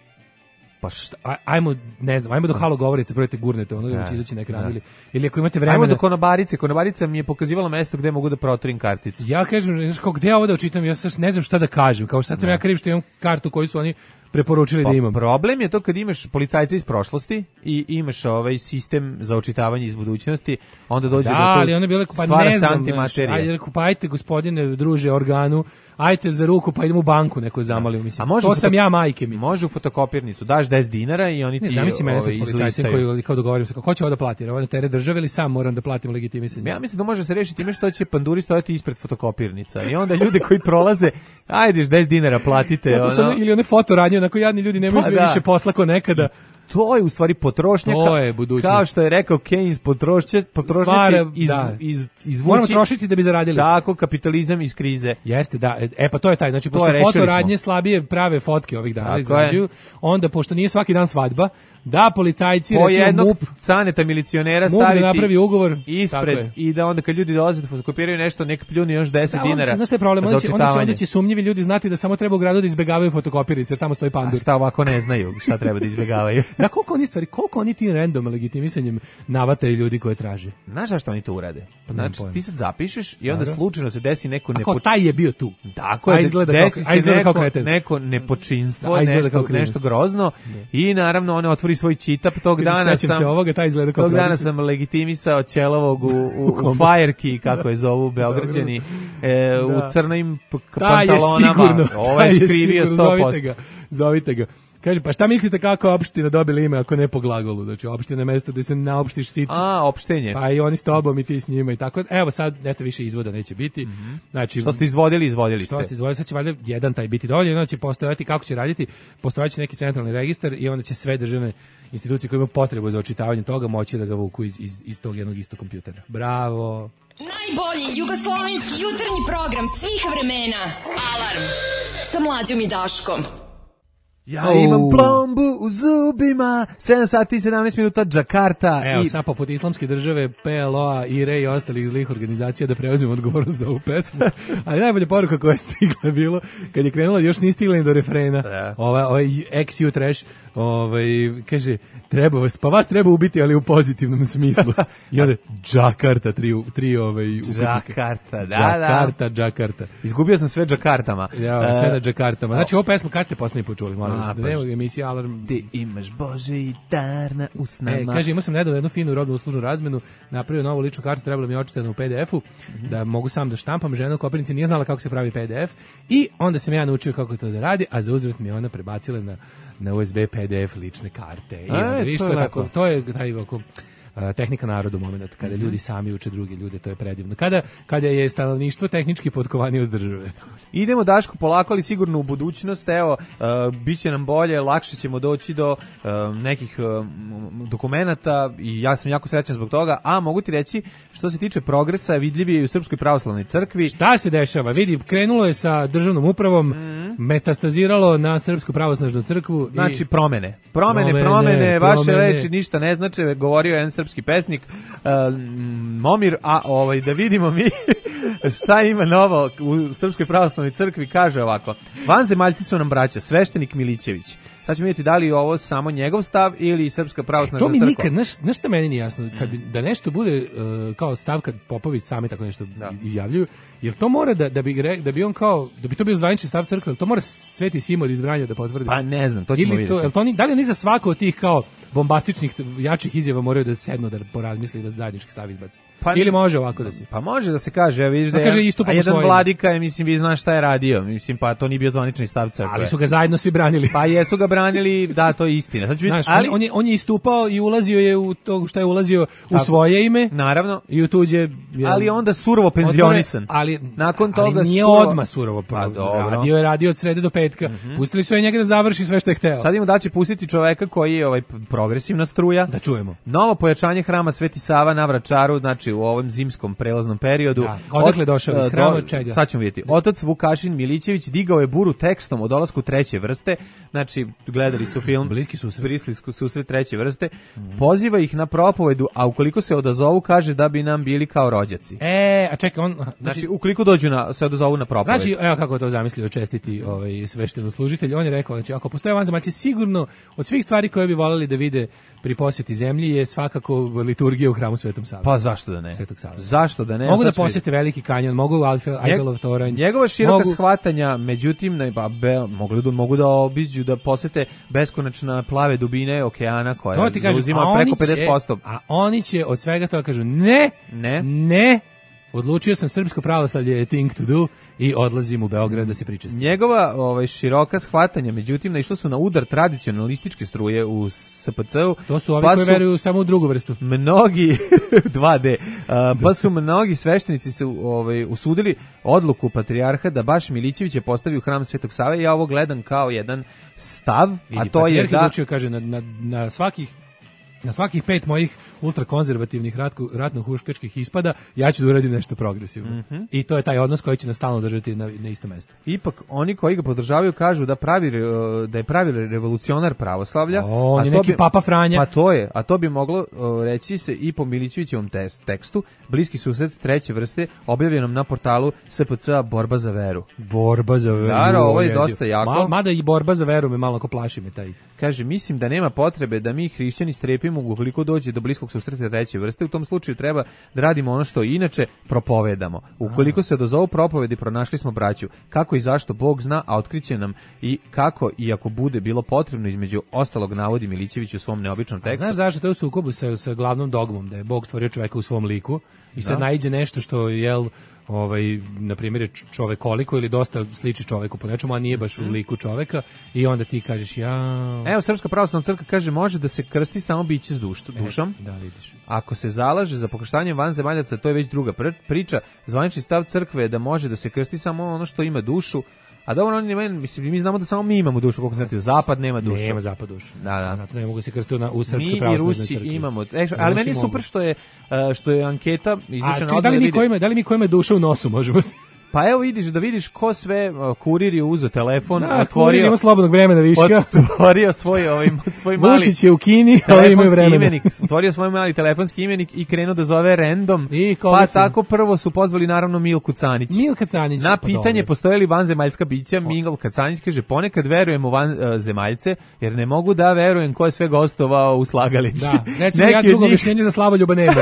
pa šta, ajmo, ne znam, ajmo do halo govorice, brojite gurnete, ono da će izaći na ekran, ili, ili ako imate vremena... Ajmo do konobarice, konobarica mi je pokazivala mesto gde mogu da protorim karticu. Ja kažem, kao, gde ovo da učitam, ja sad ne znam šta da kažem, kao sad sam ja kriv što imam kartu koju su oni preporučili pa, da imam. Problem je to kad imaš policajca iz prošlosti i imaš ovaj sistem za očitavanje iz budućnosti, onda dođe da, do to ali onda bi rekao, pa ne znam, ajde, rekao, pa ajte gospodine, druže, organu, ajte za ruku, pa idemo u banku neko zamalio, mislim. To foto... sam ja, majke mi. Može u fotokopirnicu, daš deset dinara i oni ti ne, zamisli mene ovaj, sa policajcem koji kao dogovorim se, kako će ovo da plati, ovo je na teret države ili sam moram da platim legitimisanje. Ja mislim da može se rešiti time što će panduri stojati ispred fotokopirnica i onda ljudi koji prolaze, ajde deset dinara platite. Ono... Ili one fotoradnje, onako jadni ljudi nemaju pa, da. više posla ko nekada. to je u stvari potrošnja. To je budućnost. Kao što je rekao Keynes, potrošnja, potrošnja Stvar, će iz, da. iz, izvući. Moramo trošiti da bi zaradili. Tako, kapitalizam iz krize. Jeste, da. E pa to je taj. Znači, pošto je, fotoradnje slabije prave fotke ovih dana Tako izrađuju, onda, pošto nije svaki dan svadba, da policajci, po recimo jednog M U P, caneta milicionera M U P staviti da napravi ugovor ispred i da onda kad ljudi dolaze da fotokopiraju nešto, nek pljuni još deset da, dinara. Znaš šta je problem? Za Onda će, onda, će, očitavanje. onda će sumnjivi ljudi znati da samo treba u gradu da izbegavaju fotokopirnice, jer tamo stoji pandur. A šta ovako ne znaju šta treba da izbjegavaju? Da, koliko oni stvari, koliko oni tim random legitimisanjem navataju ljudi koje traže? Znaš zašto oni to urade? Pa Znači, ti sad zapišeš i onda slučajno se desi neko nepo... A kao nepo... taj je bio tu. Tako je, izgleda desi kao, se neko, kao neko nepočinstvo, da, nešto, kao nešto grozno i naravno on otvori svoj čitap. Tog dana sam, se ovoga, taj izgleda kao tog dana sam legitimisao Ćelovog u, u, u Fireky, kako je zovu Beograđani, e, u crnim pantalonama. Ovo je skrivio sto posto. Zovite ga, zovite ga. Kaže, pa šta mislite kako opština dobila ime ako ne po glagolu? Znači, opština je mesto gde se naopštiš sicu. A, opštenje. Pa i oni s tobom i ti s njima i tako. Evo sad, eto više izvoda neće biti. Mm-hmm. Znači, što ste izvodili, izvodili ste. Što ste izvodili, sad će valjda jedan taj biti dovoljno, onda će postojati, kako će raditi, postojaće neki centralni registar i onda će sve državne institucije koje imaju potrebu za očitavanje toga moći da ga vuku iz, iz, iz tog jednog istog kompjutera. Bravo! Najbolji jugoslovenski jutarnji program svih vremena. Alarm sa Mlađom i Daškom. Ja oh. imam plombu u zubima, sedam sati i sedamnaest minuta, Džakarta. Evo, i... sad poput islamske države, P L O-a, I R E i ostalih zlih organizacija da preuzmemo odgovornost za ovu pesmu. Ali najbolja poruka koja je stigla je bilo, kad je krenula, još nije stigla ni do refrena, da. ovaj, ovaj X U Trash, ovaj, kaže, treba vas, pa vas treba ubiti, ali u pozitivnom smislu. I onda, Džakarta, tri, tri ovaj, Džakarta, da, Džakarta, da. Džakarta. Izgubio sam sve Džakartama. Ja, sve na Džakartama. Znači, ovo pesmu kad ste posljednji počuli, molim A, da nema emisija Alarm. Ti imaš Bože i dar na usnama. E, kaže, imao sam nedavno jednu finu robnu uslužnu razmenu, napravio novu ličnu kartu, trebalo mi je očitano u P D F-u, mm-hmm. da mogu sam da štampam, žena u Koprivnici nije znala kako se pravi P D F i onda sam ja naučio kako to da radi, a za uzvrat mi je ona prebacila na, na U S B P D F lične karte. I onda, e, viš, to, to, je je tako, to je taj ovako, tehnika narodu moment, kada mm-hmm. ljudi sami uče druge ljude, to je predivno. Kada, kada je stanovništvo tehnički potkovanije od države. Idemo, Daško, polako, ali sigurno u budućnost, evo, uh, bit će nam bolje, lakše ćemo doći do uh, nekih uh, dokumenata i ja sam jako srećan zbog toga, a mogu ti reći, što se tiče progresa, vidljiv je i u Srpskoj pravoslavnoj crkvi. Šta se dešava? Vidi, krenulo je sa državnom upravom, mm-hmm. metastaziralo na Srpsku pravoslavnu crkvu. I... Znači, promene. Promene, promene, promene vaše promene. Reči ništa ne znače, govorio je jedan srpski pesnik, uh, Momir, a ovaj, da vidimo mi šta ima novo u Srpskoj pravoslavnoj crkvi, kaže ovako: vanzemaljci su nam braća, sveštenik Milićević. Sad ćemo vidjeti da li je ovo samo njegov stav ili Srpska pravoslavna crkva. E, to mi nikad, znaš, znaš šta meni nije jasno, kad bi, da nešto bude uh, kao stav kad popovi sami tako nešto da. izjavljuju, jer to mora da, da, bi, da bi on kao, da bi to bio zvanični stav crkve, to mora Sveti Simo od izbranja da potvrdi. Pa ne znam, to ćemo ili to, vidjeti. To oni, da li oni za svako od tih kao bombastičnih, jačih izjava moraju da sednu, da porazmisli da zajednički stav izbaci? Pa, ili može ovako da se? Pa može da se kaže, vidiš da je, kaže isto a jedan vladika je, mislim, vi znaš šta je radio, mislim, pa to nije bio zvanični stav crkve. Ali su ga zajedno svi branili. Pa jesu ga branili, da, to je istina. Znači, znaš, ali on, je, on je istupao i ulazio je u to što je ulazio u tako, svoje ime. Naravno. I u tuđe. Je, ali onda surovo penzionisan. Ali, nakon toga ali nije surovo... odmah surovo. Pa, radio je radio od srede do petka. Mm-hmm. Pustili su je njega da završi sve što je hteo. Sad ima da će pustiti čoveka koji je ovaj progresivna struja. Da čujemo. Novo pojačanje hrama Sveti Sava na Vračaru, znači u ovom zimskom prelaznom periodu. Da. Odakle došao iz hrama, od čega? Sad ćemo vidjeti. Otac Vukašin Milićević digao je buru tekstom o dolasku treće vrste, znači gledali su film Bliski susret, Bliski susret treće vrste, mm-hmm. poziva ih na propovedu, a ukoliko se odazovu kaže da bi nam bili kao rođaci. E, a čekaj, on... Znači, znači ukoliko dođu na, se odazovu na propovedu. Znači, evo kako to zamislio čestiti ovaj, svešteno-služitelj, on je rekao, znači ako postoje vanzemaljci, sigurno od svih stvari koje bi voljeli da vide pri posjeti zemlji je svakako liturgija u hramu Svetom Savi. Pa zašto da ne? Svetog Save. Zašto da ne? Mogu da posjete Veliki kanjon, mogu u Eifelov toranj. Njegova široka mogu... shvatanja, međutim, ne, ba, be, mogu, da, mogu da obiđu, da posete beskonačna plave dubine okeana koja zauzima preko pedeset posto. A oni će od svega toga kažu ne, ne, ne, odlučio sam srpsko pravoslavlje je thing to do i odlazim u Beograd da se pričestim. Njegova ovaj, široka shvatanja, međutim, naišla su na udar tradicionalističke struje u S P C-u. To su ovi pa koji su veruju samo u drugu vrstu. Mnogi, dva D, a, pa su mnogi sveštenici se ovaj, usudili odluku patrijarha da baš Milićevića postavi u hram Svetog Save i ja ovo gledam kao jedan stav, Vidi, a to je da... Odlučio, kaže, na, na, na svakih Na svakih pet mojih ultrakonzervativnih ratku, ratno-huškačkih ispada, ja ću da uradim nešto progresivno. Mm -hmm. I to je taj odnos koji će nas stalno držati na, na isto mesto. Ipak, oni koji ga podržavaju kažu da, pravi, da je pravi revolucionar pravoslavlja. O, on a je to neki bi, Papa Franja. Pa to je, a to bi moglo o, reći se i po Milićevićevom tekstu, bliski susret treće vrste, objavljenom na portalu S P C-a Borba za veru. Borba za veru. Da, ovo je dosta jako. Ma, mada i Borba za veru me malo ako plaši me taj. Kaže, mislim da nema potrebe da mi hrišćani strepimo ukoliko dođe do bliskog susreta treće vrste. U tom slučaju treba da radimo ono što inače propovedamo. Ukoliko se dozovu propovedi, pronašli smo braću. Kako i zašto Bog zna, a otkriće nam i kako i ako bude bilo potrebno, između ostalog navodi Milićević u svom neobičnom tekstu. A znaš zašto to je u sukobu sa, sa glavnom dogmom, da je Bog stvorio čoveka u svom liku i sad da. naiđe nešto što jel ovaj na primjer čovekoliko ili dosta sliči čoveku po nečemu, a nije baš u liku čoveka i onda ti kažeš ja. Evo, Srpska pravoslavna crkva kaže može da se krsti samo biće s duš, dušom. E, da vidiš. Ako se zalaže za pokrštanje vanzemaljaca, to je već druga priča. Zvanični stav crkve je da može da se krsti samo ono što ima dušu. A dobro, oni nemaju, mislim, mi znamo da samo mi imamo dušu, koliko znate, zapad nema dušu. Nema zapad dušu. Da, da. Zato ne mogu se krstiti na u Srpskoj mi pravoslavnoj crkvi. Mi i crkvi. Rusi imamo. E, ali meni je super što je, što je anketa izašla na da li mi kojima, da li mi kojima duša u nosu možemo se... Pa evo vidiš, da vidiš ko sve uh, kurir je uzeo telefon, da, otvorio... ima slobodnog vremena viška. Otvorio svoj, ovaj, svoj mali... Vučić je u Kini, ali imaju vremena. Imenik, otvorio svoj mali telefonski imenik i krenuo da zove random. I pa su? tako prvo su pozvali naravno Milku Canić. Milka Canić. Na pitanje postoje li vanzemaljska bića, Milka Canić kaže ponekad verujem u vanzemaljce, jer ne mogu da verujem ko je sve gostovao u slagalici. Da, recimo ja drugo objašnjenje za Slavoljuba nema.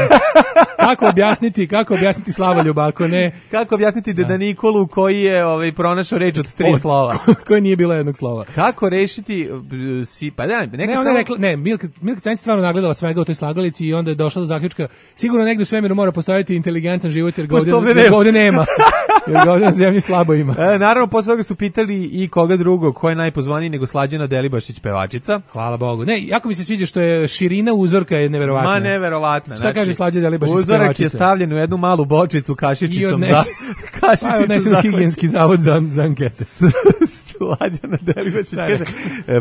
Kako objasniti, kako objasniti Slavoljuba, ako ne... Kako objasniti Deda Nikolu koji je ovaj, pronašao reč od tri od, slova? Koje nije bilo jednog slova. Kako rešiti... Si, pa da, nekad ne, ona samo... rekla, ne, Milka, Milka Canić stvarno nagledala svega u toj slagalici i onda je došla do zaključka, sigurno negdje u svemiru mora postojati inteligentan život, jer ga ovdje, ovdje, nema. ovdje nema. Jer ga ovdje na zemlji slabo ima. E, naravno, posle toga su pitali i koga drugo, ko je najpozvaniji nego Slađana Delibašić pevačica. Hvala Bogu. Ne, jako mi se sviđa što je širina uzorka je neverovatna. Ma neverovatna. Šta znači, kaže Slađana Delibašić pevačica? Uzorak je stavljen u jednu malu bočicu kašičicom za... Kašičicom pa, za... higijenski zavod za, za ankete. Slađana Delibašić kaže,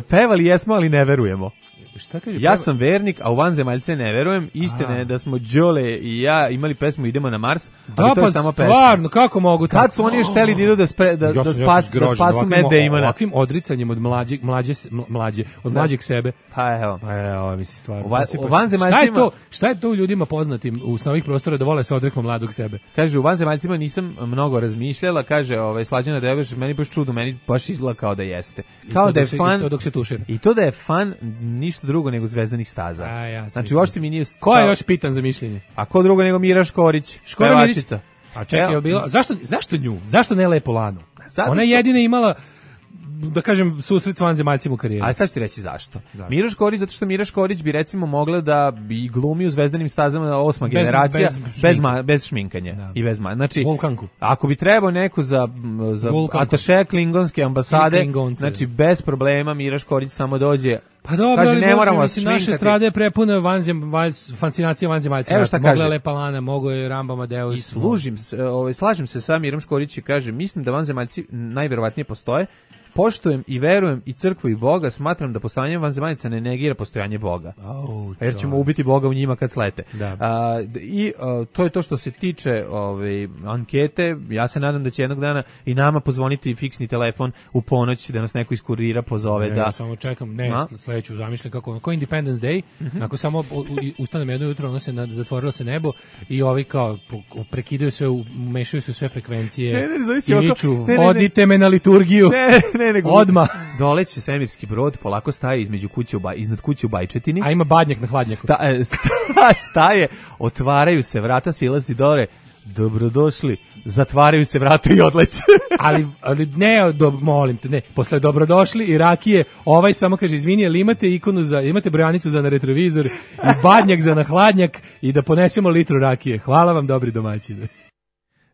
pevali jesmo, ali ne verujemo. Šta kaže? Ja sam vernik, a u vanzemaljce ne verujem. Istina je da smo Đole i ja imali pesmu Idemo na Mars, ali da, to je pa samo pesma. Stvarno, kako mogu tako? Kad su oni još hteli da idu da, spre, da, da, spas, da spasu Matt Damona? Ovakvim odricanjem od mlađeg, mlađe, mlađe, od da. mlađeg sebe. Pa evo. Pa evo, misli stvarno. O, va, o vanzemaljcima... Šta je to? Šta je to u ljudima poznatim u novih prostora da vole se odreknu mladog sebe? Kaže, u vanzemaljcima nisam mnogo razmišljala, kaže, ovaj, Slađana Delibašić, meni baš čudo, meni baš izgleda kao da jeste. Kao da je fan... I to dok se tušira. I to da je fan ništa drugo nego Zvezdanih staza. A, ja znači, uopšte mi nije... Ko je još pitan za mišljenje? A ko drugo nego Mira Škorić, pevačica. A čekaj, je bilo... Zašto, zašto nju? Zašto ne Lepo Lanu? Zato Ona što... jedina imala, da kažem, susret s vanzemaljcima u karijeri. A sad ću ti reći zašto. zašto? Mira Škorić, zato što Mira Škorić bi recimo mogla da bi glumi u Zvezdanim stazama osma bez, generacija, bez, bez, ma, bez šminkanja. Da. I bez ma. Znači, Vulkanku. Ako bi trebao neko za, za ataše klingonske ambasade, znači bez problema Mira Škorić samo dođe. Pa dobro, kaže, ali ne Bože, moramo mislim, naše strade je prepune vanzem, valj, fascinacije vanzemaljca. Evo šta mogla kaže. Mogla Lepa Lana, mogo je Ramba Amadeus. I služim se, ovaj, slažem se sa Mirom Škorić i kaže, mislim da vanzemaljci najverovatnije postoje, poštujem i verujem i crkvu i Boga, smatram da postojanje vanzemaljaca ne negira postojanje Boga. Oh, jer ćemo ubiti Boga u njima kad slete. Da. A, I a, to je to što se tiče ove, ankete. Ja se nadam da će jednog dana i nama pozvoniti fiksni telefon u ponoć da nas neko iz kurira pozove. Ne, da... ja samo čekam, ne, A? sledeću zamišljam kako, ko Independence Day, mm-hmm. ako samo ustanem jedno jutro, ono se nad, zatvorilo se nebo i ovi kao prekidaju sve, umešaju se sve frekvencije ne, ne, i viču, vodite me na liturgiju. Ne, ne, nego odmah. Doleće svemirski brod, polako staje između kuće u Baj, iznad kuće u Bajčetini. A ima badnjak na hladnjaku. Sta, sta, staje, otvaraju se vrata, silazi dole, dobrodošli, zatvaraju se vrata i odleće. ali, ali ne, do, molim te, ne, posle dobrodošli i rakije, ovaj samo kaže, izvini, ali imate ikonu za, imate brojanicu za na retrovizor i badnjak za na hladnjak i da ponesemo litru rakije. Hvala vam, dobri domaćine.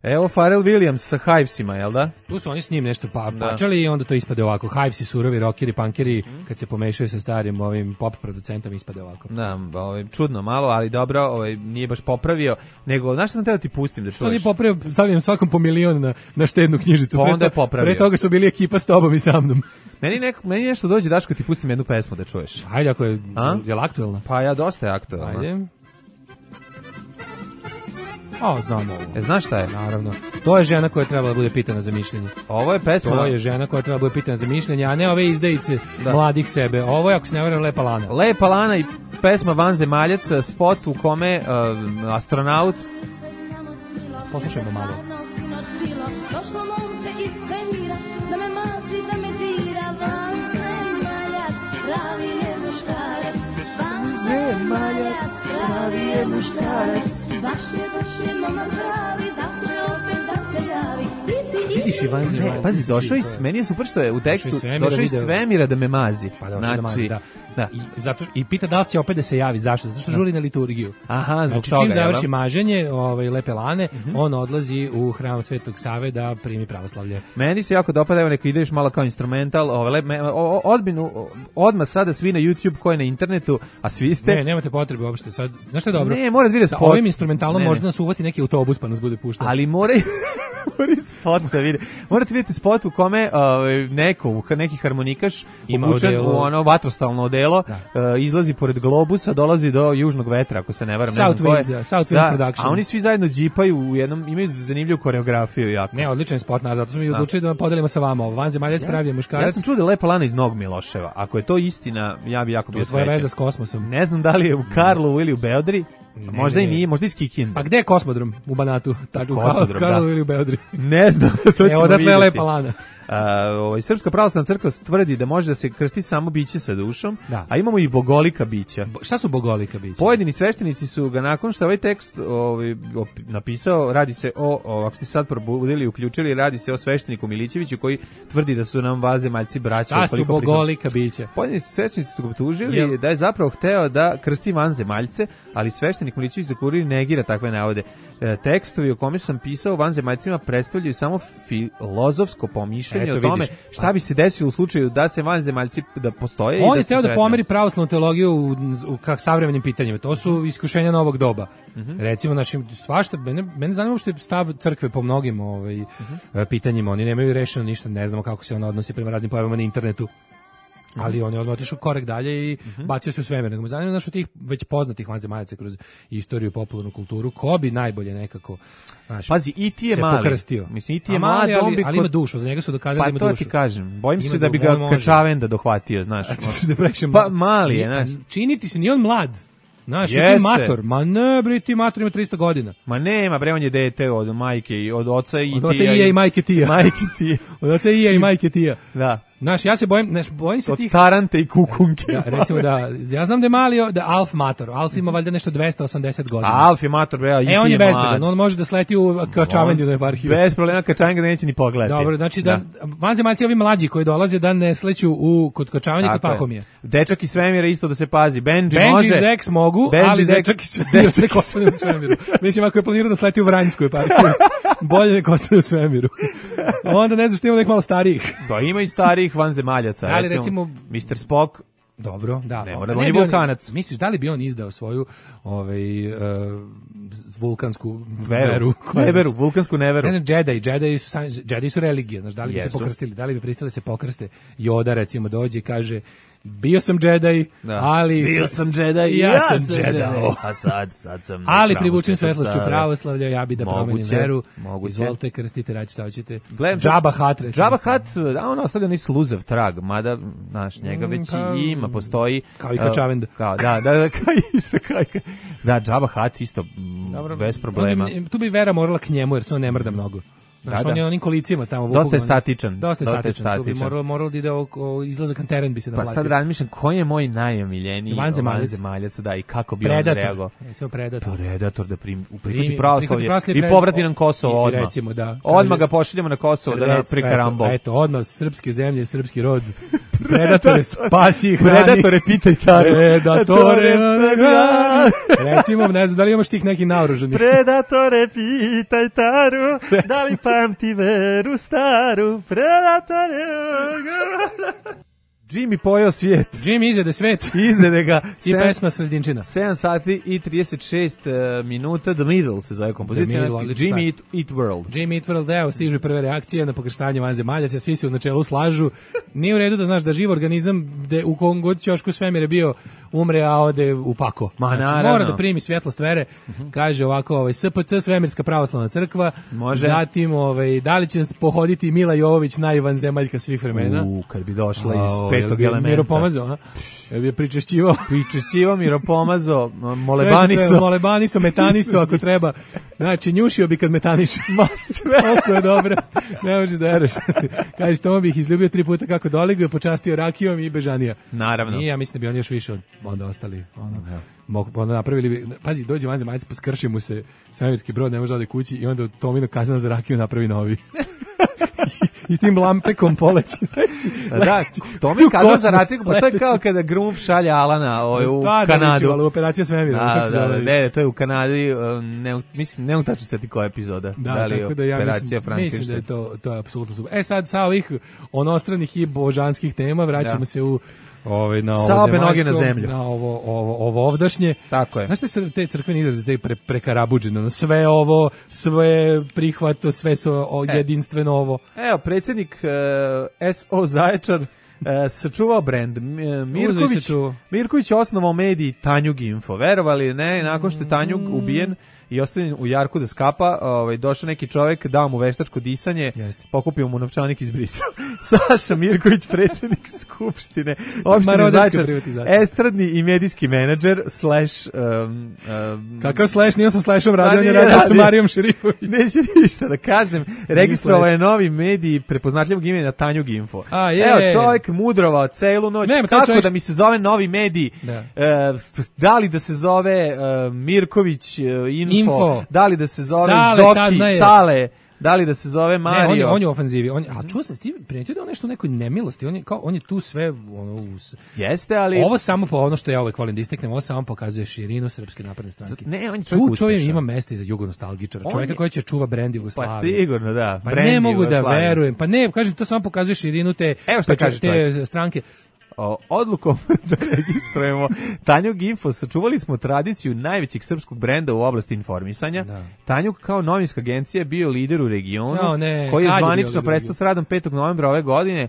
Evo Pharrell Williams sa Hivesima, jel da? Tu su oni s njim nešto pa, pačali i onda to ispade ovako. Hivesi, surovi, rockeri, punkeri, kad se pomešaju sa starim ovim pop producentom, ispade ovako. Da, ovaj, čudno malo, ali dobro, ovaj, nije baš popravio, nego, znaš što sam teo ti pustim da čuješ? Što nije popravio, stavljam svakom po milion na, na štednu knjižicu. Pa onda je popravio. Pre toga su bili ekipa s tobom i sa mnom. Meni, neko, meni nešto dođe, Daško, ti pustim jednu pesmu da čuješ. Ajde, ako je, je li aktuelna? Pa ja, dosta je aktuelna. Ajde. O, znam ovo. E, znaš šta je? Naravno. To je žena koja treba da bude pitana za mišljenje. Ovo je pesma. To je žena koja treba da bude pitana za mišljenje, a ne ove izdejice da. Mladih sebe. Ovo je, ako se ne varam, Lepa Lana. Lepa Lana i pesma Vanzemaljac, spot u kome uh, astronaut... Poslušajmo malo. Došlo momče iz svemira, da me mazi, da me dira, vanzemaljac, pravi je muškarac, vanzemaljac, pravi je muškarac, baš je, baš je momak pravi, da će opet da se javi. Vidiš i vanzemaljac. Ne, pazi, došao iz, meni je super što je u tekstu, došao iz svemira da me mazi. Pa došao znači, da mazi, da. Da. I, zato, I pita da li će opet da se javi, zašto? Zato što žuri na liturgiju. Aha, znači, čim završi maženje ovaj, Lepe Lane, uh-huh. on odlazi u hram Svetog Save da primi pravoslavlje. Meni se jako dopada, evo neko ideš malo kao instrumental, ovaj, odbinu, odmah sada svi na YouTube, ko je na internetu, a svi ste... Ne, nemate potrebe uopšte. Sad, znaš što je dobro? Ne, mora da vide spot. Sa ovim instrumentalom ne, možda nas uvati neki autobus pa nas bude puštao. Ali mora mora spot da vide. Morate vidjeti spot u kome uh, neko, neki harmonikaš obučen u ono vatrostalno odelo, uh, izlazi pored globusa, dolazi do južnog vetra, ako se ne varam. South ne znam Wind, ja, South Wind Production. A oni svi zajedno džipaju u jednom, imaju zanimljivu koreografiju jako. Ne, odličan spot, na, zato smo i odlučili da podelimo sa vama ovo. Vanzemaljac pravi je muškarac. Ja sam čuo da Lepa Lana iz Nog Miloševa. Ako je to istina, ja bi jako bio srećan. To je veza s kosmosom. Ne znam da li je u Karlovu ili u Beodri. Ne, možda ne, i nije, možda iz Kikinde. Pa gde je kosmodrom u Banatu? Tako, u Karlovu ili u Beodri? Ne znam, to ćemo vidjeti. Evo, odatle je Lepa Lana. Uh, ovaj, Srpska pravoslavna crkva tvrdi da može da se krsti samo biće sa dušom, da. A imamo i bogolika bića. Bo, šta su bogolika bića? Pojedini sveštenici su ga nakon što ovaj tekst ovaj, op, napisao, radi se o, o, ako ste sad probudili i uključili, radi se o svešteniku Milićeviću koji tvrdi da su nam vanzemaljci braća. Šta su bogolika bića? Pojedini sveštenici su ga optužili Jel? da je zapravo hteo da krsti vanzemaljce, ali sveštenik Milićević za kurir negira takve navode. E, tekstovi o kome sam pisao vanzemaljcima predstavljaju samo filozofsko pomišljanje Eto, o tome vidiš. šta bi se desilo u slučaju da se vanzemaljci da postoje. On i da je teo da pomeri pravoslavnu teologiju u, u kak savremenim pitanjima. To su iskušenja novog doba. Uh-huh. Recimo našim svašta mene mene zanima što je stav crkve po mnogim ovaj uh-huh. pitanjima. Oni nemaju rešeno ništa, ne znamo kako se on odnosi prema raznim pojavama na internetu. Ali on je odmah otišao korak dalje i uh-huh. bacio se u svemir. Nego me zanima znaš od tih već poznatih vanzemaljaca kroz istoriju, popularnu kulturu, ko bi najbolje nekako znaš, pazi, i ti je mali. Pokrstio. Mislim, i ti je mali, ali, ali, ali ima dušu, za njega su dokazali pa da ima dušu. Pa to ti kažem, bojim se da bi ga Kačavenda dohvatio, znaš. da pa mali je, znaš. Činiti se, nije on mlad. Znaš, ti mator, ma ne, bre, ti mator ima tristo godina. Ma nema, bre, on je dete od majke i od oca i od oca i, i majke tija. Majke tija. Od oca i i majke tija. Da. Znaš, ja se bojim, znaš, bojim se od tih... Od Tarante i Kukunke. Da, recimo da, ja znam da je mali, da Alf mator. Alf ima valjda nešto dvesta osamdeset godina. A Alf je mator, bre, i ti je E, on je bezbedan, on može da sleti u Kačavendinu eparhiju. Bez problema, Kačavenga da neće ni pogledati. Dobro, znači da, da vanzemaljci ovi mlađi koji dolaze da ne sleću u, kod Kačavenja kod Pahomije. Dečak iz svemira isto da se pazi. Benji, Benji može. Benji Zex mogu, Benji ali Zex, dečak iz svemira nek ostane u svemiru. Mislim, ako je planirao da sleti u Vranjsku eparhiju, bolje nek ostane u svemiru. Onda ne znam što ima nek malo starijih. Da, ima i starijih vanzemaljaca. Ali recimo mister Spock. Dobro, da. Ne mora da on je vulkanac. Misliš da li bi on izdao svoju ovaj uh, vulkansku veru, veru neveru, vulkansku neveru. Ne znam, Jedi, Jedi su Jedi su religije, znaš, da li bi Jesu. se pokrstili, da li bi pristali se pokrste? Yoda recimo dođe i kaže bio sam Jedi, da. ali bio sam Jedi, ja, ja sam Jedi. Jedi. A sad, sad sam. Ali privučen svetlošću pravoslavlja, ja bi da moguće, promenim veru. Moguće. Izvolite, krstite, radite šta hoćete. Gledam, Jabba Hutt, recimo. Jabba Hutt, da, on ostavlja ni sluzav trag, mada, znaš, njega već kao, ima, postoji. Kao i Kačavenda. Kao, da, da, da, kao isto, kao i da, Jabba Hutt isto, Dobro, bez problema. On, tu bi vera morala k njemu, jer se on ne mrda mnogo. Znaš, da, on je onim kolicima tamo. Dosta je statičan. Dosta je statičan. statičan. Tu bi moralo, moralo da ide o, o izlazak na teren bi se da Pa sad razmišljam, koji je moj najomiljeniji vanzemaljac, da, i kako bi Predator. on reagovao. Recimo Predator. Predator da prim, prihvati pravoslavlje i povrati nam Kosovo odmah. Recimo, da. Odmah ga pošaljemo na Kosovo da nam prikarambol. Eto, eto, odmah srpske zemlje, srpski rod. Predatore, spasi, hrani. Predatore, pitaj Taru. Predatore, recimo, ne znam, da li imaš tih nekih naoruženih? Predatore, pitaj Taru, da li pamti veru staru, Predatore... Jimmy pojeo svijet. Jimmy izjede svet. Izjede ga. I sem, pesma Sredinčina. sedam sati i trideset šest uh, minuta. The Middle se zove kompozicija. Middle, Jimmy Eat, Eat World. Jimmy Eat World, evo, stižu prve reakcije na pokrštanje vanzemaljaca, svi se u načelu slažu. Nije u redu da znaš da živ organizam de, u kom god ćošku svemir je bio umre, a ode u pako. Ma, znači, mora da primi svjetlost vere. Uh-huh. Kaže ovako, ovaj, S P C, Svemirska pravoslavna crkva. Može. Zatim, ovaj, da li će pohoditi Mila Jovović, najvanzemaljka svih vremena? U, kad bi došla iz petog elementa. Miro Pomazo, a? Ja bi je pričešćivao. Pričešćivao, Miro Pomazo, molebaniso. Molebaniso, metaniso, ako treba. Znači, njušio bi kad metaniš. Ma sve. Toliko je dobro. Ne možeš da veraš. Kažeš, tamo bih izljubio tri puta kako doliguje, počastio rakijom i bežanija. Naravno. I ja mislim da bi on još više od onda ostali. Ono, ja. Mogu, onda napravili bi, pazi, dođe vanzemaljac, poskrši mu se svemirski brod, ne može da ode kući i onda Tomino kazna za rakiju napravi novi. I s tim lampekom poleći. Da, to mi kazao za ratiku, pa to je kao kada Grumf šalje Alana ovaj, u Kanadu. Ali operacija svemira. Da, da, da, ne, to je u Kanadi, ne, mislim, ne mogu tačno seti koja epizoda. Da, da li tako da ja operacija mislim, mislim da je to, to je apsolutno super. E sad, sa ovih onostranih i božanskih tema vraćamo da. se u ovaj na ovo sa obe noge na zemlju. Na ovo ovo ovo ovdašnje. Tako je. Znaš te, te crkveni izrazi, te pre, prekarabuđeno, sve ovo, sve prihvato, sve su e. jedinstveno ovo. Evo, predsjednik uh, S O Zaječar uh, sačuvao brend. Mirković, Mirković je osnovao medij Tanjug Info. Verovali ne, nakon što je Tanjug ubijen i ostavljen u jarku da skapa, ovaj, došao neki čovjek, dao mu veštačko disanje, Jeste. pokupio mu novčanik i izbrisao. Saša Mirković, predsjednik Skupštine opštine Zaječar, estradni i medijski menadžer, slash... Um, um, Kakav slash? Nije sam slashom radio, on je radio sa Marijom Šerifović. Neće ništa da kažem. Registrovao je novi medij prepoznatljivog imena Tanjug Info. A, je. Evo, čovjek mudrovao celu noć. Ne, kako čovjek... da mi se zove novi medij? Da, uh, da li da se zove uh, Mirković uh, Info? Info. Da li da se zove Sale, Zoki, Sale, da li da se zove Mario? Ne, on je, on je u ofanzivi. On, a čuo sam, ti primetio da on nešto u nekoj nemilosti. On je, kao, on je tu sve... Ono, us... Jeste, ali... Ovo samo po ono što ja uvek volim da isteknem, ovo samo pokazuje širinu Srpske napredne stranke. Ne, on je čovjek tu čovjek ima mesta i za jugonostalgičara. Čovjeka je... koji će čuva brend Jugoslavije. Pa sigurno, da. Pa ne mogu da verujem. Pa ne, kažem, to samo pokazuje širinu te, Evo šta kaže te stranke. O, odlukom da registrujemo Tanjug Info sačuvali smo tradiciju najvećeg srpskog brenda u oblasti informisanja. Da. Tanjug kao novinska agencija je bio lider u regionu, no, ne, koji je zvanično prestao s radom petog novembra ove godine.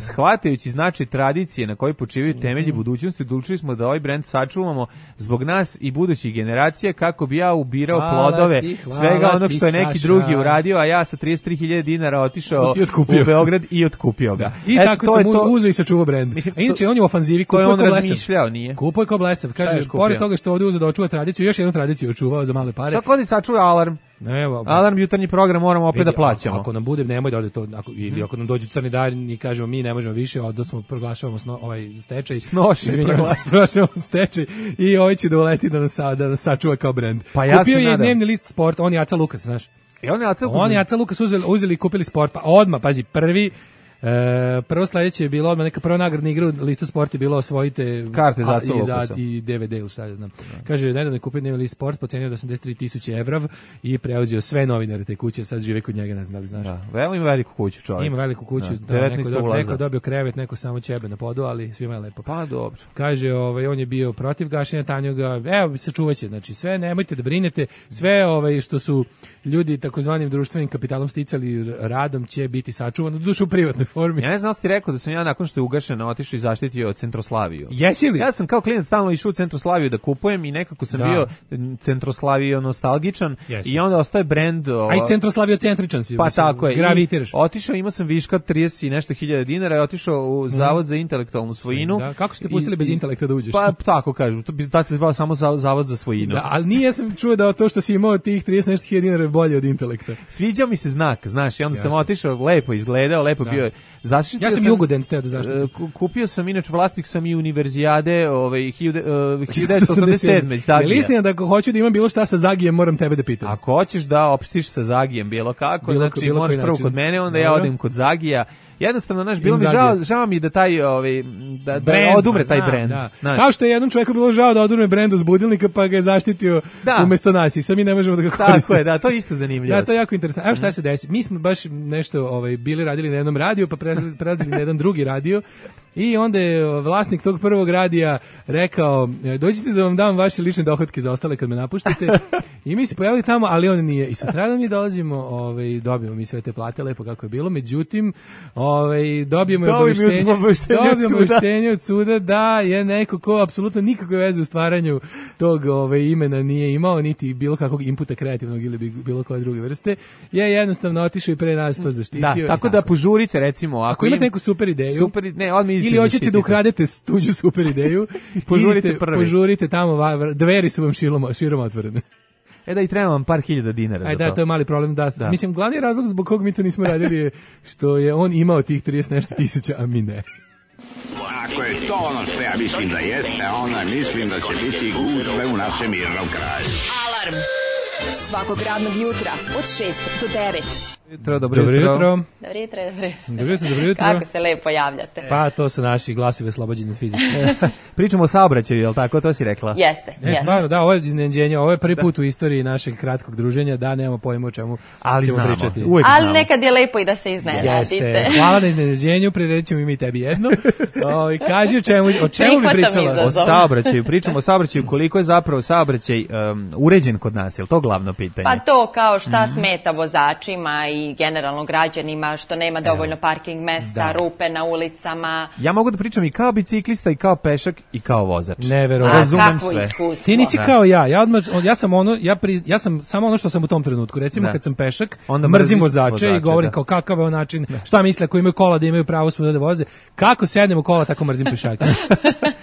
Shvatajući značaj tradicije na kojoj počivaju temelji budućnosti, odlučili smo da ovaj brend sačuvamo zbog nas i budućih generacija kako bi ja ubirao hvala plodove ti, svega onog što je neki Saša. drugi uradio, a ja sa trideset tri hiljade dinara otišao u Beograd i otkupio ga. Da. I Eto, tako sam uzeo i sačuvao brend. Mislim, a inače on je u ofanzivi, kupuje on razmišljao, nije. Kupuje ko blesav. Kaže, pored toga što ovdje uzeo da očuva tradiciju, još jednu tradiciju očuvao za male pare. Šta kod je sačuva Alarm? Evo, Alarm jutarnji program moramo opet vidi, da plaćamo. Ako nam bude, nemoj da ode to, ako, ili ako nam dođu crni dan i kažemo mi ne možemo više, onda smo proglašavamo sno, ovaj stečaj. Snoši, proglašavamo stečaj i ovaj će da uleti da nas, da nas sačuva kao brend. Pa ja Kupio je dnevni list Sport, on je Aca Lukas, znaš. I on je Aca Lukas. On je Aca Lukas uzeli, uzeli i kupili Sport, pa odmah, pazi, prvi E, prvo sledeće je bilo odmah neka prva nagradna igra u listu Sport je bilo osvojite karte za i, za, i D V D ili šta ja znam. Kaže, nedavno je kupio dnevni list Sport po ceni od osamdeset tri tisuće evra i preuzeo sve novinare te kuće, sad žive kod njega, ne znam da li znaš. Da, veliko ima veliku kuću čovjek. Ima veliku kuću, da, da neko, do, neko dobio krevet, neko samo ćebe na podu, ali svima je lepo. Pa dobro. Kaže, ovaj, on je bio protiv gašenja Tanjuga, evo, sačuvaće, znači sve, nemojte da brinete, sve ovaj, što su ljudi takozvanim društvenim kapitalom sticali radom će biti sačuvano, dušu u privatnoj formi. Ja ne znam da ti rekao da sam ja nakon što je ugašeno otišao i zaštitio Centroslaviju. Jesi li? Ja sam kao klinac stalno išao u Centroslaviju da kupujem i nekako sam da. bio Centroslavio nostalgičan. Jesi. I onda ostaje brend. O... A i Centroslavio centričan si. Pa mislim, tako je. Gravitiraš. Otišao, imao sam viška trideset i nešto hiljada dinara i otišao u Zavod mm. za intelektualnu svojinu. Da. Kako ste pustili I, bez intelekta da uđeš? Pa tako kažem. To bi tad se zvao samo Zavod za svojinu. Da, ali nije sam čuo da to što si imao tih trideset nešto hiljada dinara je bolje od intelekta. Sviđao mi se znak, znaš, i onda Jasne. sam otišao, lepo izgledao, lepo da. bio. Zaštitio ja sam Jugodent teo da zaštitim. Kupio sam, inače vlasnik sam i univerzijade ovaj, hiljadu devetsto osamdeset sedme Zagija. Je istina da ako hoću da imam bilo šta sa Zagijem, moram tebe da pitam? Ako hoćeš da opštiš sa Zagijem bilo kako, bilo, znači bilo možeš prvo način. Kod mene, onda Dobro. ja odem kod Zagija Jednostavno, naš, bilo mi Inzaghi. žao, žao mi da taj, ovaj, da, da Brand, odumre taj znam, brend. da. Znaš. Kao što je jednom čovjeku bilo žao da odumre brend uz budilnika, pa ga je zaštitio Da. umesto nas i sad mi ne možemo da ga koristimo. Tako je, da, to je isto zanimljivo. Da, to je jako interesantno. Evo šta se desi. Mi smo baš nešto ovaj, bili radili na jednom radiju, pa prelazili prelazili na jedan drugi radio i onda je vlasnik tog prvog radija rekao, dođite da vam dam vaše lične dohotke za ostale kad me napuštate. I mi se pojavili tamo, ali on nije. I sutradan mi dolazimo, ovaj, dobijemo mi sve te plate, lepo kako je bilo. Međutim, ovaj, dobijemo Dobijemo obaveštenje, obaveštenje od dobijemo suda. obaveštenje od suda da je neko ko apsolutno nikakve veze u stvaranju tog ovaj, imena nije imao, niti bilo kakvog inputa kreativnog ili bi- bilo koje druge vrste, je jednostavno otišao i pre nas to zaštitio. Da, i tako da požurite, recimo, ako, Ako imate im- neku super ideju, super, ne, odmah idite ili hoćete zaštitite. da ukradete tuđu super ideju, Požurite idite, prvi. požurite tamo, va- dveri su vam širom, širom otvorene. E da i treba vam par hiljada dinara Aj za da, to. to je mali problem. Da, Da. Mislim, glavni razlog zbog kog mi to nismo radili je što je on imao tih trideset nešto tisuća, a mi ne. Ako je to ono što ja mislim da jeste, onda mislim da će biti gužve u našem mirnom kraju. Alarm svakog radnog jutra od šest do devet. Jutro, dobro, Dobro jutro. jutro. Dobro jutro, dobro jutro. Dobro jutro, dobro jutro. Kako se lepo javljate. Pa to su naši glasovi oslobođeni od fizike. Pričamo o saobraćaju, je li tako? To si rekla? Jeste, Ne, jeste. stvarno, da, ovo je iznenađenje, ovo je prvi put u istoriji našeg kratkog druženja da nemamo pojma o čemu Ali ćemo znamo, pričati. uvek Ali znamo. nekad je lepo i da se Jeste. iznenadite. Hvala na iznenađenju, prirećemo i mi tebi jedno. O, kaži o čemu, o čemu bi Prihvatam pričala? izazov. O saobraćaju, pričamo o saobraćaju, koliko je zapravo saobraćaj um, uređen kod nas, je li to glavno pitanje? Pa to kao šta smeta vozačima i generalno građanima, što nema dovoljno parking mesta, Da. rupe na ulicama. Ja mogu da pričam i kao biciklista, i kao pešak, i kao vozač. Neverovatno. A Razumem kakvo sve. iskustvo. Ti nisi Da. kao ja, ja odmah, ja sam ono, ja, pri, ja sam samo ono što sam u tom trenutku, recimo Da. kad sam pešak, Onda mrzim mrziš vozače, vozače, i govorim da. kao kakav je on način, šta misle ako imaju kola da imaju pravo svuda da voze, kako sednem u kola tako mrzim pešake.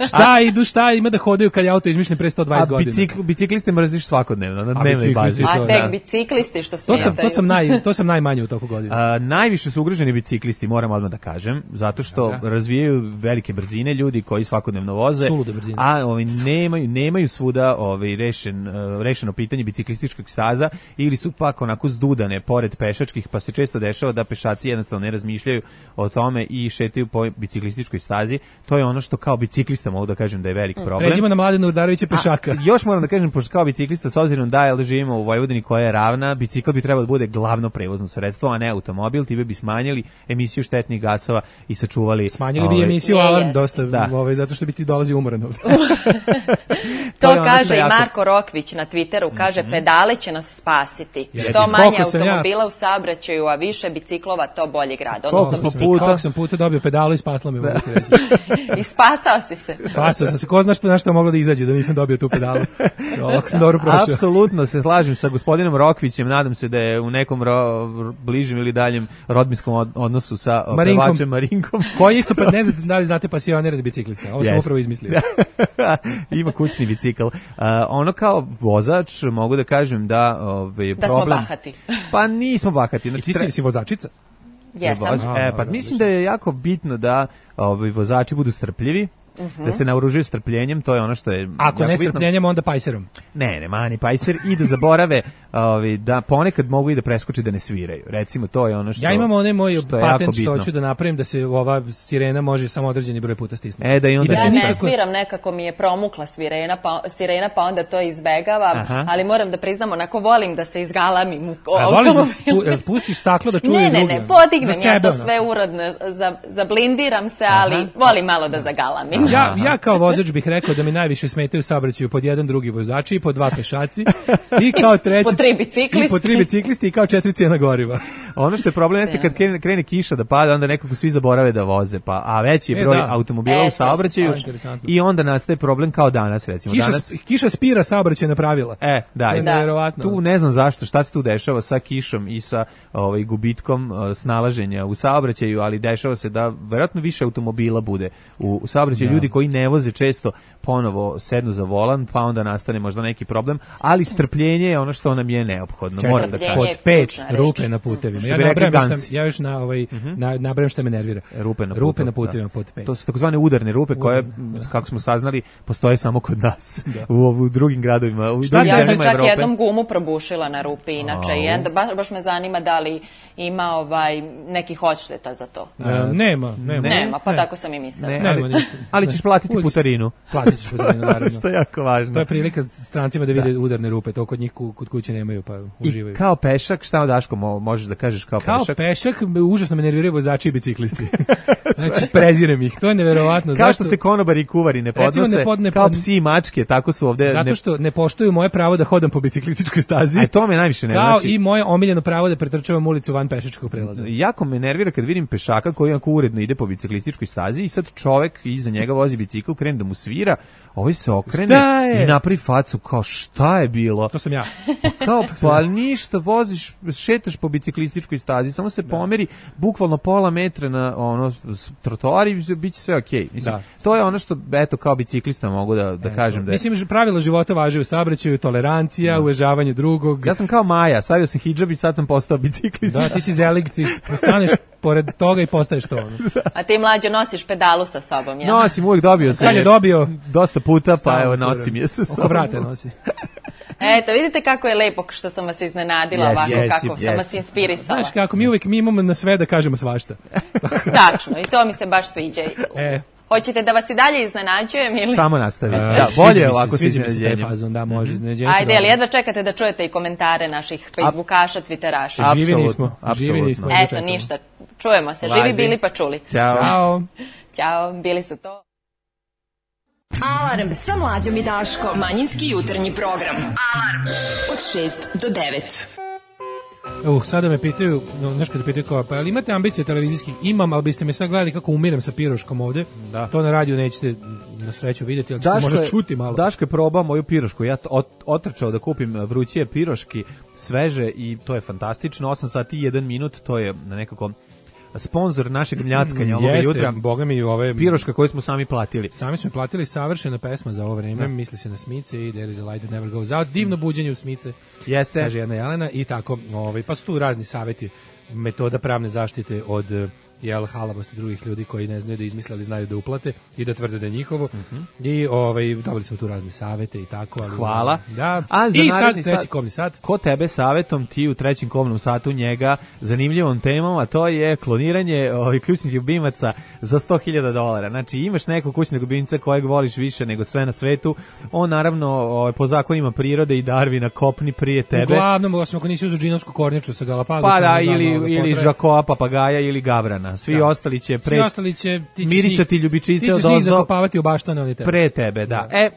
šta idu, šta ima da hodaju kad je auto izmišljen pre sto A dvadeset godina. bicikl, bicikliste mrziš svakodnevno, na A dnevnoj biciklisti bazi. to, A da. tek biciklisti što To smetaju. sam, to sam, naj, to sam najmanje u toku godina. A, najviše su ugroženi biciklisti, moram odmah da kažem, zato što Da, da. razvijaju velike brzine ljudi koji svakodnevno voze, Sulude brzine. a ovaj, nemaju, nemaju svuda ovaj, rešen, uh, rešeno pitanje biciklističkog staza ili su pak onako zdudane pored pešačkih, pa se često dešava da pešaci jednostavno ne razmišljaju o tome i šetaju po biciklističkoj stazi. To je ono što kao biciklista mogu da kažem da je velik problem. Pređimo na Mladena Udarovića pešaka. A, još moram da kažem, pošto kao biciklista, s obzirom da jel, živimo u Vojvodini koja je ravna, bicikl bi trebalo da bude glavno prevozno sredstvo, a ne automobil, time bi smanjili emisiju štetnih gasova i sačuvali... Smanjili bi ovaj, emisiju Je, Alarm jeste. dosta, Da. ovaj, zato što bi ti dolazi umoran ovde. To je ono što kaže i jako- Marko Rokvić na Twitteru, kaže pedale će nas spasiti. Jeste. Što manje Koliko sam ja- automobila u saobraćaju, a više biciklova, to bolji grad. Koliko Odnosno smo bicikla. puta- Koliko sam puta dobio pedalu i spasla me, mogu ti reći. I spasao si se. Spasao sam se, ko zna što, na što moglo da izađe da nisam dobio tu pedalu. Ovako sam dobro prošao. Apsolutno se slažem sa gospodinom Rokvićem, nadam se da je u nekom ro, bližem ili daljem rodbinskom od- odnosu sa o, Marinkom. pevačem Marinkom. Koji isto, pa ne znate da li znate pasionirani biciklista. Ovo sam Jeste. upravo izmislio. Ima kućni bicikl. Uh, ono kao vozač mogu da kažem da ovaj Da smo problem. bahati. Pa nismo bahati. I Znači, ti si, si vozačica? Jesam. Vozač- E, pa A, mislim da je jako bitno da ovaj vozači budu strpljivi, da se naoružuju strpljenjem, to je ono što je Ako jako ne bitno. strpljenjem, onda pajserom. Ne, ne, mani pajser i da zaborave ovaj, da ponekad mogu i da preskoče da ne sviraju. Recimo, to je ono što Ja imam onaj moj što je jako patent što bitno. hoću da napravim da se ova sirena može samo određeni broj puta stisnuti. E, da i onda Ja se ne nikako- sviram, nekako mi je promukla svirena, pa, sirena, pa onda to izbegavam, Aha. ali moram da priznam, onako volim da se izgalamim u A voliš da automobilu. pu- jel pustiš staklo da čuje Ne, ne, drugi? ne, podignem Za ja sebe, to ono. sve urodno, za, zablindiram se, ali volim malo da zagalamim. Ja, ja kao vozač bih rekao da mi najviše smetaju u saobraćaju pod jedan drugi vozači i po dva pešaci i kao treći Po tri biciklisti. i po tri biciklisti i kao četiri cijena goriva. Ono što je problem jeste kad krene, krene kiša da pada, onda nekako svi zaborave da voze, pa a veći je E, broj da. automobila E, u to saobraćaju je interesantno. i onda nastaje problem kao danas, recimo. Kiša, danas, kiša spira saobraćajna pravila. E, da, To je i nevjerovatno. tu ne znam zašto, šta se tu dešava sa kišom i sa ovaj gubitkom uh, snalaženja u saobraćaju, ali dešava se da verovatno više automobila bude u, u saobraćaju, ljudi koji ne voze često ponovo sednu za volan, pa onda nastane možda neki problem, ali strpljenje je ono što nam je neophodno, Čekaj, moram da strpljenje kažem. je Pod pet ključna reč. rupe na putevima. Ja Što bi rekli nabrajam Gansi. šta, ja još na ovaj na nabrajam šta me nervira. Rupe na, rupe na putu, putevima da. pod pet. To su takozvane udarne rupe koje, Udarne, kako smo saznali, postoje samo kod nas. U, u drugim gradovima. U Ja drugim sam zemljama čak Evrope. jednom gumu probušila na rupi, inače. I onda baš, baš me zanima da li ima ovaj, nekih odšteta za to. E, nema, nema. Nema, pa ne. tako sam i mislila. Ne, Nema ali, ništa. ali ćeš platiti Uvijek- putarinu. Platit ćeš putarinu, naravno. Što je jako važno. To je prilika strancima da vide udarne rupe, to kod njih ku- kod kuće nemaju, pa uživaju. I kao pešak, šta Daško mo- možeš da kažeš kao, Kao pešak? pešak, užasno me nerviraju vozači i biciklisti. Znači, prezirem ih, to je neverovatno. Kao Zašto? što se konobari i kuvari ne Recimo, podnose, ne pod- ne kao pod- psi i mačke, tako su ovde... Zato ne- što ne poštuju moje pravo da hodam po biciklističkoj stazi. A to me najviše ne Kao znači. i moje omiljeno pravo da pretrčavam ulicu van pešačkog prelaza. Jako me nervira kad vidim pešaka koji onako uredno ide po biciklističkoj stazi i sad čovek iza njega vozi bicikl, krene da mu svira, ovaj se okrene Šta je? i napravi facu kao šta je bilo? To sam ja. Kao pa ništa, voziš, šetaš po biciklističkoj stazi, samo se pomeri bukvalno pola metra na ono s- trotoar i biće sve okej. Mislim, Da. to je ono što eto kao biciklista mogu da da kažem da je. Mislim, že pravila života važe u saobraćaju, tolerancija, uvažavanje drugog. Ja sam kao Maja, stavio sam hidžab i sad sam postao biciklista. Da, ti si zelig, ti postaneš pored toga i postaješ to. Ono. A ti mlađo nosiš pedalu sa sobom, jel? Nosim, uvijek dobio sam Sad je dobio. dosta puta, pa Stalno evo furam. nosim je sa Oko sobom. vrata nosi. Eto, vidite kako je lepo što sam vas iznenadila Jesi, ovako, jesi, kako sam vas jesi. inspirisala. Znaš kako, mi uvijek mi imamo na sve da kažemo svašta. Tačno, i to mi se baš sviđa. E, Hoćete da vas i dalje iznenađujem ili... Samo nastavi. e, Da, sviđa bolje mi se, ovako sa sviđa mi se taj iznenađenjem. fazon, da, može, iznenađenje. su Ajde, ali dobro. jedva čekate da čujete i komentare naših Facebookaša, Twitteraša. A- Živi Apsolutno, nismo, živi apsolutno. nismo. Eto, čekamo. ništa. Čujemo se. Važi. Živi bili pa čuli. Ćao. Ćao. Ćao, bili su to. Alarm sa mlađom i Daškom. Manjinski jutarnji program. Alarm od šest do devet. Uh, sada me pitaju, no, znaš kada pitaju kao, pa ali imate ambicije televizijskih? Imam, ali biste me sad gledali kako umirem sa piroškom ovde. Da. To na radiju nećete na sreću vidjeti, ali ćete Daško možda je- čuti malo. Daško je probao moju pirošku. Ja t- ot- otrčao da kupim vrućije piroški, sveže i to je fantastično. osam sati i jedan minut, to je nekako sponzor našeg mljackanja ovoga Jeste, jutra. boga mi ove... Piroška koju smo sami platili. Sami smo platili savršena pesma za ovo vreme, misli se na Smice i There is a light that never goes out. Divno buđenje u Smice, Jeste. kaže jedna Jelena i tako. Ovaj, pa su tu razni savjeti, metoda pravne zaštite od eh, jel, halavosti drugih ljudi koji ne znaju da izmisle, ali znaju da uplate i da tvrde da je njihovo. I ovaj, dobili smo tu razne savjete i tako. Ali, Hvala. Da. A za I sad naredni treći sat- komni sat. Ko tebe savetom, ti u trećem komnom satu njega zanimljivom temom, a to je kloniranje ovih ključnih ljubimaca za sto hiljada dolara. Znači imaš nekog kućnog ljubimca kojeg voliš više nego sve na svetu, on naravno ovaj, po zakonima prirode i Darwina kopni prije tebe. Uglavnom, osim ako nisi uzu džinovsku kornjaču sa Galapagosa. Pa da, ne znam ili, malo da ili potraje. žakoa, papagaja ili gavrana. Svi Da. ostali će Svi pre, ostali će, ti ćeš mirisati njih- ljubičice ti ćeš od njih ozdo zakopavati u baštane, oni tebe. pre tebe, da. E,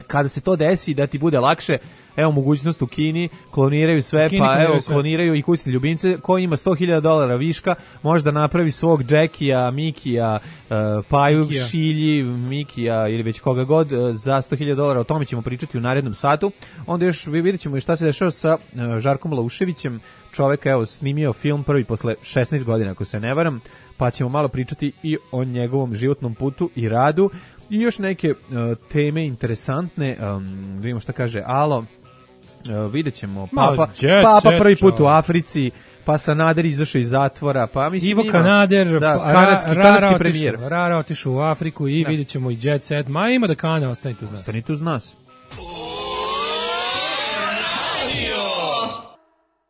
kada se to desi, da ti bude lakše, evo mogućnost u Kini, kloniraju sve, U Kini pa kloniraju evo sve. kloniraju i kućne ljubimce, ko ima sto hiljada dolara viška, može da napravi svog Jackija, Mikija, uh, Paju, Mikija. Šilji, Mikija ili već koga god uh, za sto hiljada dolara, o tome ćemo pričati u narednom satu. Onda još vi vidjet ćemo i šta se dešava sa uh, Žarkom Lauševićem, čoveka, evo, snimio film prvi posle šesnaest godina, ako se ne varam, pa ćemo malo pričati i o njegovom životnom putu i radu i još neke uh, teme interesantne, um, da vidimo šta kaže Alo. Uh, vidjet ćemo Ma, Papa, jet Papa set, prvi put u čovjek. Africi, pa Sanader izašao iz zatvora, pa mislim Ivo ima- Kanader, da, pa, kanadski, Ra- kanadski Rara premijer. otišao, Rara otišao u Afriku i Da. vidjet ćemo i Jet Set. Ma ima da kane, ostanite uz nas. Ostanite uz nas.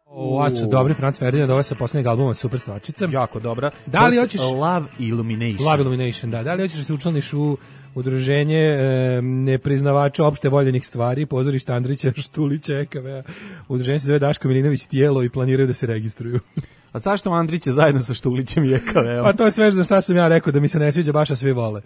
Ovo su dobri Franz Ferdinand, ovo je sa posljednjeg albuma Super stvarčica. Jako dobra. Da li To hoćeš- su Love Illumination? Love Illumination, da. Da li hoćeš da se učlaniš u udruženje e, nepriznavača opšte voljenih stvari, pozorišta Andrića, Štulića, E K V-a. Udruženje se zove Daško Milinović tijelo i planiraju da se registruju. A zašto Andrić je zajedno sa Štulićem i E K V-om? Pa to je sve za šta sam ja rekao, da mi se ne sviđa, baš a svi vole.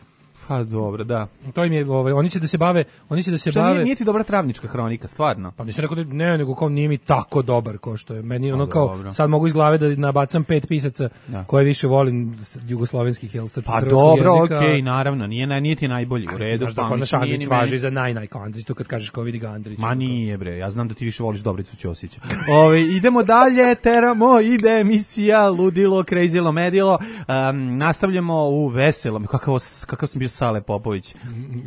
Pa dobro, da. To im je, ovaj, oni će da se bave, oni će da se Šta bave... nije, nije ti dobra travnička hronika, stvarno? Pa nisam rekao da ne, nego kao nije mi tako dobar kao što je. Meni ono kao, dobro. sad mogu iz glave da nabacam pet pisaca Da. koje više volim s- jugoslovenskih, jel, srpskog Pa hrvatskog dobro, jezika. okej, naravno, nije, na- nije ti najbolji u redu. Znaš da pa kod mislim, naš nije Andrić ni meni- važi za naj, naj, kao Andrić, tu kad kažeš kao vidi ga Andrić. Ma nije bre, ja znam da ti više voliš Dobricu Ćosića. Ove, idemo dalje, teramo, ide emisija Ludilo, Crazylo, Medilo. Um, nastavljamo u veselom, kakav, kakav sam bio Sale Popović.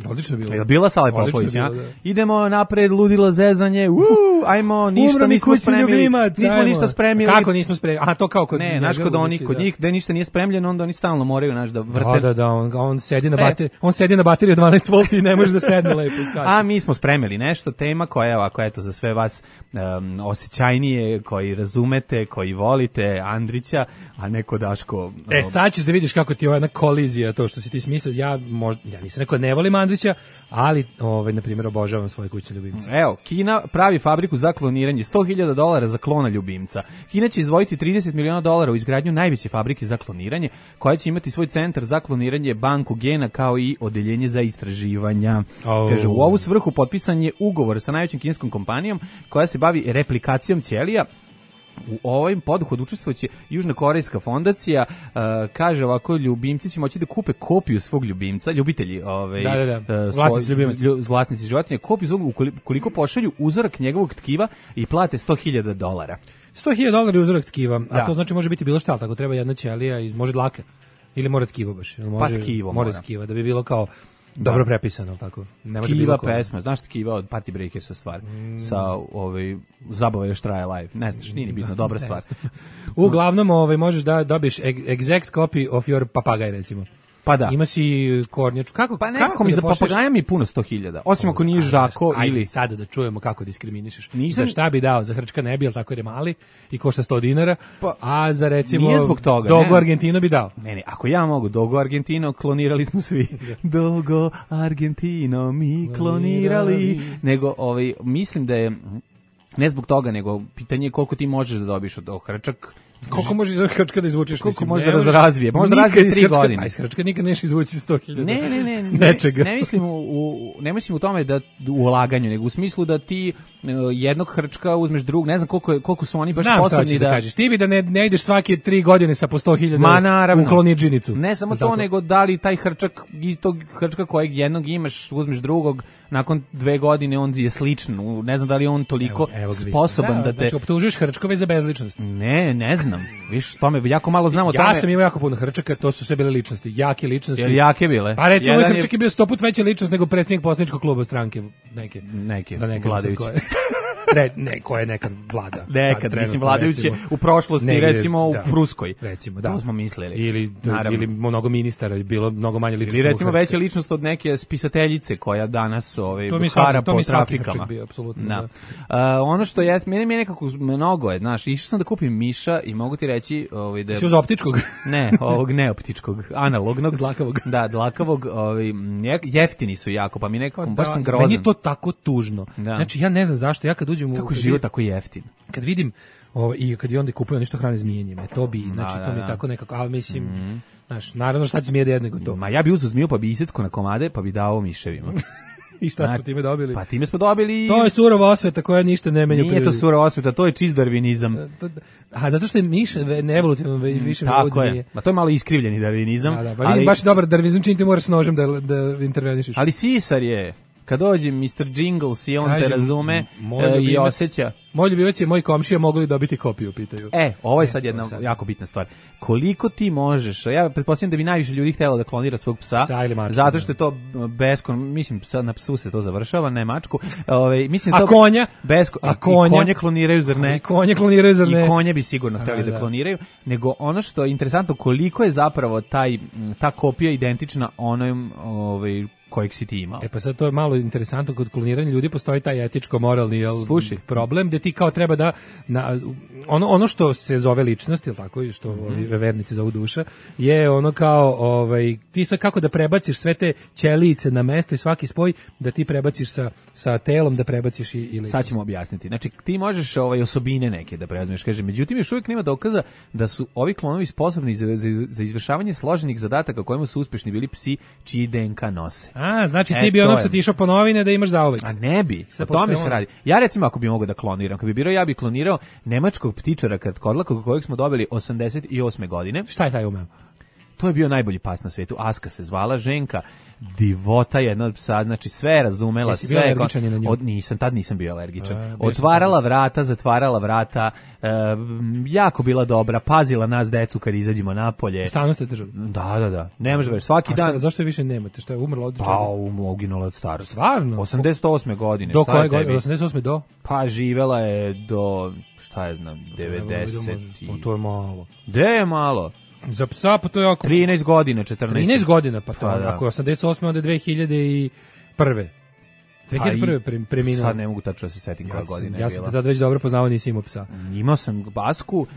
Odlično bilo. Je bila Sale Popović, ja? Idemo napred, ludilo zezanje, uuu, ajmo, ništa nismo spremili. Ljubimac, nismo ajmo. ništa spremili. Kako nismo spremili? Aha, to kao kod Ne, znaš, kod oni, kod njih, da ništa nije spremljeno, onda oni stalno moraju, znaš, da vrte. Da, da, da, on, on sedi na bateriju, on sedi na bateriju dvanaest volti i ne može da sedne lepo i skače. A mi smo spremili nešto, tema koja je ovako, eto, za sve vas um, osjećajnije, koji razumete, koji volite Andrića, a neko Daško... Um, e, sad ćeš da vidiš kako ti je ova jedna kolizija, to što si ti smislio, ja, možda, ja nisam rekao ne volim Andrića, ali, ovaj, na primjer, obožavam svoje kućne ljubimce. Evo, Kina pravi fabriku za kloniranje, sto hiljada dolara za klona ljubimca. Kina će izdvojiti trideset miliona dolara u izgradnju najveće fabrike za kloniranje, koja će imati svoj centar za kloniranje, banku gena, kao i odeljenje za istraživanja. Oh. Kaže, u ovu svrhu potpisan je ugovor sa najvećim kineskom kompanijom koja se bavi replikacijom ćelija. U ovim poduhod učestvovaće Južnokorejska fondacija, uh, kaže ovako, ljubimci će moći da kupe kopiju svog ljubimca, ljubitelji, ovaj, da, da, da. Uh, vlasnici ljubimaca, vlasnici životinja, kopiju svog, ukoliko pošalju uzorak njegovog tkiva i plate sto hiljada dolara. sto hiljada dolara je uzorak tkiva, a da. To znači može biti bilo šta, tako treba jedna ćelija, iz, može dlake, ili mora tkivo baš, ili može, pa tkivo mora. mora. Tkiva, da bi bilo kao dobro da. Prepisano, ali tako. Ne može Tkiva pesma, znaš Tkiva od Party Breakersa stvar, mm. sa ovaj, Zabava još traje live, ne znaš, nije ni bitno, dobra stvar. Uglavnom, ovaj, možeš da dobiješ exact copy of your papagaj, recimo. Pa da. Ima si kornjaču. Kako, pa nekako kako mi da za papagaja mi puno sto hiljada. Osim ako nije Žako ajde, ili... Ajde sada da čujemo kako diskriminišeš. Nisam... Za šta bi dao? Za hrčka ne bi, ali tako jer je mali i košta sto dinara. Pa, a za recimo nije zbog toga, Dogo ne. Argentino bi dao. Ne, ne, ako ja mogu Dogo Argentino, klonirali smo svi. Dogo Argentino mi klonirali. Nego, ovaj, mislim da je... Ne zbog toga, nego pitanje je koliko ti možeš da dobiš od hrčak. Koliko možeš iz hrčka da izvučeš? Koliko može da razvije? Možda razvije tri godine. A iz hrčka nikad neš izvući sto hiljada. Ne, ne, ne. Nečega. Ne, ne mislim u, u, ne mislim u tome da u ulaganju, nego u smislu da ti uh, jednog hrčka uzmeš drug, ne znam koliko, je, koliko su oni baš znam sposobni da... da kažeš. Ti bi da ne, ne ideš svake tri godine sa po sto hiljada u klonidžinicu. Ne samo to, nego da li taj hrčak, iz tog hrčka kojeg jednog imaš, uzmeš drugog, nakon dve godine on je sličan. Ne znam da li on toliko evo, evo sposoban da, da te... Znači, optužuješ hrčkove za bezličnost. Ne, ne znam. Viš, tome jako malo znamo o tome. Ja sam imao jako puno hrčaka, to su sve bile ličnosti, jake ličnosti. Jel jake bile? Pa recimo, moj hrčak je bio sto put veća ličnost nego predsjednik poslaničkog kluba stranke. Neke. Neke, da ne vladajući. Re, ne, ko je nekad vlada. Nekad, sad, mislim, vladajući u prošlosti, negdje, recimo da, u Pruskoj. Recimo, da. To smo mislili. Ili, ili mnogo ministara, bilo mnogo manje ličnosti. Ili recimo veća ličnost od neke spisateljice koja danas ovaj, hara po trafikama. Bio, apsolutno, da. Da. Uh, ono što je, meni je nekako mnogo je, znaš, išao sam da kupim miša i mogu ti reći... Ovaj, da, si uz optičkog? Ne, ovog neoptičkog, analognog. Dlakavog. Da, dlakavog, ovaj, jeftini su jako, pa mi nekako, baš sam grozan. Meni je to tako tužno. Da. Znači, ja ne znam zašto, ja kad uđem u... Kako je život tako jeftin? Kad vidim, ovaj, i kad i onda kupuju nešto hrane zmijenjima, to bi, znači, da, da, to mi je da. tako nekako, ali mislim... Mm. Znaš, naravno šta će zmije da jedne nego to. Ma ja bi uzeo zmiju pa bi isecko na komade pa bi dao miševima. I šta smo time dobili? Pa time smo dobili... To je surova osveta koja ništa ne menja. Nije to surova osveta, to je čist darvinizam. A zato što je miš evolutivno više vodi zmije. Ma to je malo iskrivljeni darvinizam. Da, da, pa ali... baš dobar darvinizam čim ti moraš s nožem da, da intervenišeš. Ali sisar je... Kad dođe mister Jingles i on Kažem, te razume e, i osjeća. Moj ljubivac je moj komšija, mogu li dobiti kopiju, pitaju. E, ovo je sad jedna sad. jako bitna stvar. Koliko ti možeš, ja pretpostavljam da bi najviše ljudi htjelo da klonira svog psa, psa ili mačku, zato što je to beskon, mislim, sad na psu se to završava, ne mačku. Ove, mislim, a to konja? Besko, a konja? I konje kloniraju, zar ne? I konje kloniraju, zar ne? I konje bi sigurno htjeli da, da kloniraju, nego ono što je interesantno, koliko je zapravo taj, ta kopija identična onom, ovaj, kojeg si ti imao. E pa sad to je malo interesantno, kod kloniranja ljudi postoji taj etičko-moralni jel, problem, gde ti kao treba da, na, ono, ono što se zove ličnost, jel tako, što mm -hmm. vernici zovu duša, je ono kao, ovaj, ti sad kako da prebaciš sve te ćelice na mesto i svaki spoj, da ti prebaciš sa, sa telom, da prebaciš i, i ličnost. Sad ćemo objasniti. Znači, ti možeš ovaj, osobine neke da prebaciš, kaže, međutim, još uvijek nema dokaza da su ovi klonovi sposobni za, za, za izvršavanje složenih zadataka kojima su uspješni bili psi čiji D N K nose. A, znači ti e, bi onog što ti išao po novine da imaš zauvek. A ne bi, o tome se radi. Ja recimo ako bi mogao da kloniram, kad bi birao, ja bi klonirao nemačkog ptičara kratkodlakog kojeg smo dobili osamdeset osme godine. Šta je taj umeo? To je bio najbolji pas na svetu. Aska se zvala, ženka, divota jedna od psa, znači sve razumela, Jesi sve. bio alergičan na nju? Od, nisam, tad nisam bio alergičan. A, bio Otvarala vrata, zatvarala vrata, e, jako bila dobra, pazila nas decu kad izađemo napolje. Stalno ste držali? Da, da, da. Ne može već svaki A šta, dan. zašto je više nemate? Šta je umrla od čega? Pa, um, uginula od starosti. Stvarno? osamdeset osme godine. Do šta koje je godine? tebi? osamdeset osme do? Pa živela je do, šta je znam, devedeset. O, to je malo. Gde je malo? Za psa pa to je oko trinaest godina, četrnaest. trinaest godina, pa to, Pa da. ako je osamdeset osme onda dve hiljade prve. dve hiljade prve pre, preminuo. Sad ne mogu tačno da se setim koja Ja sam, godina ja je sam bila. te tad već dobro poznavao, nisi imao psa. Imao sam basku, uh,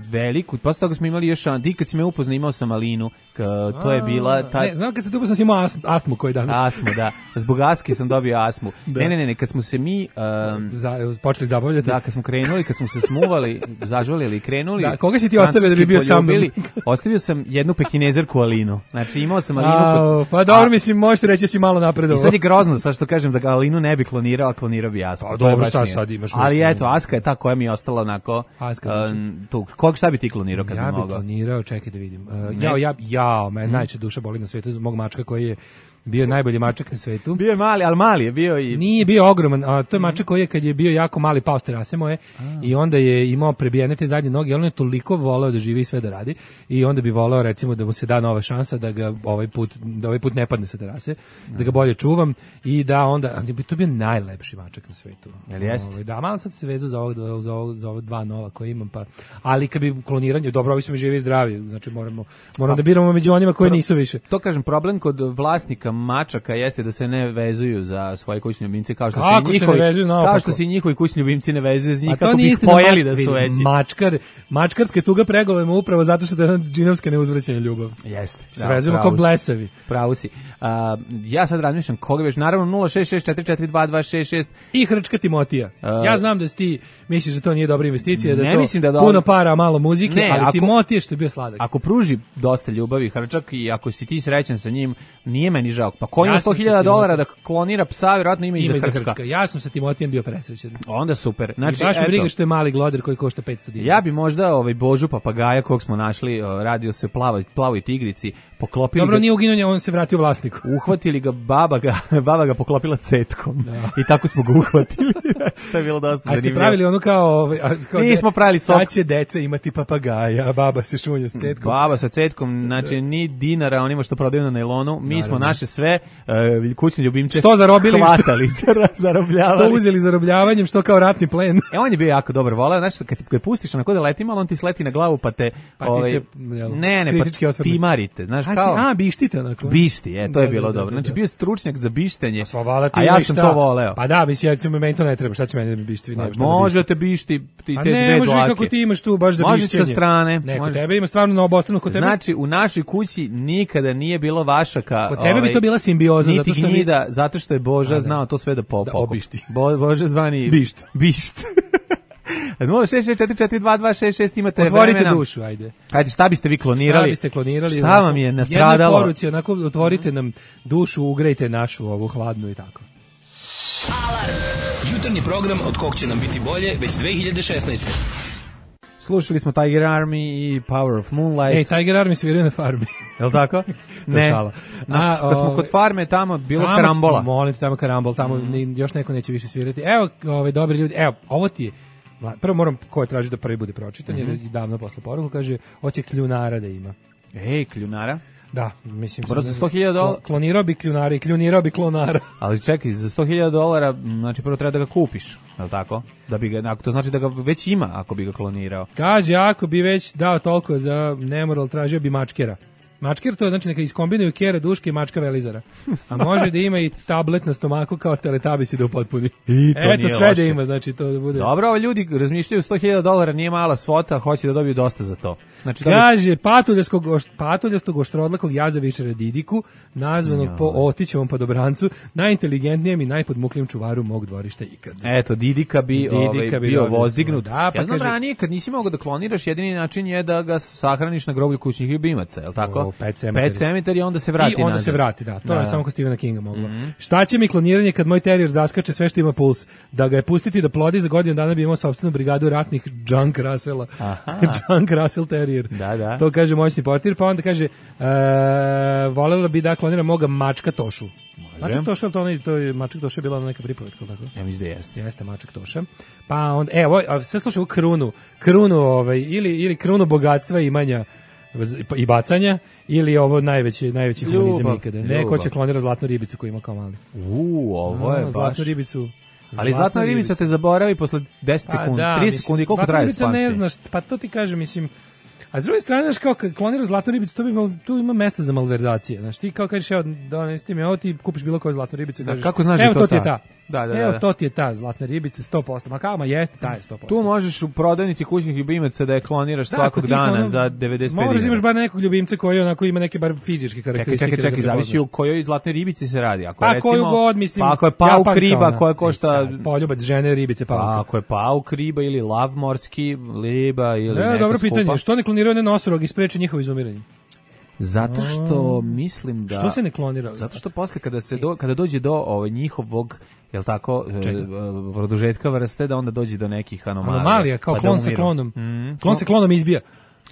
veliku, posle toga smo imali još, ti kad si me upoznao imao sam malinu, k, to je bila... Ta... Ne, znam kad se tu upoznao sam imao astmu, astmu koji danas. Asmu, da. Zbog aske sam dobio asmu. Da. Ne, ne, ne, ne, kad smo se mi... Um, Za, počeli zabavljati. Da, kad smo krenuli, kad smo se smuvali, zažvalili i krenuli... Da, koga si ti ostavio da bi bio sa mnom? Ostavio sam jednu pekinezerku Alinu. Znači imao sam Alinu... A, kod, pa dobro, a, mislim, možeš reći da si malo napredovao. I sad je grozno, sad što kažem da ga Alinu ne bi klonirao, a klonirao bi Asku. Pa To je dobro, baš šta nije. sad imaš? Ali eto, Aska je ta koja mi je ostala onako... Aska, um, tu, kog šta bi ti klonirao kad ja bi bi mogao? klonirao, čekaj da vidim. Uh, jao, ja, jao, me najče duša boli na svetu zbog mog mačka koji je bio najbolji mačak na svetu. Bio je mali, ali mali je bio i... Nije bio ogroman, a to je mačak koji je kad je bio jako mali pao s terase moje i onda je imao prebijene te zadnje noge, on je toliko voleo da živi i sve da radi i onda bi voleo recimo da mu se da nova šansa da ga ovaj put da ovaj put ne padne sa terase, da ga bolje čuvam i da onda bi to bio najlepši mačak na svetu. Jel jeste? Ovaj, da, malo sad se vezao za ovog dva, za ovog za ova dva nova koje imam pa ali kad bi kloniranje dobro, ovi su mi živi i zdravi, znači moramo moramo da biramo među onima koji nisu više. To kažem, problem kod vlasnika mačaka jeste da se ne vezuju za svoje kućne ljubimce kao što Kako se se njihovi ne vezuju naopako? kao što se i njihovi kućni ljubimci ne vezuju za njih A to kako bi nije ih istina, pojeli mačka- da su vidi, veći. Mačkar, mačkarske tuga pregovojimo upravo zato što je jedna džinovska neuzvraćena ljubav. Jeste. Se vezujemo kao blesavi. Pravo si. A, ja sad razmišljam koga već, naravno nula šest šest četiri četiri dva dva šest šest. I Hrčka Timotija. Uh, ja znam da si ti misliš da to nije dobra investicija, da ne je to mislim da je puno dobro. para, a malo muzike, Ne, ali ako- Timotije što je bio sladak. Ako pruži dosta ljubavi Hrčak i ako si ti srećan sa njim, nije meni žao. Pa ko Ja ima sam sto hiljada sa dolara da klonira psa, vjerojatno ima i Ima za i za Hrčka. Hrčka. Ja sam sa Timotijem bio presrećen. Onda super. Znači, Znači, I baš me eto, briga što je mali gloder koji košta petsto dinara. ja bi možda ovaj Božu papagaja kog smo našli, o, radio se plavoj plavoj tigrici, poklopili Dobro, ga, nije uginuo, on se vratio vlasniku. uhvatili ga, baba ga, baba ga poklopila cetkom. I tako smo ga uhvatili. Što je bilo dosta A ste zanimljivo. pravili ono kao... ovaj, a, kao Nismo pravili sok. Sad će deca imati papagaja, a baba se šunja s cetkom. Baba sa cetkom, znači ni dinara onima što prodaju na nailonu. Mi smo Naravno. naše sve uh, kućne ljubimce Što zarobili, što- hvatali, zar- zarobljavali. Što uzeli zarobljavanjem, što kao ratni plen. E, on je bio jako dobar, voleo, znači, kad, kad pustiš onako da leti malo, on ti sleti na glavu, pa te... Pa ti ovaj, se, jel, ne, ne, kritički pa osvrne. timarite, znaš, A, ti- kao... a, bištite onako. Bišti, e, to je Da, bilo da, da, dobro. da, Znači, da. bio je stručnjak za bištenje, Pa vala ti a ja imaš sam šta. to voleo. Pa da, mislim, ja ću meni to ne treba, šta će meni da mi bišti, vi nema šta da bišti. Možete bišti ti A te ne, dve može dlake. kako ti imaš tu baš za Može bišćenje. sa strane. Ne, kod može. tebe ima stvarno na obostranu, kod tebe. Znači, u našoj kući nikada nije bilo vašaka. Kod tebe bi ovaj, to bila simbioza, niti zato što mi- gnjida, zato što je Boža A, da. znao to sve da po, Da pokupi. obišti. Bo, Boža zvani... Bišt. Bišt. nula šest šest četiri četiri dva dva šest šest imate Otvorite vremena. dušu, ajde. Ajde, šta biste vi klonirali? Šta biste klonirali? Šta onako, vam je Jednoj nastradalo? poruci, onako, otvorite nam dušu, ugrejte našu ovu hladnu i tako. Jutarnji program od kog će nam biti bolje već dve hiljade šesnaeste. Slušali smo Tiger Army i Power of Moonlight. Ej, Tiger Army sviraju na farmi. Jel tako? To je šala. Na, A, kad smo ovaj, kod farme, tamo bilo Tamo karambola. smo, Molim te, tamo karambol, tamo ni- još neko neće više svirati. Evo, ovaj, dobri ljudi, evo, ovo ti je, mla- prvo moram ko je traži da prvi bude pročitan, jer je davno posle poruku, kaže, hoće kljunara da ima. Ej, kljunara. Da, mislim... Brzo sto hiljada dolara. Klonirao bi kljunara i kljunirao bi klonara. Ali čekaj, za sto hiljada dolara, m, znači prvo treba da ga kupiš, je li tako? Da bi ga, ako to znači da ga već ima, ako bi ga klonirao. Kaže, ako bi već dao toliko za nemoral, tražio bi mačkera. Mačker to je znači neka iskombinuju kjera, duške i mačka velizara. A može da ima i tablet na stomaku kao Teletubbies da upotpuni. I to Eto, nije sve loše. da ima, znači to da bude... Dobro, ovo ljudi razmišljaju sto hiljada dolara, nije mala svota, hoće da dobiju dosta za to. Znači, dobit- Kaže, patuljastog, oš- patuljastog oštrodlakog jazavičara Didiku, nazvanog po Otićevom padobrancu, najinteligentnijem i najpodmuklijem čuvaru mog dvorišta ikad. Eto, Didika bi, Didika ovaj, bi bio dobio vozdignut. svoje. Da, pa ja znam kaže- ranije, kad nisi mogao da kloniraš, jedini način je da ga sahraniš na groblju kućnih ljubimaca, je li tako? O, Pet Sematary. Pet Sematary, onda se vrati I onda nazad. se vrati, da. To Da. je samo kod Stephena Kinga moglo. Mm-hmm. Šta će mi kloniranje kad moj terijer zaskače sve što ima puls? Da ga je pustiti da plodi za godinu dana bi imao sopstvenu brigadu ratnih Junk Russella. Junk Russell Terrier. Da, da. To kaže moćni portir, pa onda kaže e, volela bi da klonira moga mačka Tošu. Mačak Toša, to, onaj, to je, Mačak Toša je bila neka pripovetka, tako? Ja mislim da jeste. Jeste Mačak Toša. Pa onda, evo, sve slušaj u krunu, krunu ovaj, ili, ili krunu bogatstva i imanja i bacanja, ili ovo najveći, najveći humanizam ikada. Neko će klonira zlatnu ribicu koju ima kao mali. Uuu, ovo je no, baš... Zlatnu ribicu. Ali zlatna ribica ribica te zaboravi posle deset pa, sekundi, da, tri mislim, sekundi, koliko traje ribica spamši? ne znaš, pa to ti kažem, mislim, a s druge strane, znaš, kao kad kloniraš zlatnu ribicu, to bi imao, tu ima mesta za malverzacije. Znaš, ti kao kažeš, evo, donesi mi ovo, ti kupiš bilo koju zlatnu ribicu i Da, kažeš, kako znaš evo, da to je to ti je ta? ta. Da, da, da, evo, da. to ti je ta zlatna ribica, sto posto. Ma kao, ma jeste, ta je sto posto. Tu možeš u prodavnici kućnih ljubimaca da je kloniraš Da, svakog kod tih, dana ono, za devedeset pet Moraš da dinara. imaš bar nekog ljubimca koji onako ima neke bar fizičke Čekaj, karakteristike. čekaj, čekaj, da ga zavisi poznaš. u kojoj zlatnoj ribici se radi. Ako Pa recimo, koju god, mislim. Pa ako je pauk japanka, riba ona. koja košta... E sad, poljubac žene, ribice, pauka. Pa ako je pauk riba ili lav morski riba ili Ne, neka dobro skupa. pitanje, što ne kloniraju one nosorog i spreče njihovo izumiranje? Zato što mislim da... Što se ne klonira? Zato što posle kada se do, kada dođe do ovaj njihovog, jel tako, e, Čega? produžetka vrste, da onda dođe do nekih anomalija. Anomalija, kao pa da klon sa umiru. klonom. Mm. Klon sa klonom izbija.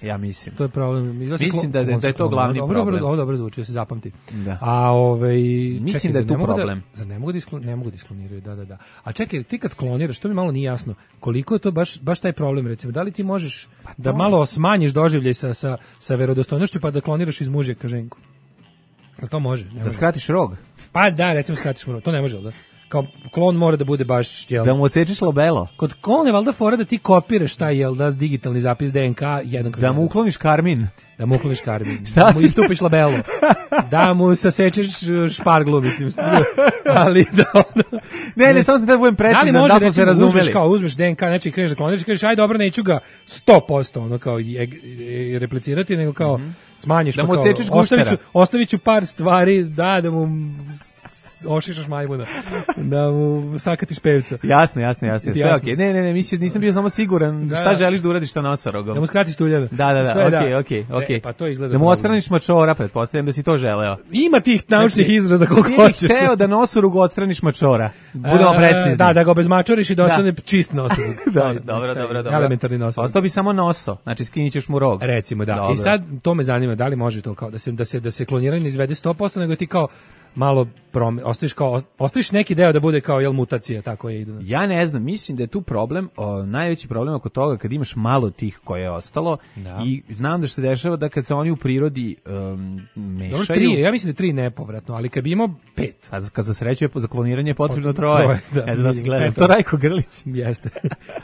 Ja mislim. To je problem. Izlazi Mislim klon- da- da- klon da je sa to klonom. glavni Dobro, problem. Dobro, ovo dobro zvuči, da se zapamti. Da. A ovaj Mislim čekaj, da je zar tu ne mogu problem. Da, za ne mogu da isklo, ne mogu da iskloniraju, da, da, da. A čekaj, ti kad kloniraš, to mi malo nije jasno. Koliko je to baš baš taj problem, recimo? Da li ti možeš da malo smanjiš doživljaj sa sa sa verodostojnošću pa da kloniraš iz muže ka ženku? Jel to može? Ne Da može. skratiš rog. Pa da, recimo skratiš mu rog. To ne može, jel da? Kao klon mora da bude baš, jel? Da mu odsečeš labelo. Kod klona je valjda fora da ti kopiraš taj, jel da, digitalni zapis D N K jedan kroz Da mu jedan. ukloniš karmin. Da mu ukloniš karmin. Šta? Da mu istupiš labelo. Da mu sasečeš šparglu, mislim. Ali da ono... Ne, ne, samo sam da budem Da li precizan, može, da smo se recimo, uzmeš razumeli. kao, uzmeš D N K, znači kreneš da kloniraš i kažeš, aj dobro, neću ga sto posto, ono kao, i, i replicirati, nego kao, smanjiš, Da pa mu kao, odsečeš ostavit ću, gustera. ostavit ću par stvari, da, da mu s- ošišaš majmuna, da mu sakatiš pevca. Jasno, jasno, jasno. Sve Jasno. okej. Ne, ne, ne, mislim, nisam bio samo siguran Da. šta želiš da uradiš sa nosorogom. Da mu skratiš tuljana. Da, da, da, Sve, okej, okej, E, okej. pa to izgleda Da mu problem. odstraniš mačora, pretpostavljam da si to želeo. Ima tih naučnih Znači, izraza koliko ti hoćeš. hteo da nosorugu odstraniš mačora. Budemo E, precizni. Da, da ga obezmačoriš i da Da. ostane čist nosorug. Dobro, Taj- dobro, taj dobro, dobro. Elementarni nosorug. Ostao bi samo noso, znači skinit ćeš mu rog. Recimo, da. Dobro. I sad to me zanima, da li može to kao da se da se da se kloniranje ne izvede sto posto, nego ti kao malo prom, ostaviš kao ostaviš neki deo da bude kao jel mutacija, tako je idu. Ja ne znam, mislim da je tu problem, o, najveći problem oko toga kad imaš malo tih koje je ostalo Da. i znam da što se dešava da kad se oni u prirodi um, mešaju... Dobro, tri, ja mislim da je tri nepovratno, ali kad bi imao pet. A za- kad za sreću je za kloniranje je potrebno Potrebno troje. troje, da. Ne znam da si gledao. Peto. To Rajko Grlić. Jeste.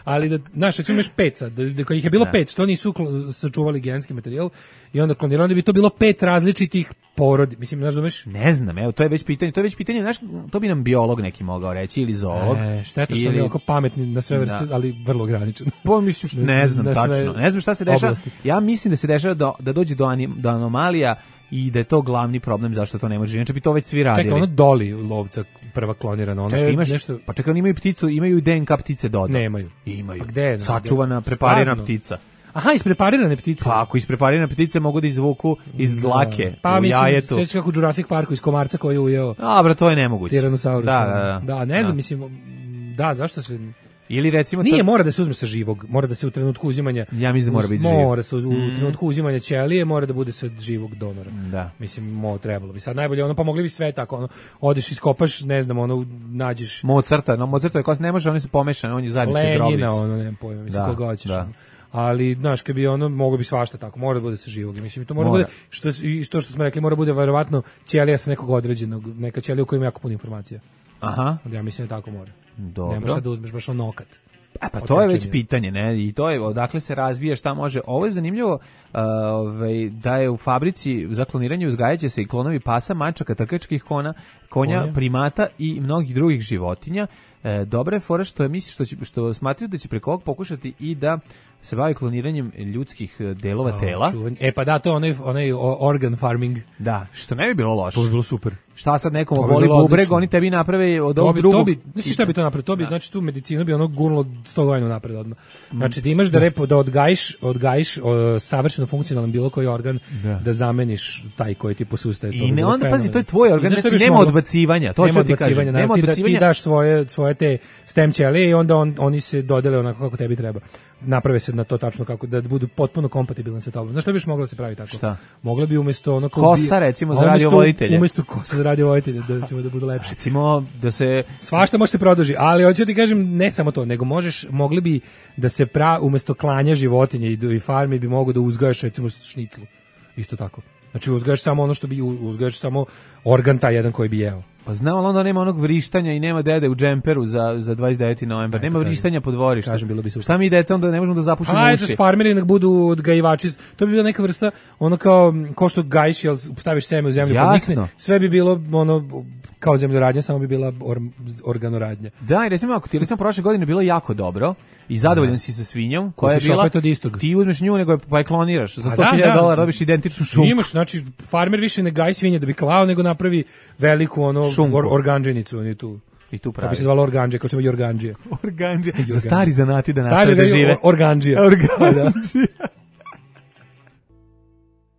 Ali da, znaš, recimo imaš pet sad, da, da kad ih je bilo Da. pet, što nisu klo- sačuvali genetski materijal i onda klonirali, onda bi to bilo pet različitih porodi. Mislim, znaš, zumeš? Ne znam, evo, to je već pitanje, to je već pitanje, znaš, to bi nam biolog neki mogao reći, ili zoolog. E, šteta što smo ili- mi oko pametni na sve vrste, Da. ali vrlo ograničen. Pa mislim, što- ne znam Na sve tačno. Ne znam šta se dešava. oblasti. Ja mislim da se dešava da, da dođe do, anim, do anomalija i da je to glavni problem zašto to ne može. Inače bi to već svi radili. Čekaj, ono Doli lovca prva klonirana, ona Čekaj, je imaš, nešto... pa čekaj, oni imaju pticu, imaju i D N K ptice doda. Nemaju. Imaju. Pa gde? Sačuvana, Gde? preparirana Stvarno? ptica. Aha, ispreparirane ptice. Pa ako ispreparirane ptice mogu da izvuku iz dlake Pa u mislim, jajetu. sećaš kako u Jurassic Parku iz komarca koji je ujeo Dobro, to je nemoguće. Tyrannosaurus. Da, da, da. Da, ne znam, mislim, da, zašto se... Ili recimo... Nije, to- mora da se uzme sa živog, mora da se u trenutku uzimanja... Ja mislim da mora uz- biti živ. Mora se, uz- u Mm. trenutku uzimanja ćelije, mora da bude sa živog donora. Da. Mislim, mo, trebalo bi. Sad najbolje, ono, pa mogli bi sve tako, ono, odeš, iskopaš, ne znam, ono, nađeš Mozarta, no Mozartove kosti ne može, oni su pomešane, on je zajednički Lenjina, grobnic. ono, nemam pojma, mislim, Da, koga hoćeš. da. ono. Ali, znaš, kad bi ono, moglo bi svašta tako, mora da bude sa živog. Mislim, to mora, Mora. bude, što, i to što smo rekli, mora bude verovatno ćelija sa nekog određenog, neka ćelija u kojoj ima jako puno informacija. Aha. Ja mislim da tako mora. Dobro. Ne možeš sad da uzmeš baš on nokat. E, pa to je već Odsečenje. pitanje, ne? I to je odakle se razvija, šta može. Ovo je zanimljivo, uh, ovaj, da je u fabrici za kloniranje uzgajaće se i klonovi pasa, mačaka, trkačkih kona, konja, Konja. primata i mnogih drugih životinja. E, dobra je fora što je misli što će, što smatraju da će preko ovog pokušati i da se bavi kloniranjem ljudskih eh, delova A, tela. čuvanje. E pa da, to je onaj, onaj o- organ farming. Da, što ne bi bilo loše. To bi bilo super. Šta sad nekom To bi boli bilo bubreg, odlično. oni tebi naprave od To ovog bi, drugog. to bi, znaš šta bi to napravio? To bi, znači tu medicinu bi ono gurnulo sto godina napred odmah. Znači da imaš da repo, da odgajiš, odgajiš o, savršeno funkcionalan bilo koji organ, Da. da zameniš taj koji ti posustaje. To I bi ne, bilo onda, pazi, fenomenalno. to je tvoj organ, I znaš šta znači bi još nema moglo? odbacivanja, to Nema ću ti odbacivanja, kažem, da, nema ti, da, ti odbacivanja. daš svoje, svoje te stem ćelije i onda on, oni se dodele onako kako tebi treba. Naprave se na to tačno kako, da budu potpuno kompatibilni sa tobom. Znaš šta bi još moglo da se pravi tako? Šta? Moglo bi umesto ono kao Kosa, bi- recimo, a za umesto- radiovoditelje. Umesto kosa za radiovoditelje, da ćemo da budu lepše. Recimo da se Svašta može se produži, ali hoću ti kažem ne samo to, nego možeš, mogli bi da se pra, umesto klanja životinja i, do- i farmi bi mogo da uzgajaš recimo šniclu. Isto tako. Znači uzgajaš samo ono što bi, uzgajaš samo organ taj jedan koji bi jeo. pa znam, ali onda nema onog vrištanja i nema dede u džemperu za za dvadeset deveti novembar. Nema kažem. vrištanja po dvorištu. Kažem, bilo bi super. Šta mi deca onda ne možemo da zapušimo Ajde, uši? farmeri nek budu odgajivači. To bi bila neka vrsta, ono kao, ko što gajiš, jel staviš seme u zemlju, Jasno. podnikne, sve bi bilo ono kao zemljoradnja, samo bi bila or, organoradnja. Da, i recimo ako ti je recimo prošle godine bilo jako dobro i zadovoljan si sa svinjom koja je Kupiš bila opet od istog. ti uzmeš nju nego je pa je kloniraš za A sto da, hiljada da. dolara dobiš identičnu šunku. Imaš, znači, farmer više ne gaji svinje da bi klao, nego napravi veliku ono Šunku. or, organđenicu, on je tu. I tu Da pravi. bi se zvalo organđe, kao što ima jorganđije. Organđe. Za stari zanati da Stari nastave da organđije, žive. or- organđija. Organđija.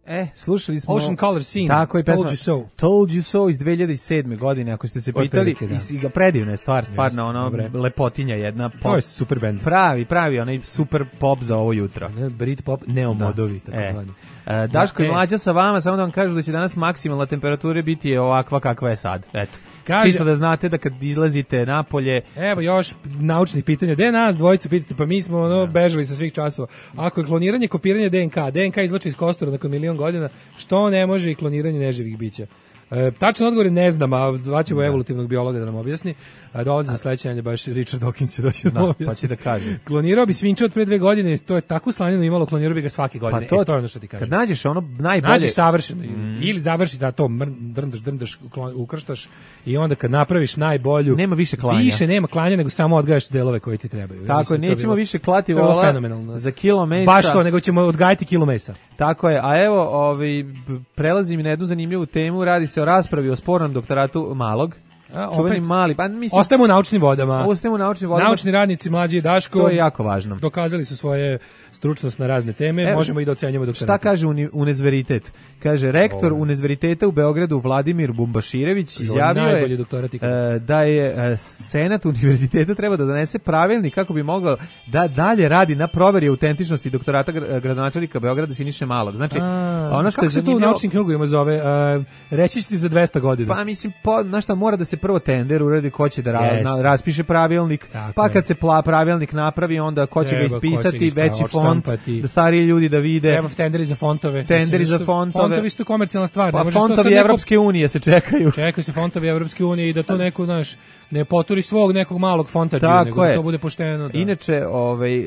E, slušali smo Ocean Color Scene, Tako je pesma Told You So. Told You So iz dve hiljade sedme godine, ako ste se pitali. Otprilike, da. I si ga predivna je stvar, stvarno Jeste, ono dobre. lepotinja jedna. To Pop, je super band. pravi, pravi, onaj super pop za ovo jutro. Ne, Britpop, neomodovi, tako E. zvani. E, Daško i E. Mlađa sa vama, samo da vam kažu da će danas maksimalna temperatura biti ovakva kakva je sad. Eto. Kaže- Čisto da znate da kad izlazite napolje, Evo još naučnih pitanja. Gde nas dvojicu pitate? Pa mi smo ono bežali sa svih časova. Ako je kloniranje kopiranje D N K, D N K izvlači iz kostura nakon milion godina, što ne može i kloniranje neživih bića? E, tačan odgovor je ne znam, a zvaćemo evolutivnog biologa da nam objasni. A dolazi za sledeće nedelje baš Richard Dawkins će doći da nam da, objasni. pa će da kaže. Klonirao bi svinča od pre dve godine, to je tako slanjeno imalo, klonirao bi ga svake Pa godine. to, e, to je ono što ti kažem. kad nađeš ono najbolje... Nađeš savršeno ili završi da to mr, drndaš, drndaš, klon- ukrštaš i onda kad napraviš najbolju Nema više klanja. Više nema klanja nego samo odgajaš delove koji ti trebaju. Ja Tako mislim je, da to nećemo bilo- više klati to je bilo vola fenomenalno. za kilo mesa. Baš to, nego ćemo odgajati kilo mesa. Tako je, a evo, ovaj, b- prelazim i na jednu zanimljivu temu, radi se o raspravi o spornom doktoratu Malog. A, Čuveni opet, mali, pa mislim, ostajemo u naučnim vodama. ostajemo u naučnim vodama. Naučni radnici Mlađi i Daško To je jako važno. dokazali su svoje stručnost na razne teme, Evo, možemo i da ocenjujemo doktorate. Šta kaže uni, univerzalitet? Kaže, rektor Ovo. univerziteta u Beogradu Vladimir Bumbaširević Kaže, izjavio najbolji je doktorat ikada. e, da je e, senat univerziteta treba da donese pravilnik kako bi mogao da dalje radi na proveri autentičnosti doktorata gra- gradonačelnika Beograda Siniše Malog. Znači, A, ono što kako je se to u zanimljivo- naučnim krugovima zove? A, reći ću ti za dvesta godina. Pa mislim, po, znaš šta, mora da se prvo tender uradi ko će da ra, Jeste. na, raspiše pravilnik, Tako pa je. kad se pla, pravilnik napravi, onda ko će Treba, ga ko će ispisati, ga ispa- veći font, odštampati. da stariji ljudi da vide. Treba tenderi za fontove. Tenderi Mislim, za isto- fontove. Fontovi su komercijalna stvar. Pa ne možeš to fontovi sad neko- Evropske unije se čekaju. Čekaju se fontovi Evropske unije i da to neko, znaš, ne poturi svog nekog malog fontađa, Tako nego je. da to bude pošteno. Da. Inače, ovaj, e,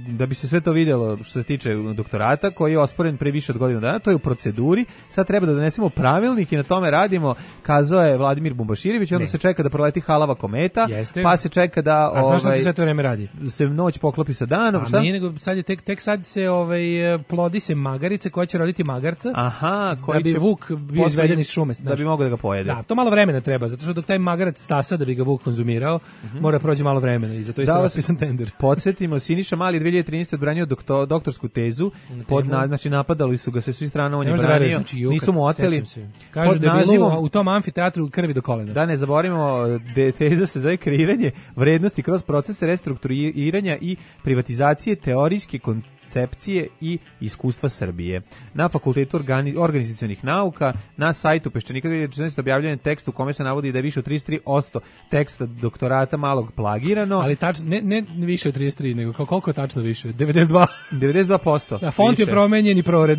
da bi se sve to vidjelo što se tiče doktorata, koji je osporen pre više od godinu dana, to je u proceduri, sad treba da donesemo pravilnik i na tome radimo, kazao je Vladimir Bumbaširević, onda Ne. se čeka da proleti halava kometa, Jeste. pa se čeka da A znaš šta ovaj, se sve to vreme radi? se noć poklopi sa danom, A šta? nije nego sad je tek tek sad se ovaj plodi se magarice koja će roditi magarca. Aha, da koji bi će Vuk bio posle- izveden iz šume, da znaš. bi mogao da ga pojede. Da, to malo vremena treba, zato što dok taj magarac stasa da bi ga Vuk konzumirao, mora da prođe malo vremena i zato je Da isto vas raspisan tender. Podsjetimo, Siniša Mali dve hiljade trinaeste odbranio doktor, doktorsku tezu, pod na, znači napadali su ga sa svih strana, on Ne je možeš da branio, veruješ, znači, ju, nisu kad mu oteli. sećam se. Kažu Pod da je bilo nazivom- u, u tom amfiteatru krvi do kolena. Da ne zaboravimo, de, teza se zove kreiranje vrednosti kroz procese restrukturiranja i privatizacije teorijske koncepcije i iskustva Srbije. Na Fakultetu organi, organizacionih nauka, na sajtu Peščanika dve hiljade četrnaeste objavljen je tekst u kome se navodi da je više od trideset tri posto teksta doktorata Malog plagirano. Ali tačno, ne, ne više od trideset tri, nego kao koliko je tačno više? devedeset dva. devedeset dva posto. Da, font je više. promenjen i prored.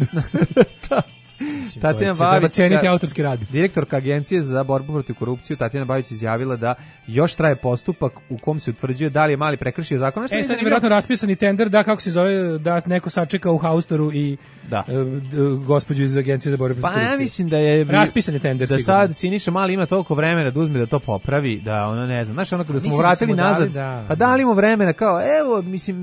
Tatjana Treba Babić, ceniti ka- autorski rad. direktorka Agencije za borbu protiv korupciju, Tatjana Babić izjavila da još traje postupak u kom se utvrđuje da li je Mali prekršio zakon. Što E, mi sad je zanimljivo- vjerojatno raspisani tender, da, kako se zove, da neko sačeka u haustoru i Da. e, d- gospođu iz Agencije za borbu protiv Pa ja korupcije. mislim da je Raspisan je tender, da sigurno. sad Siniša Mali ima toliko vremena da uzme da to popravi, da ono ne znam. Znaš, ono kada smo Mislim da vratili smo mu dali, nazad, da. pa dali mu vremena kao evo, mislim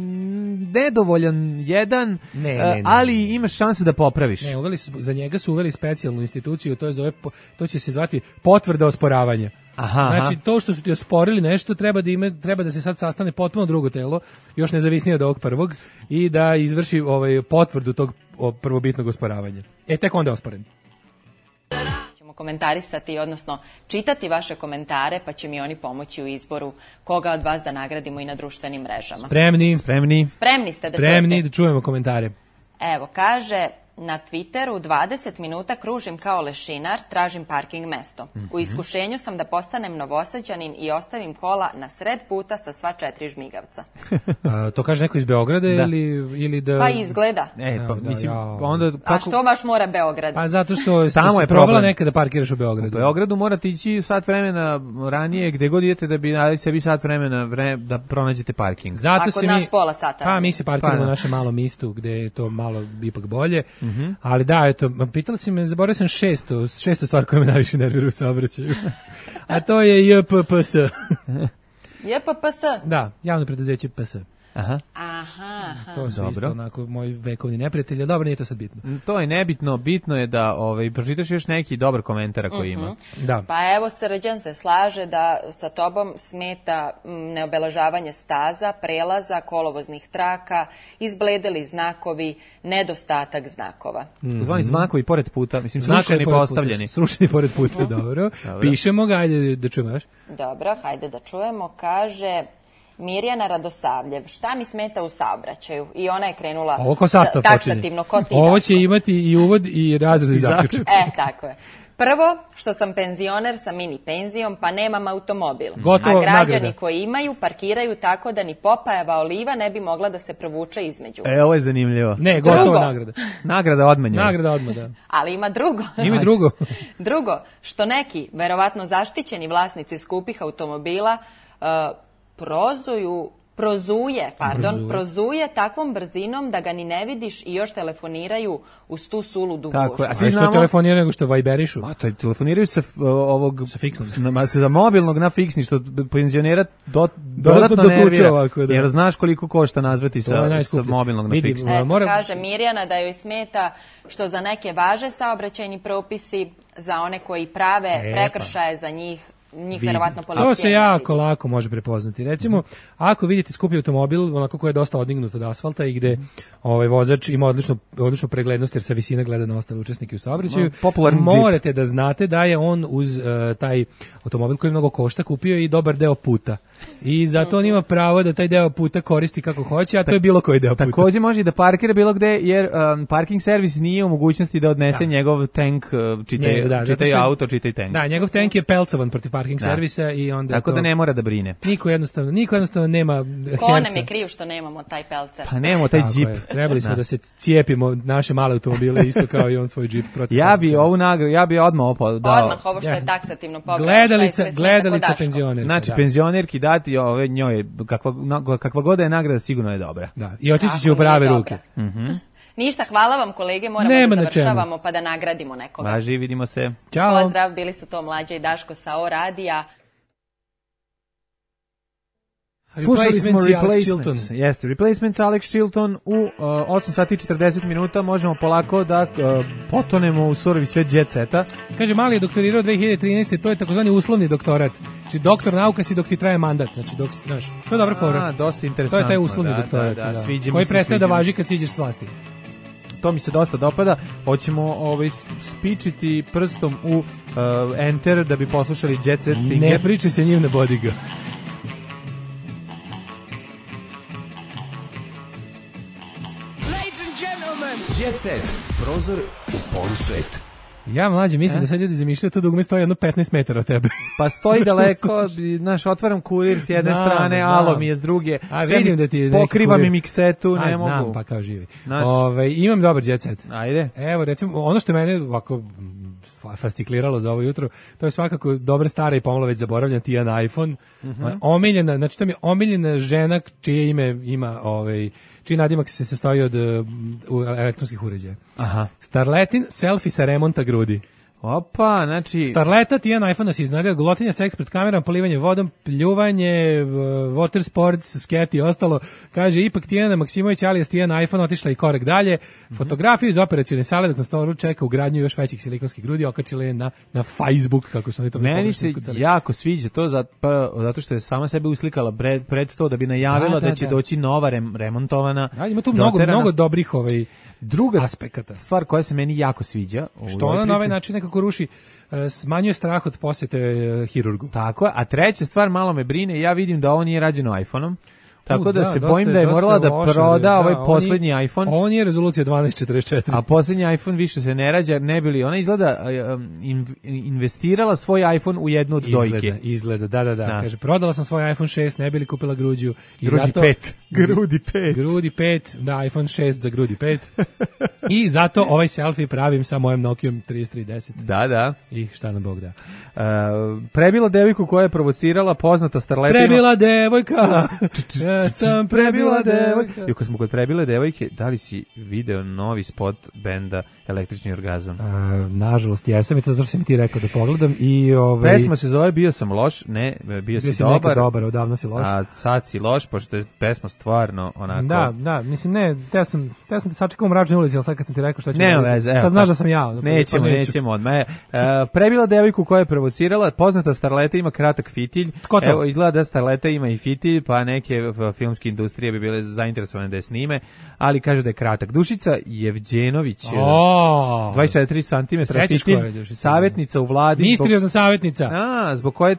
nedovoljan jedan, Ne, e, ne, ne. ali imaš šanse da popraviš. Ne, uveli su za njega njega su uveli specijalnu instituciju, to je zove, to će se zvati potvrda osporavanja. Aha, znači aha. to što su ti osporili nešto treba da ima, treba da se sad sastane potpuno drugo telo, još nezavisnije od ovog prvog i da izvrši ovaj potvrdu tog prvobitnog osporavanja. E tek onda je osporen. Ćemo komentarisati, odnosno čitati vaše komentare, pa će mi oni pomoći u izboru koga od vas da nagradimo i na društvenim mrežama. Spremni, spremni. Spremni ste da Spremni čujete? da čujemo komentare. Evo, kaže na Twitteru dvadeset minuta kružim kao lešinar, tražim parking mesto. Mm-hmm. U iskušenju sam da postanem Novosađanin i ostavim kola na sred puta sa sva četiri žmigavca. A, to kaže neko iz Beograda da. ili ili da Pa izgleda. E, pa da, mislim, ja. onda kako... A što baš mora Beograd? Pa zato što tamo je probala nekada da parkiraš u Beogradu. U Beogradu morate ići sat vremena ranije, gde god idete da bi dali sebi sat vremena vre, da pronađete parking. Zato Ako se nas mi, pola sata. Pa mi se parkiramo pa, u našem malom mistu gde je to malo ipak bolje. Mm-hmm. Ali da, eto, pitala si me, zaboravio sam šesto, šesto stvar koja me najviše nervira u saobraćaju. A to je J P P S. J P P S? Da, javno preduzeće P S. Aha. Aha, aha. To su Dobro. isto onako moji vekovni neprijatelji. Dobro, nije to sad bitno. To je nebitno, bitno je da ovaj pročitaš još neki dobar komentar koji ima. Mm-hmm. Da. Pa evo, Srđan se slaže da sa tobom smeta neobeležavanje staza, prelaza, kolovoznih traka, izbledeli znakovi, nedostatak znakova. Mm-hmm. Zvani znakovi pored puta, mislim srušeni postavljeni. Srušeni pored puta, dobro. dobro. Pišemo ga, ajde da čujemo još. Dobro, hajde da čujemo. Kaže Mirjana Radosavljev, šta mi smeta u saobraćaju? I ona je krenula ovo ko sastav taksativno, ko ti. Ovo će imati i uvod i razred i zaključak. E, tako je. Prvo, što sam penzioner sa mini penzijom, pa nemam automobil. Gotovo, a građani nagrada. Koji imaju parkiraju tako da ni Popajeva oliva ne bi mogla da se provuče između. E, ovo je zanimljivo. Ne, gotovo nagrada. Nagrada odmah njoj. Nagrada odmah, da. Ali ima drugo. Ima drugo. Drugo, što neki, verovatno zaštićeni vlasnici skupih automobila, uh, prozuju prozuje, pardon, prozuje. prozuje takvom brzinom da ga ni ne vidiš i još telefoniraju uz tu suludu gužvu. Tako je. A svi znamo... što telefoniraju nego što vajberišu? A to telefoniraju sa ovog sa fiksnog. Na, sa mobilnog na fiksni, što penzionera do, dodatno do, do, nervira. Ovako, da. Jer znaš koliko košta nazvati sa, sa mobilnog na Vidi, fiksni. Eto, mora... kaže Mirjana da joj smeta što za neke važe saobraćajni propisi, za one koji prave e, prekršaje za njih njih verovatno policija. To se jako lako može prepoznati. Recimo, ako vidite skupi automobil, onako koji je dosta odignut od asfalta i gde ovaj vozač ima odličnu odličnu preglednost jer sa visine gleda na ostale učesnike u saobraćaju, no, morate da znate da je on uz uh, taj automobil koji mnogo košta kupio i dobar deo puta. I zato on ima pravo da taj deo puta koristi kako hoće, a to je bilo koji deo puta. Takođe može i da parkira bilo gde, jer um, parking servis nije u mogućnosti da odnese da. njegov tank, uh, čitaj, Njeg, da, čitaj auto, čitaj tank. Da, njegov tank je pelcovan protiv parking da. servisa i onda tako to, da ne mora da brine. Niko jednostavno, niko jednostavno nema Ko nam je kriv što nemamo taj pelcer? Pa nemamo taj džip. Trebali smo da. da se cijepimo naše male automobile isto kao i on svoj džip protiv. Ja bi ovu nagradu, ja bi odmah opao dao. Odmah ovo što je taksativno pobrao. Gledalica, gledalica penzionerka. Znači, da. penzionerki dati ove njoj, kakva, kakva god je nagrada, sigurno je dobra. Da, i otići će u prave ruke. Mhm. Ništa, hvala vam kolege, moramo Nema da završavamo pa da nagradimo nekoga. Važi, vidimo se. Ćao. Pozdrav, bili su to Mlađa i Daško sa O radija. Slušali smo Replacements, jeste, Replacements, Alex Chilton u uh, osam sati i četrdeset minuta, možemo polako da uh, potonemo u surovi svet jet seta. Kaže, Mali je doktorirao dve hiljade trinaeste. To je takozvani uslovni doktorat. Znači, doktor nauka si dok ti traje mandat. Znači, dok, znaš, to je dobra fora. A, dosta interesantno. To je taj uslovni da, doktorat, da, da, da, sviđa koji se, prestaje da sviđa važi kad siđeš s vlasti. To mi se dosta dopada. Hoćemo ovaj, spičiti prstom u uh, enter da bi poslušali jet set Stinger. Ne priče se njim, ne bodi ga. Jet Set, prozor u polusvet. Ja, Mlađe, mislim e? da sad ljudi zamišljaju to dugme stoji jedno petnaest metara od tebe. Pa stoji daleko, znaš, otvaram kurir s jedne znam, strane, znam. Alo mi je s druge, a vidim da ti pokriva mi miksetu, a, ne znam, mogu. Pa kao živi. Ove, imam dobar jet set. Ajde. Evo, recimo, ono što mene ovako fascikliralo za ovo jutro, to je svakako dobra stara i pomalo već zaboravljan Tijan iPhone. Mm-hmm. Omiljena, znači to mi je omiljena žena čije ime ima, ovaj, čiji nadimak se sastoji od uh, elektronskih uređaja. Aha. Starletin, selfie sa remonta grudi. Opa, znači... Starleta, Tijan iPhone nas iznadila, golotinja, seks pred kamerom, polivanje vodom, pljuvanje, water sports, sketi i ostalo. Kaže, ipak Tijana Maksimović, alias Tijan iPhone, otišla i korak dalje. Mm-hmm. Fotografiju iz operacione sale dok na stolu čeka ugradnju još većih silikonskih grudi, okačila je na, na Facebook, kako su oni to... Meni se jako sviđa to zato, pa, zato što je sama sebe uslikala pred, pred to da bi najavila da, da, da će da. doći nova rem, remontovana. Da, ima tu mnogo, mnogo dobrih ovaj, druga aspekata. Stvar koja se meni jako sviđa. Što ona na ovaj način nekako ruši, smanjuje strah od posjete hirurgu. Tako je, a treća stvar malo me brine, ja vidim da ovo nije rađeno iPhone-om. Tako da, da se dosta, bojim da je morala da loše, proda da, ovaj on poslednji je, iPhone. On je rezolucija dvanaest četrdeset četiri. A poslednji iPhone više se ne rađa, ne bili. Ona izgleda in, investirala svoj iPhone u jednu od izgleda, dojke. Izgleda, da, da, da, da. Kaže, prodala sam svoj iPhone šest, ne bili kupila gruđu. I Gruđi zato, pet. Grudi pet. Grudi pet, da, iPhone šest za grudi pet. I zato ovaj selfie pravim sa mojom Nokijom trideset tri deset. Da, da. I šta nam Bog da. Uh, prebila devojku koja je provocirala poznata starleta. Prebila devojka. Ja sam prebila Prebila devojka. I kad smo kod prebile devojke, da li si video novi spot benda Električni orgazam? A, nažalost, jesam i to zato što sam ti rekao da pogledam. I, ovaj, pesma se zove Bio sam loš, ne, bio, bio si, si dobar. dobar, odavno si loš. A sad si loš, pošto je pesma stvarno onako... Da, da, mislim, ne, teo sam, teo sam da sačekam u mračnoj ulici, ali sad kad sam ti rekao šta ću... Ne, veze, evo. Sad znaš da sam ja. Nećemo, pa nećemo odmah. E, prebila devojku koja je provocirala, poznata starleta ima kratak fitilj. Tko to? Evo, izgleda da starleta ima i fitilj, pa neke filmske industrije bi bile zainteresovane da je snime, ali kaže da je kratak. Dušica Jevđenović, oh, dvadeset četiri centimetra fitilj, savjetnica u vladi. Misteriozna savjetnica. A, zbog koje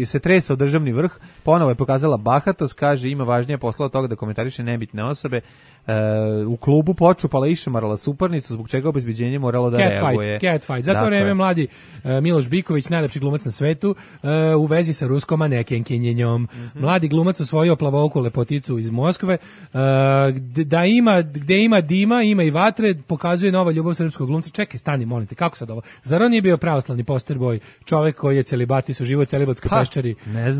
se tresa u državni vrh, ponovo je pokazala bahatost, kaže ima važnije posla od toga da komentariše nebitne osobe. Uh, u klubu počupala i išamarala suparnicu, zbog čega obezbeđenje moralo da cat reaguje. Fight, cat fight. Zato vreme mladi uh, Miloš Biković, najlepši glumac na svetu, uh, u vezi sa ruskom manekenkinjenjom. Mm-hmm. Mladi glumac osvojio plavouku lepoticu iz Moskve. Uh, da ima, gde ima dima, ima i vatre, pokazuje nova ljubav srpskog glumca. Čekaj, stani, molim te, kako sad ovo? Zar on nije bio pravoslavni posterboj, čovek koji je celibatis, uživo u celibatskoj peščari,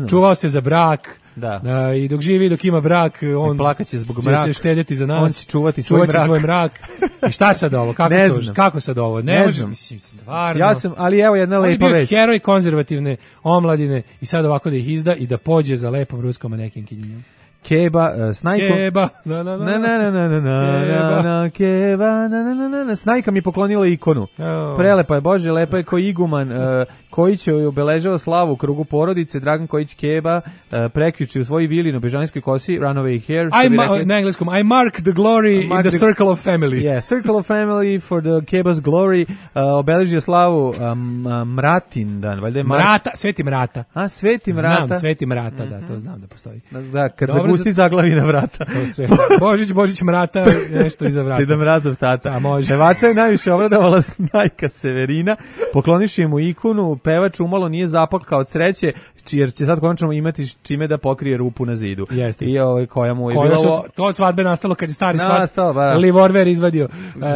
čuvao se za brak, da. Uh, i dok živi, dok ima brak, on plakaće zbog će mraka. se štediti za nas. On će čuvati svoj mrak. svoj mrak. I šta sad ovo? Kako, ne su, kako sad ovo? Ne, ne može, mislim, stvarno. Ja sam, ali evo jedna lepa vest. On je bio heroj konzervativne omladine i sad ovako da ih izda i da pođe za lepom ruskom manekenkinjom. Keba, uh, Snajko. Keba, na na na na na na na na na Keba, na na na na na Snajka mi poklonila ikonu. Oh. Prelepa je, Bože, lepa je ko iguman. Uh, Kojić je obeležava slavu u krugu porodice. Dragan Kojić Keba uh, prekjuče u svojoj vili na Bežanijskoj kosi, Runaway Hair. I ma- na engleskom, I mark the glory mark in the, the circle of family. Yeah, circle of family for the Keba's glory. Uh, obeležio slavu um, uh, Mratin dan, valjda je Mark. Mrata, Sveti Mrata. A, Sveti Mrata. Znam, Sveti Mrata, mm-hmm. da, to znam da postoji. Da, kad zagusti zaglavi na vrata. To sve. Božić, Božić Mrata, nešto iza vrata. Deda Mrazov tata. Da, može. Pevača je najviše obradovala Snajka Severina, pokloniši mu ikonu, pevač umalo nije zaplakao od sreće, jer će sad konačno imati čime da pokrije rupu na zidu. Jeste. I ovaj koja mu je koja bilo... Su, to od svadbe nastalo kad je stari svat ba. Livorver izvadio.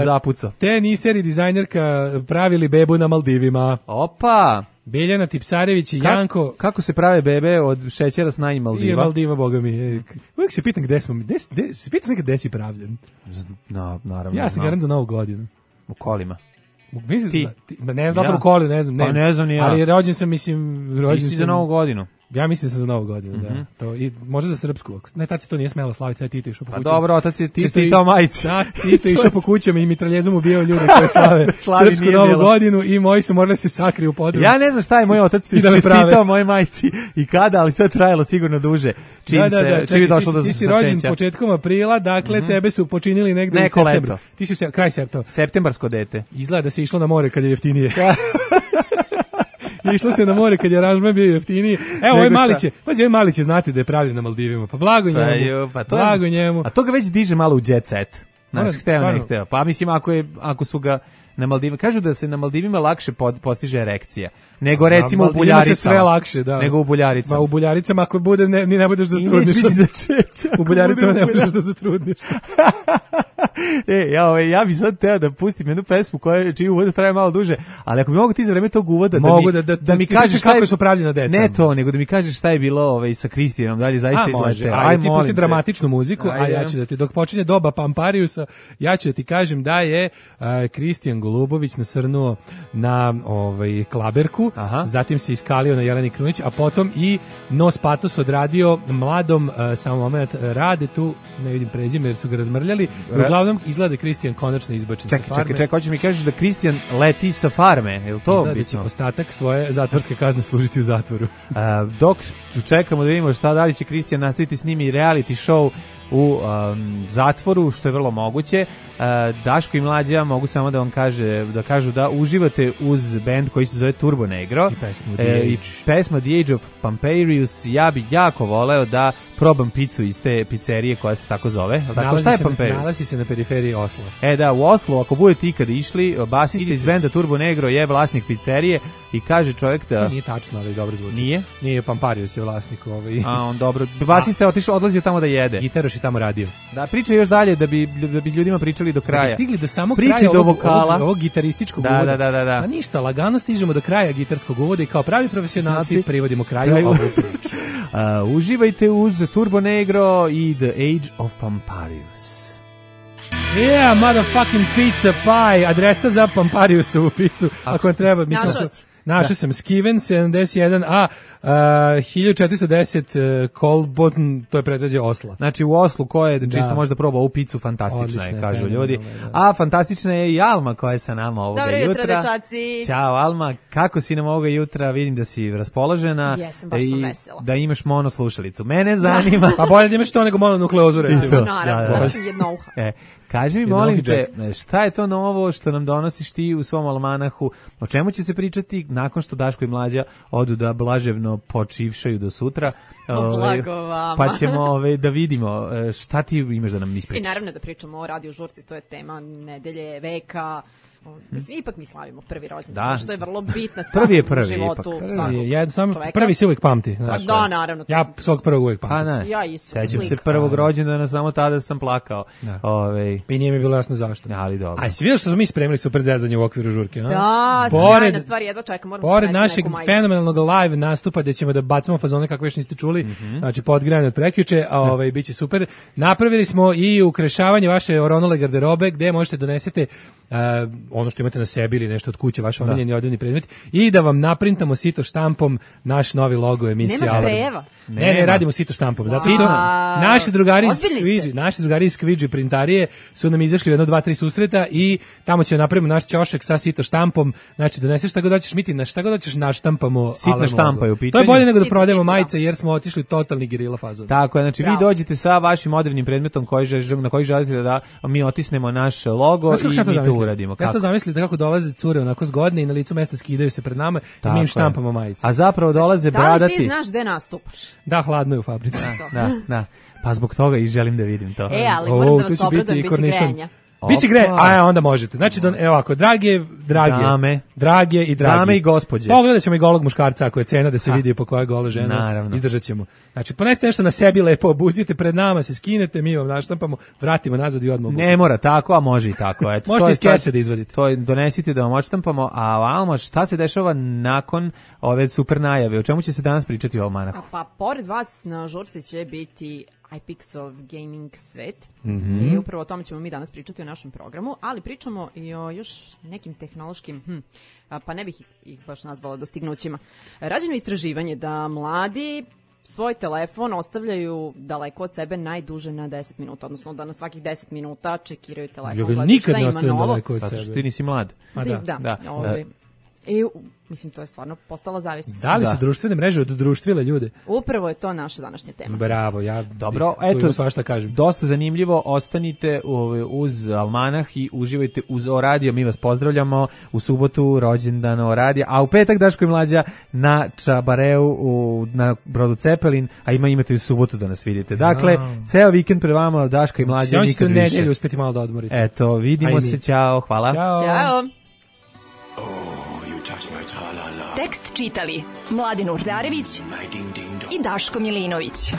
Zapucao. Te niseri dizajnerka pravili bebu na Maldivima. Opa! Biljana Tipsarević i Ka, Janko. Kako se prave bebe od šećera s najim Maldiva? I Maldiva, boga mi. Uvijek se pitam gde smo. Gde, gde, se pitaš nekad gde si pravljen? No, naravno. Ja sam garant za novu godinu. U kolima. Mislim, ti? Ti, ne znam da sam u koli, ne znam. Ne, pa ne znam ni ja. Ali rođen sam, mislim... Rođen ti si sam, za novu godinu. Ja mislim da sam za novu godinu, mm-hmm. da. To, i možda za srpsku. Ne, tad se to nije smelo slaviti, taj Tito išao po kućama. Pa dobro, otac je čestitao majici. Da, Tito išao po kućama i mitraljezom ubijao ljude koji slave srpsku novu bilo. godinu i moji su morali se sakriju u podrumu. Ja ne znam šta je moj otac da čestitao moje majici i kada, ali to je trajalo sigurno duže. Čim da, da, da, se, čim je došlo do začeća. Ti si rođen početkom aprila, dakle mm-hmm. tebe su počinili negde Neko u septembru. Leto. Ti si se, kraj septembra. Septembarsko dete. Izgleda da se išlo na more kad je jeftinije. Išlo se na more kad je aranžman bio jeftiniji. Evo, ovaj Maliće, pa ovaj Maliće znate da je pravljen na Maldivima. Pa blago njemu. Pa, jo, pa to blago je, njemu. A to ga već diže malo u jet set. Znaš, hteo, ne hteo. Pa mislim, ako, je, ako su ga na Maldivima, kažu da se na Maldivima lakše pod, postiže erekcija. Nego recimo u Buljaricama. Se sve lakše, da. Nego u Buljaricama. Ma u Buljaricama ako bude, ne, ni ne budeš da zatrudniš. I neće začeća. U Buljaricama ne budeš da zatrudniš. E, ja, ove, ja bi sad teo da pustim jednu pesmu koja čiji uvod traje malo duže, ali ako bi mogu ti za vreme tog uvoda da mogu mi, da, da, da mi kažeš kako su pravljena deca. Ne to, nego da mi kažeš šta je bilo ovaj, sa Kristijanom, da li zaista izlete. Aj, ti pusti dramatičnu muziku, a ja ću da ti, dok počinje doba Pampariusa, ja ću da ti kažem da je Kristijan uh, Kristijan Golubović nasrnuo na ovaj, klaberku, Aha. zatim se iskalio na Jeleni Krunić, a potom i Nos Patos odradio mladom, uh, samo moment, rade tu, ne vidim prezime jer su ga razmrljali, Ra- uglavnom izgleda Kristijan konačno izbačen čekaj, sa farme. Čekaj, čekaj, hoćeš mi kažeš da Kristijan leti sa farme, je li to izgleda bitno? da će ostatak svoje zatvorske kazne služiti u zatvoru. Uh, dok čekamo da vidimo šta dalje će Kristijan nastaviti s njimi reality show u um, zatvoru, što je vrlo moguće. Uh, Daško i Mlađa mogu samo da vam kaže, da kažu da uživate uz bend koji se zove Turbo Negro. I pesmu The e, Age. I pesma The Age of Pamperius. Ja bih jako voleo da probam picu iz te pizzerije koja se tako zove. Tako, šta je Pamperius? Nalazi se na periferiji Osla. E da, u Oslu, ako budete ikada išli, basista iz benda Turbo Negro je vlasnik pizzerije i kaže čovjek da... To nije tačno, ali dobro zvuči. Nije? Nije, Pamparius je vlasnik. Ovaj. A, on dobro. Basista je otišao, odlazio tamo da jede. Gitaroš je tamo radio. Da, priča još dalje da bi, da bi ljudima pričali do kraja. Da bi stigli do samog Priči kraja do ovog, vokala. ovog, ovog gitarističkog da, uvoda. Da, da, da, da. Pa ništa, lagano stižemo do kraja gitarskog uvoda i kao pravi profesionalci znači, privodimo kraju, kraju. ovu priču. uh, uživajte uz Turbo Negro i The Age of Pamparius. Yeah, motherfucking pizza pie. Adresa za Pampariusovu picu. Ako vam treba. Našao si. Našao sam Skiven sedamdeset jedan A uh, hiljadu četiristo deset uh, Kolbotn, to je predgrađe Osla. Znači u Oslu ko je da. čisto možda probao ovu picu, fantastična Odlične, je, kažu ljudi. Da. A fantastična je i Alma koja je sa nama ovoga Dobro jutra. Dobro jutro, dečaci. Ćao Alma, kako si nam ovoga jutra? Vidim da si raspoložena. Jesam, baš sam vesela. Da imaš mono slušalicu. Mene zanima. Pa bolje da imaš to nego mononukleozu, recimo. Naravno, da, da sam jedno uha. E, kaži mi, molim te, šta je to novo što nam donosiš ti u svom almanahu? O čemu će se pričati nakon što Daško i Mlađa odu da blaževno počivšaju do sutra? Blago vama. Pa ćemo ove, da vidimo šta ti imaš da nam ispričaš. I naravno da pričamo o radio žurci, to je tema nedelje, veka. Mislim, ipak mi slavimo prvi rođendan, što je vrlo bitna stvar prvi je prvi, u životu ipak. svakog prvi, ja, sam, čoveka. Prvi se uvijek pamti. Znaš, da, naravno. Ja svog prvog uvijek pamti. Pa ja isto. Sećam se prvog rođendana, samo tada sam plakao. Ove... I nije mi bilo jasno zašto. Ali dobro. A si vidio što smo mi spremili super zezanje u okviru žurke? A? Da, sjajna stvar, jedva čekam. Moram pored našeg fenomenalnog live nastupa gde ćemo da bacimo fazone kakve još niste čuli, mm-hmm. znači podgrejane od prekjuče, a ovaj, bit će super. Napravili smo i ukrešavanje vaše oronule garderobe gde možete donesete uh, ono što imate na sebi ili nešto od kuće, vaš omiljeni odevni predmet i da vam naprintamo sito štampom naš novi logo emisije Nema Alarm. sprejeva. Ne, ne, radimo sito štampom. Zato što wow. naši drugari iz Squidgy, naši drugari iz Squidgy printarije su nam izašli u jedno, dva, tri susreta i tamo ćemo napravimo naš ćošak sa sito štampom. Znači, doneseš šta god hoćeš, mi ti na šta god hoćeš naštampamo Sitna štampa je u pitanju. To je bolje nego da Sitna, prodajemo sitna. majice jer smo otišli totalni gerila fazon. Tako je, znači Bravo. vi dođete sa vašim odevnim predmetom koji žel, na koji želite da mi otisnemo naš logo Znaš, i mi to uradimo. Ja to zamislite kako dolaze cure onako zgodne i na licu mesta skidaju se pred nama i mi im štampamo majice. A zapravo dolaze da bradati. Da li ti znaš gde nastupaš? Da, hladno je u fabrici. Da, da, da. Pa zbog toga i želim da vidim to. E, ali moram da vas obradujem, bit će grejanja. Biće gre, a onda možete. Znači, don, evo ovako, drage, drage, dame, drage i dragi. Dame i gospođe. Pogledat ćemo i golog muškarca, ako je cena da se ha. vidi po koja je gola žena. Naravno. Izdržat ćemo. Znači, ponesite nešto na sebi lepo, obucite pred nama, se skinete, mi vam naštampamo, vratimo nazad i odmah obučimo. Ne mora tako, a može i tako. Eto, možete iz kese da izvadite. To je, donesite da vam odštampamo, a Alma, šta se dešava nakon ove super najave? O čemu će se danas pričati u almanahu? Pa, pored vas na žurci će biti iPixov gaming svet. Mm-hmm. I upravo o tome ćemo mi danas pričati u našem programu, ali pričamo i o još nekim tehnološkim, hm, pa ne bih ih, ih baš nazvala dostignućima. Rađeno je istraživanje da mladi svoj telefon ostavljaju daleko od sebe najduže na deset minuta, odnosno da na svakih deset minuta čekiraju telefon. Ja ga nikad ne ostavljam daleko od sebe. Zato što ti nisi mlad. Da, da. da. da. Ovdje. I, mislim, to je stvarno postala zavisnost. Da li su da. društvene mreže oddruštvile ljude? Upravo je to naša današnja tema. Bravo, ja Dobro, bih, eto, svašta kažem. Dosta zanimljivo, ostanite uz almanah i uživajte uz O radio, mi vas pozdravljamo u subotu, rođendan O radija, a u petak Daško i Mlađa na Čabareu, u, na brodu Cepelin, a ima imate i u subotu da nas vidite. Dakle, ja. ceo vikend pre vama Daško i Mlađa, ja nikad više. nedelju uspeti malo da odmorite. Eto, vidimo se, ćao, hvala. Ćao. Ćao. Tekst čitali Mladin Urdarević i Daško Milinović.